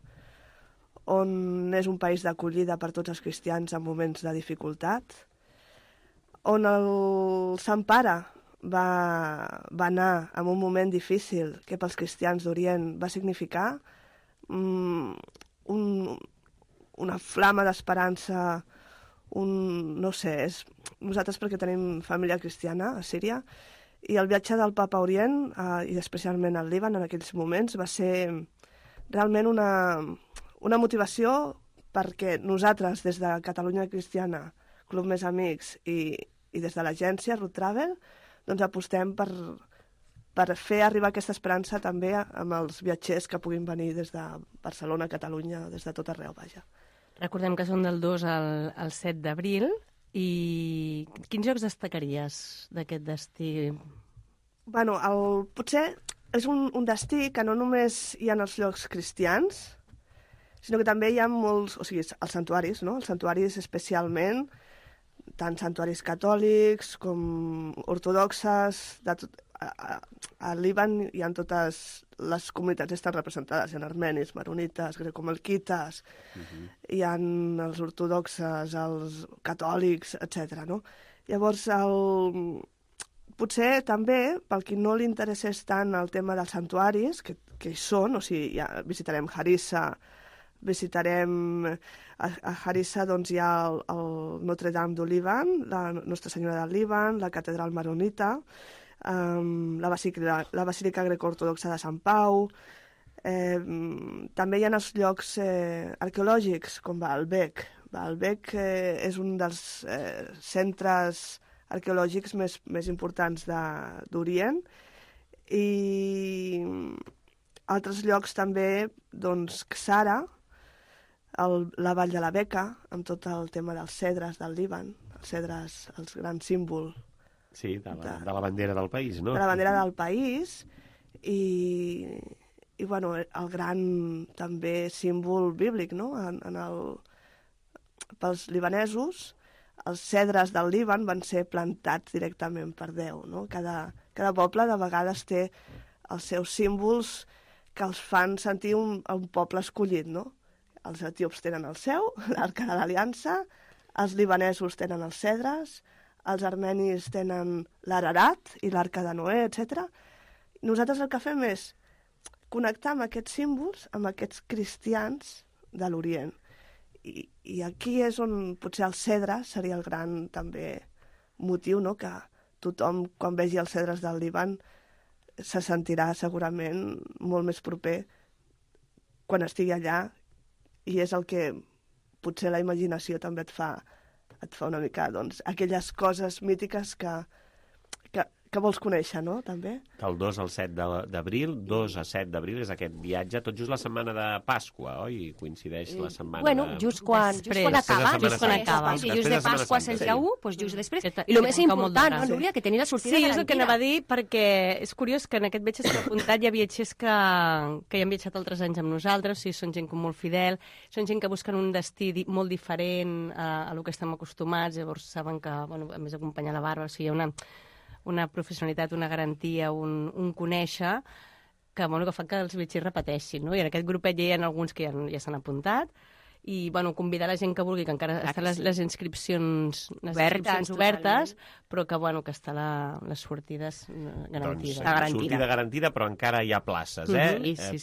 on és un país d'acollida per tots els cristians en moments de dificultat, on el Sant Pare va anar en un moment difícil que pels cristians d'Orient va significar una flama d'esperança, no sé, nosaltres perquè tenim família cristiana a Síria, i el viatge del Papa a Orient, i especialment al Líban en aquells moments, va ser realment una motivació perquè nosaltres, des de Catalunya Cristiana, Club Més Amics i des de l'agència Route Travel, doncs apostem per fer arribar aquesta esperança també amb els viatgers que puguin venir des de Barcelona, Catalunya, des de tot arreu, vaja. Recordem que són del 2 al 7 d'abril i quins llocs destacaries d'aquest destí? Bueno, potser és un destí que no només hi ha els llocs cristians, sinó que també hi ha molts, o sigui, els santuaris, no? Els santuaris especialment tant santuaris catòlics com ortodoxes, al Líban hi ha totes les comunitats estan representades, hi ha armenis, maronites, grecomalquites, hi ha els ortodoxes, els catòlics, etc. No? Llavors, potser també, pel qui no li interessés tant el tema dels santuaris, que hi són, o sigui, ja visitarem Harissa, visitarem a Harissa, doncs hi ha el Notre Dame du Líban, la Nostra Senyora del Líban, la catedral maronita, la Basílica Greco-Ortodoxa de Sant Pau. També hi ha els llocs arqueològics, com Baalbek. Baalbek és un dels centres arqueològics més importants d'Orient, i altres llocs també, doncs, Ksara, la Vall de la Beca, amb tot el tema dels cedres del Líban, els cedres, el gran símbol. Sí, de la bandera del país, no? De la bandera del país, i bueno, el gran també símbol bíblic, no? Pels libanesos, els cedres del Líban van ser plantats directament per Déu, no? Cada poble de vegades té els seus símbols que els fan sentir un poble escollit, no? Els etíops tenen el seu, l'Arca de l'Aliança, els libanesos tenen els cedres, els armenis tenen l'Ararat i l'Arca de Noé, etc. Nosaltres el que fem és connectar amb aquests símbols, amb aquests cristians de l'Orient. I aquí és on potser el cedre seria el gran també motiu, no? Que tothom, quan vegi els cedres del Líban, se sentirà segurament molt més proper quan estigui allà, i és el que potser la imaginació també et fa una mica, doncs, aquelles coses mítiques que vols conèixer, no?, també. Del 2 al 7 d'abril, 2 a 7 d'abril és aquest viatge, tot just la setmana de Pasqua, oi? Coincideix la setmana bueno, just quan acaba. Si just de Pasqua és el dia 1, doncs just després. I el més important, no, Núria, que tenir la sortida garantida. Sí, és el que anava a dir, perquè és curiós que en aquest viatge s'ha apuntat, hi ha viatgers que hi han viatjat altres anys amb nosaltres, o sigui, són gent molt fidel, són gent que busquen un destí molt diferent a lo que estem acostumats, llavors saben que, bueno, a més acompanyar la Bàrbara, o sigui, hi ha una professionalitat, una garantia, un conèixer que fan que els viatgers repeteixin, no? I en aquest grupet ja hi ha alguns que ja s'han apuntat, i convidar la gent que vulgui, que encara estan les inscripcions obertes, però que està la sortida garantida. Doncs sortida garantida, però encara hi ha places,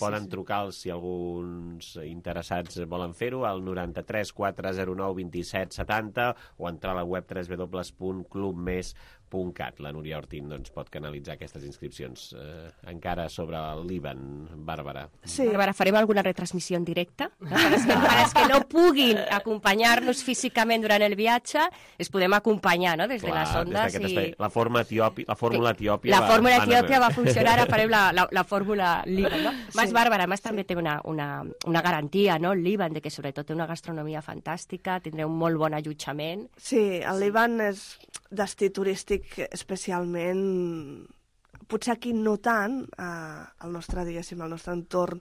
Poden trucar si alguns interessats volen fer-ho al 93 409 27 70 o entrar a la web www.clubmes.cat. La Núria Ortín pot canalitzar aquestes inscripcions. Encara sobre el Líban, Bàrbara. Sí, Bàrbara, farem alguna retransmissió en directe? Per als que no puguin acompanyar-nos físicament durant el viatge, es podem acompanyar, no?, des de les ondes. La fórmula etiòpia va funcionar, ara farem la fórmula Líban, no? Més, Bàrbara, més també té una garantia, no?, el Líban, de que sobretot té una gastronomia fantàstica, tindrà un molt bon allotjament. Sí, el Líban és destí turístic especialment, potser aquí no tant, al nostre entorn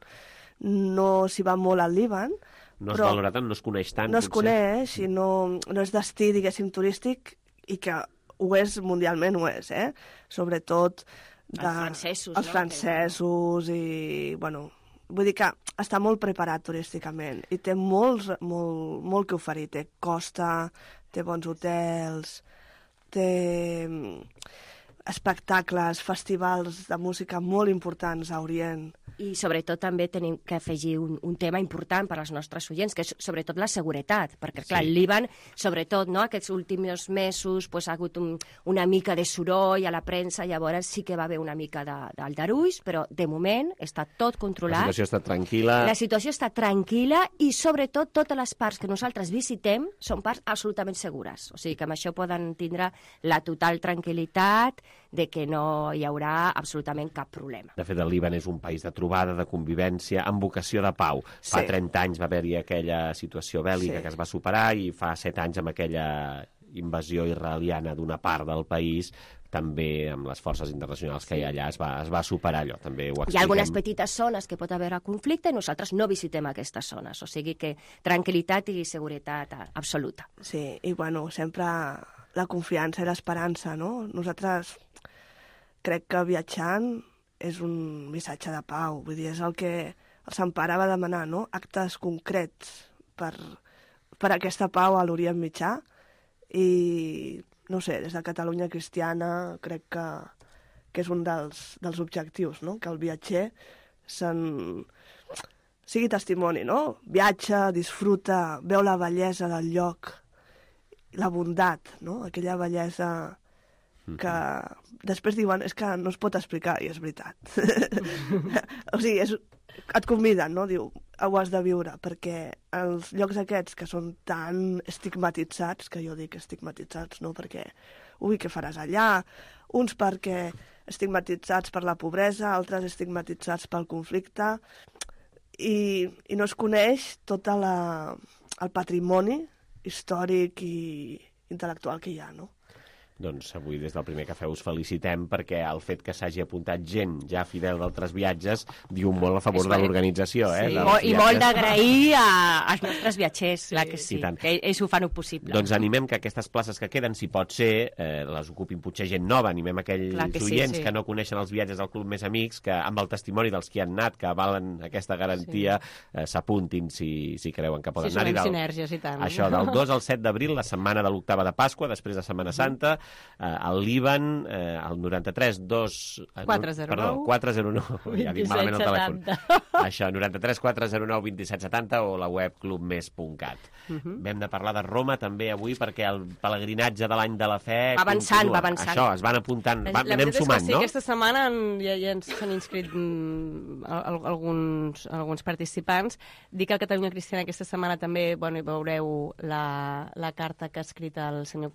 no s'hi va molt al Líban. No es valora tant, no es coneix tant. No es coneix i no és destí, diguéssim, turístic, i que ho és mundialment, Sobretot els francesos i, vull dir que està molt preparat turísticament i té molt que oferir. Té costa, té bons hotels, té espectacles, festivals de música molt importants a Orient. I sobretot també tenim que afegir un tema important per als nostres oients, que és sobretot la seguretat, perquè clar, el Líban, sobretot aquests últims mesos, ha hagut una mica de soroll a la premsa, llavors sí que va haver una mica d'aldarulls, però de moment està tot controlat. La situació està tranquil·la. La situació està tranquil·la i sobretot totes les parts que nosaltres visitem són parts absolutament segures. O sigui que amb això poden tindre la total tranquil·litat de que no hi haurà absolutament cap problema. De fet, el Líban és un país de trobada, de convivència, amb vocació de pau. Fa 30 anys va haver-hi aquella situació bèl·lica que es va superar i fa 7 anys amb aquella invasió israeliana d'una part del país, també amb les forces internacionals que hi ha allà es va superar allò. També ho expliquem. Hi ha algunes petites zones que pot haver conflicte i nosaltres no visitem aquestes zones, o sigui que tranquil·litat i seguretat absoluta. Sí, i sempre la confiança i l'esperança, no? Nosaltres crec que viatjant és un missatge de pau, vull dir, és el que el Sant Pare va demanar, no? Actes concrets per aquesta pau a l'Orient Mitjà i, no sé, des de Catalunya Cristiana crec que és un dels objectius, no? Que el viatger sigui testimoni, no? Viatja, disfruta, veu la bellesa del lloc, la bondat, no? Aquella bellesa que després diuen és que no es pot explicar, i és veritat. O sigui, et conviden, no? Diu, ho has de viure, perquè els llocs aquests que són tan estigmatitzats, que jo dic estigmatitzats, no? Perquè, ui, què faràs allà? Uns perquè estigmatitzats per la pobresa, altres estigmatitzats pel conflicte, i no es coneix tot el patrimoni històric i intel·lectual que hi ha, no? Doncs avui des del Primer Cafè us felicitem perquè el fet que s'hagi apuntat gent ja fidel d'altres viatges diu molt a favor de l'organització. Sí, i molt d'agrair als nostres viatgers, clar que sí, que ells ho fan possible. Doncs animem que aquestes places que queden, si pot ser, les ocupin potser gent nova, animem aquells oients que no coneixen els viatges del Club Més Amics, que amb el testimoni dels que han anat, que valen aquesta garantia, s'apuntin si creuen que poden anar-hi. Sí, són sinergies i tant. Això, del 2 al 7 d'abril, la setmana de l'octava de Pasqua, després de Setmana Santa, al Líban, al 93 409 ja dic malament el telèfon. Això, 93 409 2770 o la web clubmes.cat. Vam de parlar de Roma també avui perquè el pelegrinatge de l'any de la fe va avançant. Això, es van apuntant, anem sumant, no? Aquesta setmana ja s'han inscrit alguns participants. Dic que a Catalunya Cristiana aquesta setmana també hi veureu la carta que ha escrit el senyor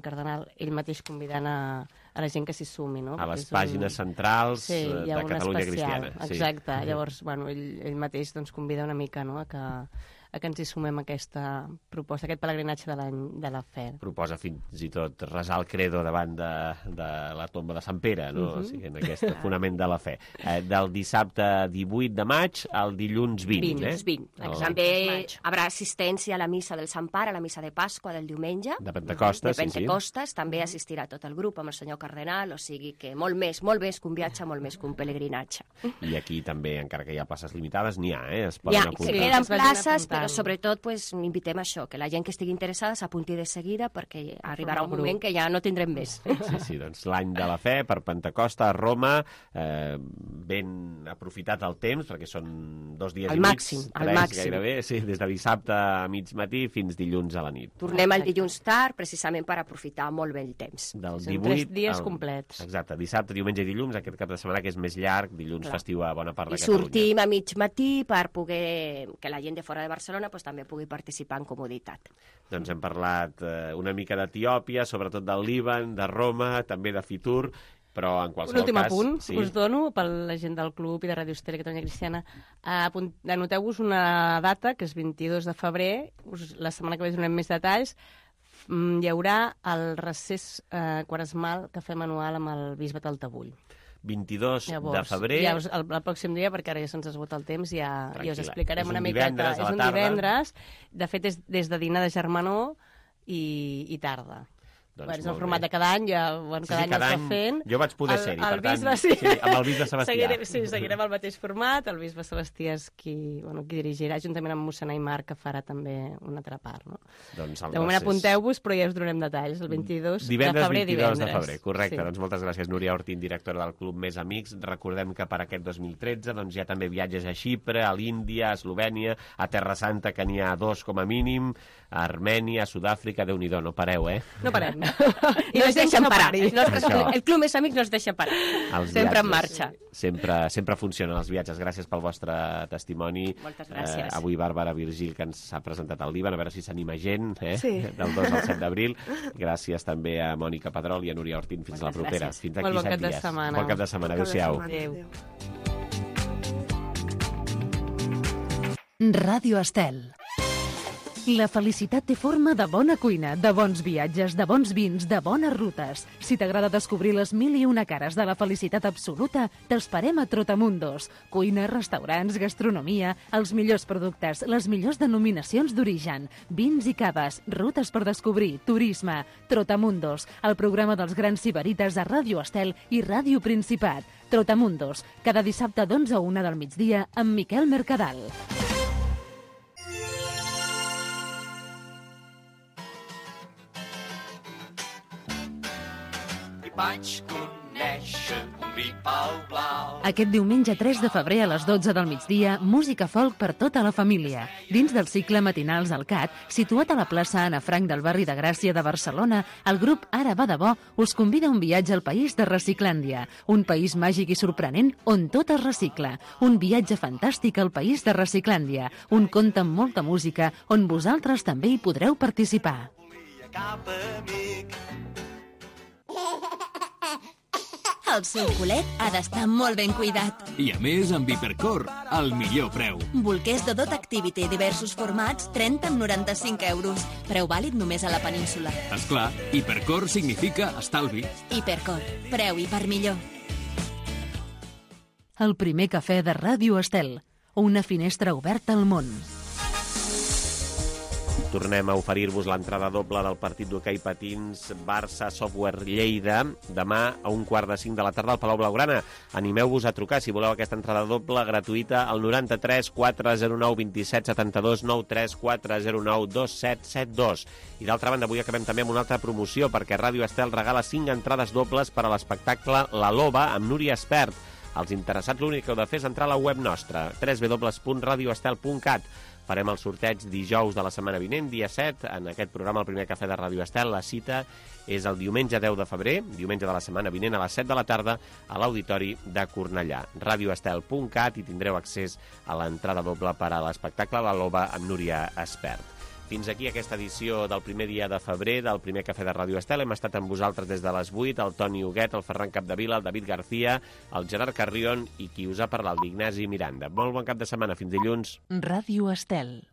cardenal, ell mateix convidant a la gent que s'hi sumi, no? A les pàgines centrals de Catalunya Cristiana. Exacte, llavors, ell mateix convida una mica a que ens hi sumem a aquesta proposta, aquest pelegrinatge de l'any de la fe. Proposa fins i tot resar el credo davant de la tomba de Sant Pere, no? O sigui, en aquest fonament de la fe. Del dissabte 18 de maig al dilluns 20. 20. També hi haurà assistència a la missa del Sant Pare, a la missa de Pasqua del diumenge. De Pentecostes, sí. De Pentecostes, també assistirà tot el grup amb el senyor cardenal, o sigui que molt més que un viatge, molt més que un pelegrinatge. I aquí també, encara que hi ha places limitades, n'hi ha, es poden apuntar. Hi queden places, però sobretot invitem a això, que la gent que estigui interessada s'apunti de seguida perquè arribarà un moment que ja no tindrem més. Sí, doncs l'any de la fe per Pentecosta a Roma, ben aprofitat el temps, perquè són 2 dies i mig, 3 gairebé, sí, des de dissabte a mig matí fins dilluns a la nit. Tornem el dilluns tard, precisament per aprofitar molt bé el temps. Del 18 3 dies complets. Exacte, dissabte, diumenge i dilluns, aquest cap de setmana que és més llarg, dilluns festiu a bona part de Catalunya. I sortim a mig matí per poder que la gent de fora de Barcelona també pugui participar en comoditat. Doncs hem parlat una mica d'Etiòpia, sobretot del Líban, de Roma, també de Fitur, però en qualsevol cas... Un últim apunt us dono per la gent del club i de Ràdio Estel i Catalunya Cristiana. Anoteu-vos una data, que és 22 de febrer, la setmana que ve donem més detalls, hi haurà el recés quaresmal que fem anual amb el bisbe Taltabull. 22 de febrer. Ja el pròxim dia, perquè ara ja se'ns esgota el temps, ja us explicarem una miqueta. És un divendres, de fet és des de dinar de germanor i tarda. És el format de cada any, cada any es va fent. Jo vaig poder ser-hi, per tant, amb el bisbe Sebastià. Seguirem el mateix format, el bisbe Sebastià és qui dirigirà, juntament amb mossèn Aimar, que farà també una altra part. De moment apunteu-vos, però ja us donarem detalls, el 22 de febrer, divendres. 22 de febrer, correcte. Doncs moltes gràcies, Núria Ortín, directora del Club Més Amics. Recordem que per aquest 2013 hi ha també viatges a Xipre, a l'Índia, a Eslovènia, a Terra Santa, que n'hi ha 2 com a mínim, a Armènia, a Sud-àfrica, Déu-n'hi-do, no pareu, No parem. I no es deixen parar. El Club Més Amics no es deixa parar. Sempre en marxa. Sempre funcionen els viatges. Gràcies pel vostre testimoni. Moltes gràcies. Avui Bàrbara Virgil, que ens ha presentat al Líban, a veure si s'anima gent, del 2 al 7 d'abril. Gràcies també a Mònica Pedrol i a Núria Ortín. Fins la propera. Fins aquí 7 dies. Bon cap de setmana. Adéu-siau. Ràdio Estel. La felicitat té forma de bona cuina, de bons viatges, de bons vins, de bones rutes. Si t'agrada descobrir les 1001 cares de la felicitat absoluta, t'esperem a Trotamundos. Cuina, restaurants, gastronomia, els millors productes, les millors denominacions d'origen, vins i caves, rutes per descobrir, turisme. Trotamundos, el programa dels grans sibarites a Ràdio Estel i Ràdio Principat. Trotamundos, cada dissabte d'11 a 1 del migdia amb Miquel Mercadal. Vaig conèixer un gripau blau. Aquest diumenge 3 de febrer a les 12 del migdia, música folk per tota la família. Dins del cicle Matinals al CAT, situat a la plaça Anna Frank del barri de Gràcia de Barcelona, el grup Ara va de bo us convida a un viatge al país de Reciclàndia, un país màgic i sorprenent on tot es recicla. Un viatge fantàstic al país de Reciclàndia, un conte amb molta música on vosaltres també hi podreu participar. Cap amic. El seu culet ha d'estar molt ben cuidat. I a més, amb Hipercor, el millor preu. Bolquers de Dot Activity, diversos formats, 30 amb 95 euros. Preu vàlid només a la península. Esclar, Hipercor significa estalvi. Hipercor, preu i per millor. El primer cafè de Ràdio Estel, una finestra oberta al món. Tornem a oferir-vos l'entrada doble del partit d'hoquei patins Barça Software Lleida demà a 4:45 de la tarda al Palau Blaugrana. Animeu-vos a trucar si voleu aquesta entrada doble gratuïta al 93 409 27 72 93 409 2772. I d'altra banda, avui acabem també amb una altra promoció perquè Ràdio Estel regala 5 entrades dobles per a l'espectacle La Loba amb Núria Espert. Els interessats l'únic que heu de fer és entrar a la web nostra www.radioestel.cat. Farem el sorteig dijous de la setmana vinent, dia 7, en aquest programa, el primer cafè de Ràdio Estel. La cita és el diumenge 10 de febrer, diumenge de la setmana vinent, a les 7 de la tarda, a l'Auditori de Cornellà. radioestel.cat i tindreu accés a l'entrada doble per a l'espectacle La Loba amb Núria Espert. Fins aquí aquesta edició del primer dia de febrer del primer cafè de Ràdio Estel. Hem estat amb vosaltres des de les 8, el Toni Huguet, el Ferran Capdevila, el David García, el Gerard Carrion i qui us ha parlat, l'Ignasi Miranda. Molt bon cap de setmana, fins dilluns. Ràdio Estel.